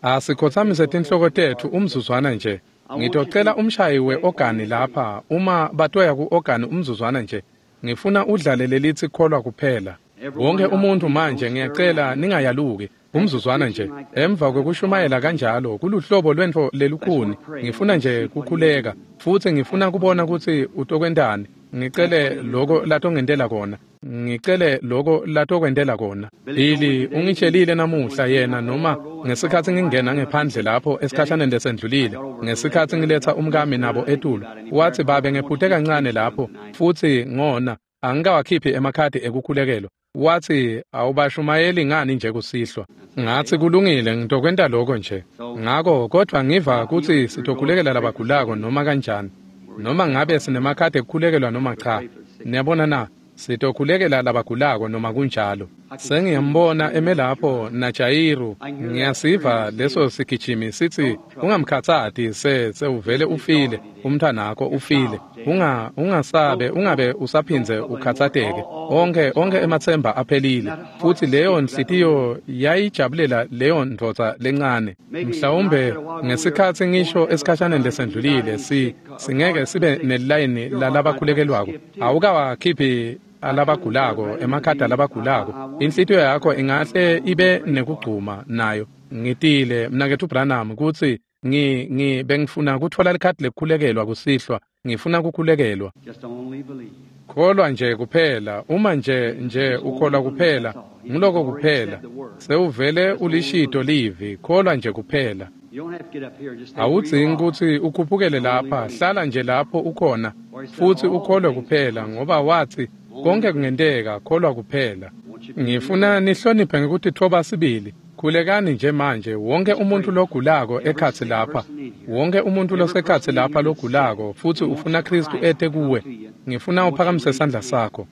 Asikhothamise tinhloko tetfu umzuzwana nje. Ngitocela umshayi we-ogani lapha uma batoya ku-ogani umzuzwana nje. Ngifuna udlale lelithi kholwa kuphela. Wonke umuntu manje ngiyacela ningayaluki umzuzwana nje. Emva kwekushumayela kanjalo kuluhlobo lwentfo lelukhuni. Ngifuna nje kukhuleka futhi ngifuna kubona kutsi utokwentani. Ngicele lokho latongentela kona. Ngicele lokho latokwentela kona. Billy ungitshelile namuhla yena noma ngesikhathi ngingena ngephandle lapho esikhashaneni lesendlulile, ngesikhathi ngiletha umkami nabo etulu, wathi babe ngephute kancane lapho futhi ngona angikawakhiphi emakhadi ekukhulekelwa. Wathi awubashumayeli ngani nje kusihlwa? Ngathi kulungile, ngitokwenta lokho nje. Ngako kodwa ngiva kutsi sitokhulekela labagulako noma kanjani, noma ngabe sinemakhadi ekukhulekelwa noma cha. Niyabona na? Sitokhulekela labagulako noma kunjalo. Sengiyambona eme lapho naJayiru, ngiyasiva leso sigijimi sithi ungamkhathati sewuvele ufile, umntwanakho ufile. Ungasabe ungabe usaphindze ukhathateke. Onke ematsemba aphelile. Futhi leyo nhliziyo yayijabulela leyo ndvodza lencane. Mhlawumbe ngesikhathi ngisho esikhashaneni lesendlulile singeke sibe nelayini lalabakhulekelwako. Awukawakhiphi alabagulako, emakhadi alabagulako. Inhlitiyo yakho ingahle ibe nekugcuma nayo. Ngitile mnaketfu Branham kutsi bengifuna kutfola likhadi lekukhulekelwa kusihlwa. Ngifuna kukhulekelwa. Kholwa nje kuphela. Uma nje ukholwa kuphela, nguloko kuphela. Sewuvele ulishito livi, kholwa nje kuphela. Awudzingi kutsi ukhuphukele lapha, hlala nje lapho ukhona futhi ukholwe kuphela, ngoba wathi konke kungenteka, kholwa kuphela. Ngifuna nihloniphe ngekutitfoba sibili. Khulekani nje manje, wonke umuntu logulako ekhatsi lapha, wonke umuntu losekhatsi lapha logulako futhi ufuna Kristu ete kuwe, ngifuna uphakamise sandla sakho.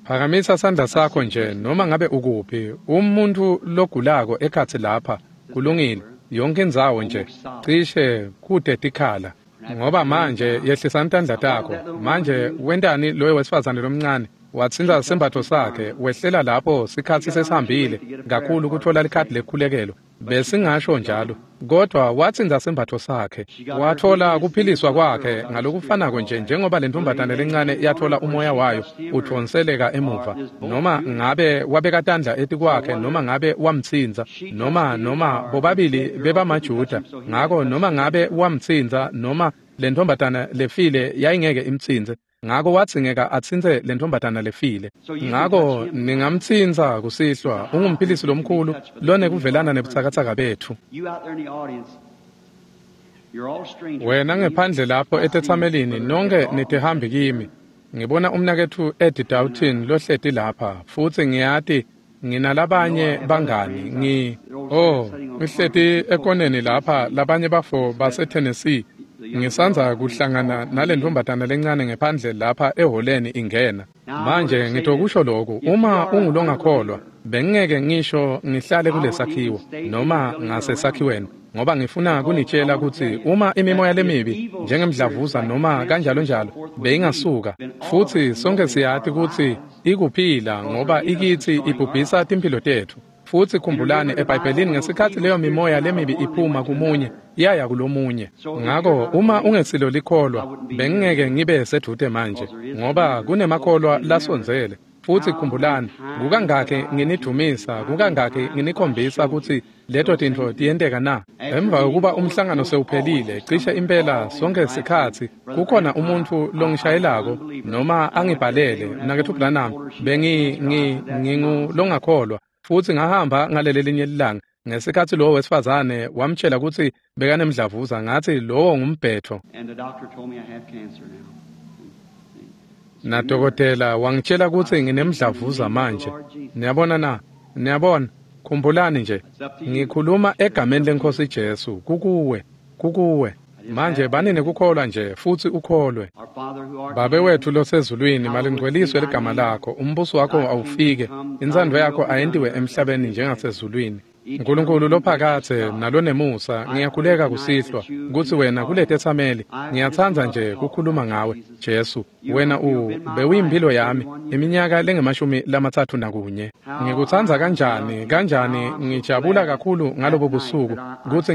Phakamisa sandla sakho nje noma ngabe ukuphi. Umuntu logulako ekhatsi lapha, Kulungile, yonke indzawo nje cishe kude tikhala. Ngoba manje yehlisani tandla takho. Manje wentani loyo wesifazane lomncane? Watsintsa sembatfo sakhe, wehlela lapho sikhatsi sesihambile kakhulu kutfola likhadi lekukhulekelo. Besingasho njalo, kodwa watsintsa sembatfo sakhe, watfola kuphiliswa kwakhe ngalokufanako nje njengoba le ntombazane lencane yatfola umoya wayo udvonseleka emuva. Noma ngabe wabeka tandla etikwakhe, noma ngabe wamtsintsa, noma bobabili bebamaJuda, ngako noma ngabe wamtsintsa noma le ntombazane lefile yayingeke imtsintse. Ngako wadzingeka atsintse le ntombazana lefile. Ngako ningamtsintsa kusihlwa, ungumphilisi lomkhulu lonekuvelana nebutsakatsaka betfu. Wena ngephandle lapho etetsamelini, nonke nitihambi kimi. Ngibona umnaketfu Eddie Doughton lohleti lapha, futsi ngiyati nginalabanye bangani. Ngihleti ekoneni lapha, labanye bafo base Tennessee. Ngisandza kuhlangana nale ntombazana lencane ngephandle lapha eholeni ingena. Manje ngitokusho lokhu, uma ungulongakholwa, bengingeke ngisho ngihlale kulesakhiwo noma ngasesakhiweni, ngoba ngifuna kunitshela kutsi uma imimoya lemibi njengemdlavuza noma kanjalo njalo beyingasuka, futsi sonke siyati kutsi ikuphila ngoba ikithi ibhubhisa timphilo tetfu. Futsi khumbulani eBhayibhelini ngesikhatsi leyo mimoya lemibi iphuma kumunye yaya kulomunye. Ngako uma ungesilo likholwa, bengingeke ngibe sedvute manje ngoba kunemakholwa lasondzele. Futsi khumbulani, kukangakhi nginidumisa, kukangakhi nginikhombisa kutsi leto tintfo tiyenteka na? Emva kokuba umhlangano sewuphelile, cishe impela sonke sikhatsi kukhona umuntfu longishayelako noma angibhalele, mnaketfu Branham, ngingulongakholwa. Futsi ngahamba ngaleli linye ilanga ngesikhatsi lowo wesifazane wamtshela kutsi bekanemdlavuza, ngathi lowo ngumbhetho. Nadokotela wangitshela kutsi nginemdlavuza manje. Niyabona na? Niyabona? Khumbulani nje, ngikhuluma egameni leNkhosi Jesu, kukuwe, kukuwe. Manje bani nekukholwa nje futsi ukholwe. Babe wetfu losezulwini, malingcweliswe ligama lakho, umbuso wakho awufike, intsandvo yakho ayentiwe emhlabeni njengasezulwini. Nkulunkulu lophakathe nalonemusa, ngiyakhuleka kusihlwa kutsi wena kuletetsameli, ngiyatsandza nje kukhuluma ngawe Jesu. Wena bewuyimphilo yami iminyaka lengamashumi 31. Ngikutsandza kanjani, kanjani ngijabula kakhulu ngalobo busuku kutsi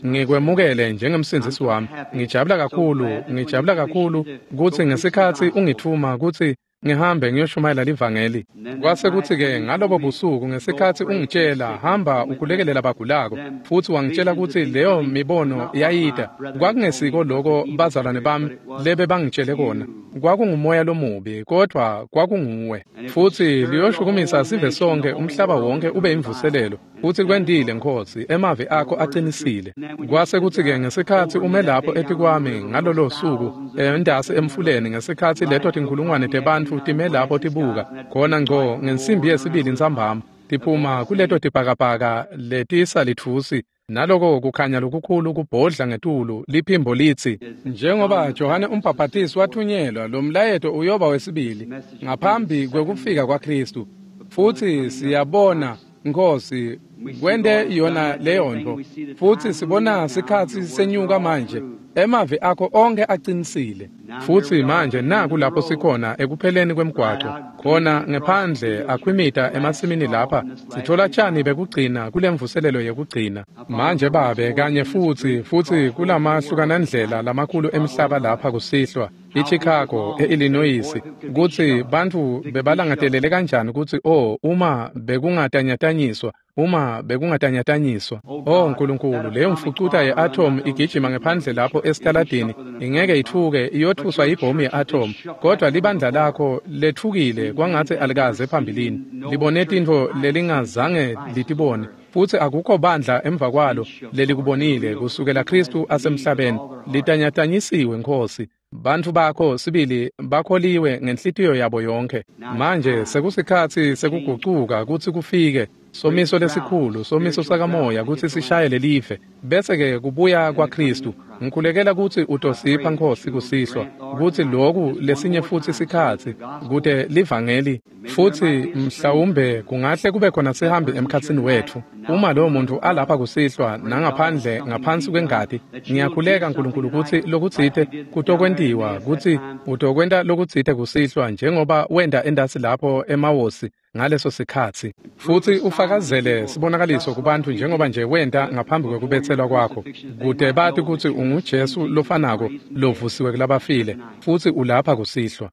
ngikwemukele njengemsindzisi wami. Ngijabula kakhulu, ngijabula kakhulu kutsi ngesikhatsi ungitfuma kutsi ngihambe ngiyoshumayela livangeli. Kwase kutsi-ke ngalobo busuku ngesikhatsi ungitshela hamba ukhulekele labagulako, futsi wangitshela kutsi leyo mibono yayita, kwakungesiko loko bazalwane bami lebe bangitshele kona, kwakungumoya lomubi, kodvwa kwakunguwe. Futsi liyoshukumisa sive sonke, umhlaba wonke ube imvuselelo. Futsi kwentile Nkhosi, emavi akho aqinisile. Kwase kutsi-ke ngesikhatsi ume lapho etikwami ngalolo suku entasi emfuleni, ngesikhatsi leto tinkhulungwane tebantfu time lapho tibuka khona ngco ngensimbi yesibili ntsambama tiphuma kuleto tibhakabhaka letisalitfusi, naloko kukhanya lokukhulu kubhodla ngetulu, liphimbo litsi, njengoba Johane umbhaphatisi wathunyelwa, lo mlayeto uyoba wesibili ngaphambi kwekufika kwaKhristu. Futsi siyabona Nkhosi kwente yona leyontfo, futsi sibona sikhatsi senyuka manje. Emavi akho onke aqinisile. Futsi manje naku lapho sikhona ekupheleni kwemgwaco, khona ngephandle akhwimita emasimini lapha, sithola tshani bekugcina kulemvuselelo yekugcina. Manje Babe, kanye futsi kulamahlukanandlela lamakhulu emhlaba lapha kusihlwa, iChicago, eIllinois, kutsi bantfu bebalangatelele kanjani kutsi uma bekungatanyatanyiswa, uma bekungatanyatanyiswa. Oh Nkulunkulu, leyo mfucuta ye-atom igijima ngephandle lapho esitaladini, ingeke itfuke, iyotfuswa ibhomu ye-atom, kodwa libandla lakho letfukile kwangatsi alikaze phambilini, libone tintfo lelingazange litibone, futsi akukho bandla emva kwalo lelikubonile kusukela Khristu asemhlabeni. Litanyatanyisiwe Nkhosi. Bantfu bakho sibili bakholiwe ngenhlitiyo yabo yonke. Manje sekusikhatsi sekugucuka kutsi kufike somiso lesikhulu, somiso sakamoya kutsi sishaye lelive, bese-ke kubuya kwaKhristu. Ngikhulekela kutsi utosipha Nkhosi kusihlwa, kutsi loku lesinye futsi sikhatsi kute livangeli. Futsi mhlawumbe kungahle kube khona sihambi emkhatsini wetfu. Uma lowo muntu alapha kusihlwa nangaphandle ngaphansi kwengati, ngiyakhuleka Nkulunkulu kutsi lokutsite kutokwentiwa, kutsi utokwenta lokutsite kusihlwa njengoba wenta endasi lapho emawosi ngaleso sikhatsi. Futsi ufakazele sibonakaliso kubantfu njengoba nje wenta ngaphambi kwekubetselwa kwakho, kute bati kutsi unguJesu lofanako lovusiwe kulabafile, futsi ulapha kusihlwa.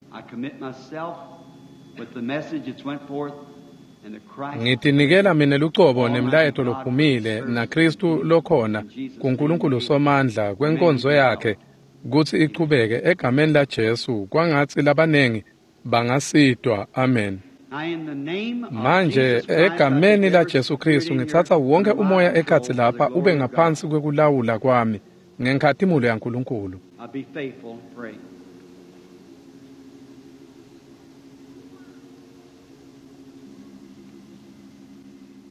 Ngitinikela mine lucobo nemlayeto lophumile naKristu lokhona kuNkulunkulu Somandla kwenkonzo yakhe kutsi ichubeke egameni laJesu, kwangatsi labanengi bangasitwa. Amen. Manje egameni laJesu Kristu ngitsatsa wonke umoya ekhatsi lapha ube ngaphansi kwekulawula kwami ngenkhatimulo yaNkulunkulu.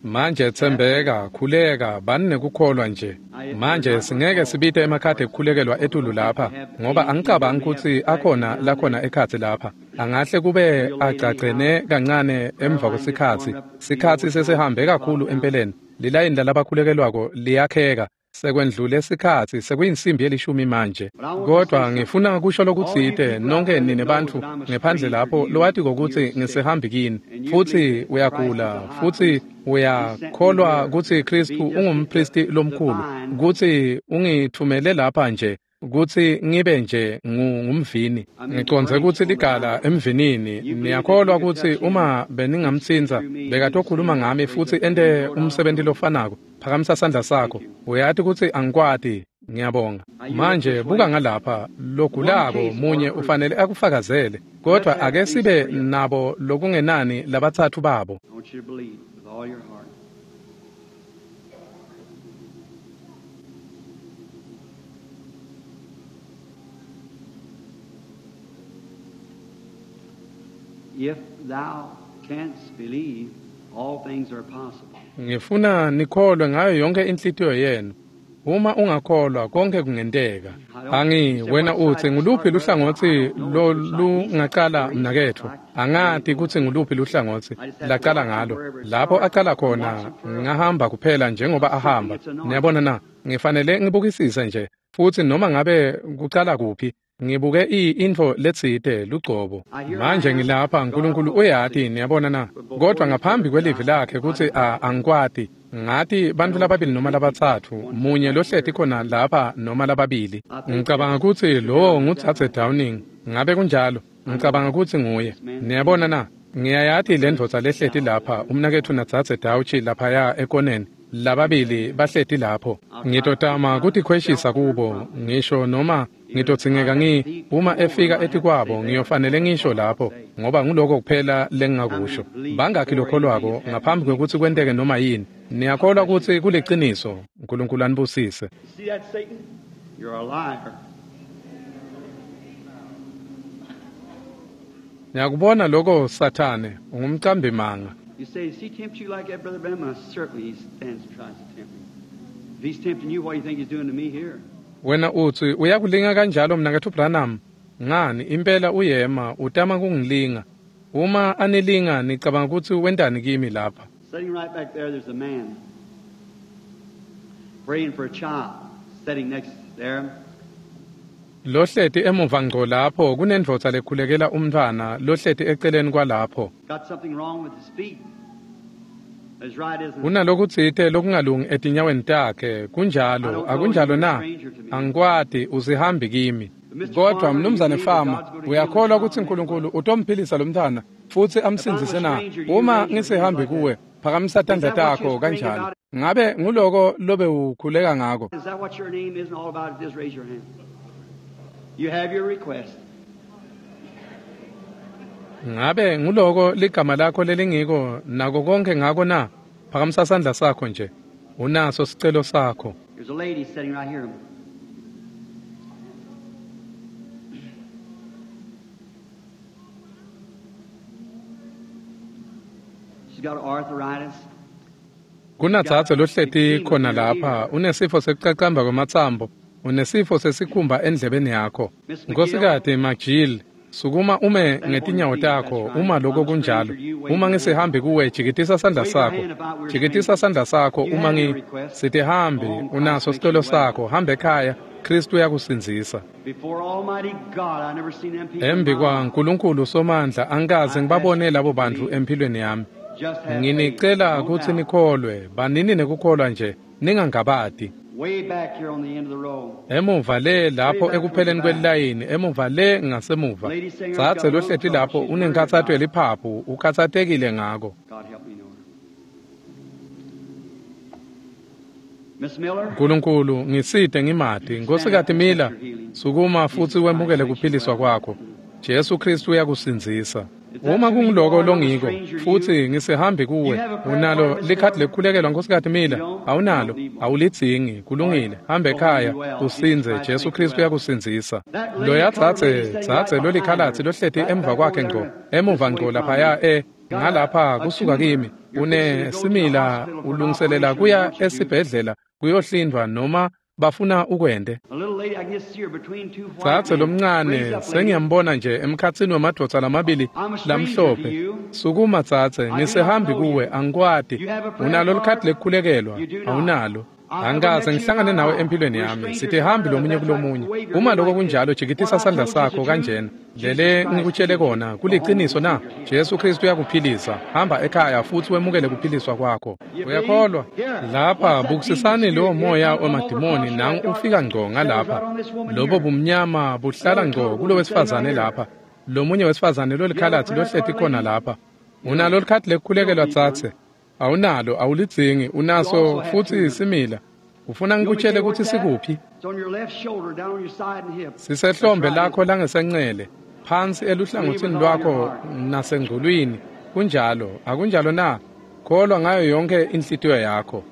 Manje tsembeka, khuleka, bani nekukholwa nje. Manje singeke sibite emakhadi ekukhulekelwa etulu lapha, ngoba angicabangi kutsi akhona lakhona ekhatsi lapha. Angahle kube agcagcene kancane emva kwesikhatsi. Sikhatsi sesihambe kakhulu empeleni. Lilayini lalabakhulekelwako liyakheka. Sekwendlule sikhatsi, sekuyinsimbi yelishumi manje. Kodwa ngifuna kusho lokutsite nonke nine bantfu ngephandle lapho lowatiko kutsi ngisehambi kini, futsi uyagula, futsi uyakholwa kutsi Kristu ungumpristi lomkhulu, kutsi ungithumele lapha nje kutsi ngibe nje ngumvini. Ngicondze kutsi ligala emvinini. Niyakholwa kutsi uma beningamtsintsa bekatokhuluma ngami futsi ente umsebenti lofanako? Phakamisa sandla sakho. Uyati kutsi angikwati. Ngiyabonga. Manje buka ngalapha, logulako munye ufanele akufakazele, kodwa ake sibe nabo lokungenani labatsatfu babo. If thou canst believe, all things are possible. Ngifuna nikholwe ngayo yonke inhlitiyo yenu. Uma ungakholwa konke kungenteka. Angi wena utsi nguluphi luhlangotsi lolungacala mnaketfu? Angati kutsi nguluphi luhlangotsi lacala ngalo. Lapho acala khona ngahamba kuphela njengoba ahamba. Niyabona na? Ngifanele ngibukisise nje futsi noma ngabe kucala kuphi. Ngibuke intfo letsite lugcobo. Manje ngilapha, Nkulunkulu uyati, niyabona na? Kodwa ngaphambi kwelivi lakhe kutsi angikwati, ngati bantfu lababili noma labatsatfu, munye lohleti khona lapha noma lababili. Ngicabanga kutsi lowo nguDzadze Downing. Ngabe kunjalo? Ngicabanga kutsi nguye. Niyabona na? Ngiyayati le ndvodza lehleti lapha, umnaketfu naDzadze Dauchi laphaya ekoneni. Lababili bahleti lapho. Ngitotama kutikhweshisa kubo, ngisho noma ngitodzingeka uma efika etikwabo ngiyofanele ngisho lapho, ngoba nguloko kuphela lengingakusho. Bangakhi lokholwako ngaphambi kwekutsi kwenteke noma yini? Niyakholwa kutsi kuliciniso? Nkulunkulu anibusise. Ngiyakubona lokho Sathane, ungumcambi manga. You say, does he tempt you like that, Brother Branham? Certainly he stands and tries to tempt me. If he's tempting you, what do you think he's doing to me here? Wena utsi uyakulinga kanjalo mnaketfu Branham? Ngani impela uyema utama kungilinga. Uma anilinga nicabanga kutsi wentani kimi lapha? Sitting right back there, there's a man praying for a child. Sitting next there. Lohleti emuva ngco lapho kunendvodza lekhulekela umntfwana lohleti eceleni kwalapho. Got something wrong with his feet. His right isn't. Kunalokutsite lokungalungi etinyaweni takhe. Kunjalo, akunjalo na? Angikwati, usihambi kimi. Kodwa mnumzane Fama, uyakholwa kutsi Nkulunkulu utomphilisa lo mntfwana futsi amsindzise na? Uma ngisihambi kuwe, phakamisa tandla takho kanjalo. Ngabe nguloko lobe ukhuleka ngako? Is that what your name isn't all about? Just raise your hand. You have your request. Ngabe nguloko ligama lakho lelingiko nako konke ngako na? Phakamisa sandla sakho nje. Unaso sicelo sakho. There's a lady sitting right here. She's got arthritis. Kunadzadze lohleti khona lapha, unesifo sekucacamba kwematsambo, unesifo sesikhumba endlebeni yakho. Nkosikazi McGill, Sukuma ume ngetinyawo takho uma lokho kunjalo. Uma ngisihambi kuwe, jikitisa sandla sakho. Jikitisa sandla sakho uma sitihambi, unaso sicelo sakho, hamba ekhaya, Kristu uyakusindzisa. Embi kwaNkulunkulu Somandla, angikaze ngibabone labo bantu empilweni yami. Nginicela kutsi nikholwe, banini nekukholwa nje, ningangabati. Emuva le lapho ekupheleni kwelilayini, emuva le ngasemuva. Dzadze lohleti lapho unenkhatsato yeliphaphu, ukhatsatekile ngako. Nkulunkulu, ngisite ngimati. Nkhosikati Miller, sukuma futsi wemukele kuphiliswa kwakho. Jesu Kristu uyakusindzisa. Uma kunguloko longiko futsi ngisihambi kuwe, unalo likhadi lekukhulekelwa, Nkhosikati Miller? Awunalo, awulidzingi. Kulungile, hamba ekhaya usindze. Jesu Kristu uyakusindzisa. Loya dzadze lolikhalatsi lohleti emva kwakhe ngco, emuva ngco laphaya ngalapha kusuka kimi, unesimila, ulungiselela kuya esibhedlela kuyohlindwa noma bafuna ukwente. Dzadze lomncane, sengiyambona nje emkhatsini wemadvodza lamabili lamhlophe. Sukuma dzadze, ngisihambi kuwe, angikwati. Unalo likhadi lekukhulekelwa? Awunalo. Angikaze ngihlangane nawe empilweni yami. Sitihambi lomunye kulomunye. Uma lokho kunjalo, jikitisa sandla sakho kanjena. Lele ngikutshele kona, kuliciniso na? Jesu Kristu uyakuphilisa. Hamba ekhaya futsi wemukele kuphiliswa kwakho. Uyakholwa? Lapha bukisisani lowo moya wemadimoni nangu ufika ngco ngalapha. Lobo bumnyama buhlala ngco kulo wesifazane lapha. Lomunye wesifazane lolikhalatsi lohleti khona lapha. Unalo likhadi lekukhulekelwa dzadze? Awunalo, awulidzingi, unaso futsi simila. Ufuna ngikutshele kutsi sikuphi? Sisehlombe lakho langesencele, phansi eluhlangotsini lwakho nasengculwini. Kunjalo, akunjalo na? Kholwa ngayo yonke inhlitiyo yakho.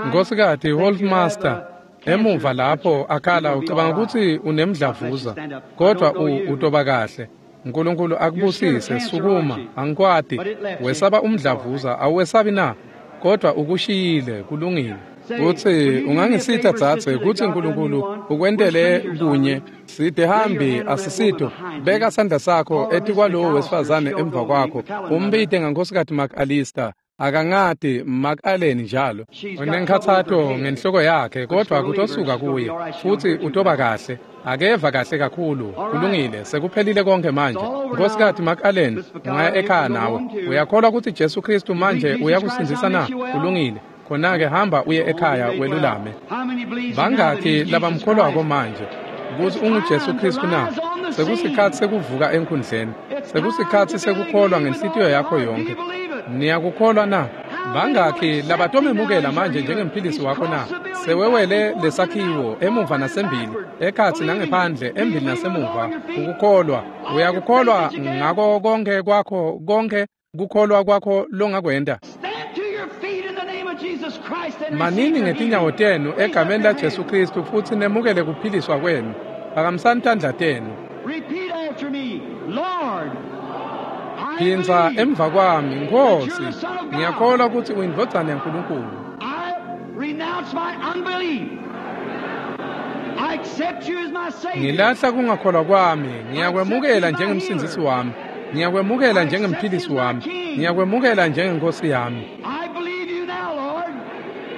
Nkhosikati Holtmaster, emuva lapho akhala, ucabanga kutsi unemdlavuza, kodwa utoba kahle. Nkulunkulu akubusise. Sukuma, angikwati. Wesaba umdlavuza, awuwesabi na? Kodwa ukushiyile, kulungile. Kutsi ungangisita dzadze kutsi Nkulunkulu ukwentele kunye. Sihambi asisito. Beka sandla sakho etikwalowo wesifazane emva kwakho. Umbite ngaNkhosikati McAllister. Akangati McAllen njalo. Unenkhatsato ngenhloko yakhe, kodwa kutosuka kuye futsi utoba kahle. Akeva kahle kakhulu. Kulungile, sekuphelile konke manje. Nkhosikati McAllen, ungaya ekhaya nawe. Uyakholwa kutsi Jesu Kristu manje uyakusindzisa na? Kulungile. Khona-ke hamba uye ekhaya welulame. Bangakhi labamkholwako manje kutsi unguJesu Kristu na? Sekusikhatsi sekuvuka enkhundleni. Sekusikhatsi sekukholwa ngenhlitiyo yakho yonke. Niyakukholwa na? Bangakhi labatomemukela manje njengemphilisi wakho na? Sewewele lesakhiwo emuva nasembili, ekhatsi nangephandle, embili nasemuva. Ukukholwa, uyakukholwa ngako konke kwakho, konke kukholwa kwakho longakwenta. Manini ngetinyawo tenu egameni la Jesu Kristu futsi nemukele kuphiliswa kwenu. Phakamisani tandla tenu. Phindza emva kwami, Nkhosi, ngiyakholwa kutsi uyindvodzana yaNkulunkulu. Ngilahla kungakholwa kwami, ngiyakwemukela njengemsindzisi wami, ngiyakwemukela njengemphilisi wami, ngiyakwemukela njengenkosi yami.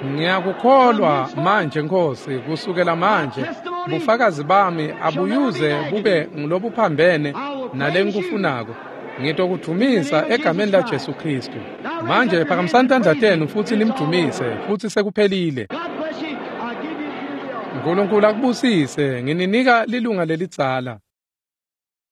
Ngiyakukholwa manje Nkhosi, kusukela manje bufakazi bami abuyuze bube ngulobuphambene nalengikufunako. Ngitokudvumisa egameni la Jesu Kristu. Manje phakamisani tandla tenu futsi nimdumise, futsi sekuphelile. Nkulunkulu akubusise. Ngininika lilunga lelidzala.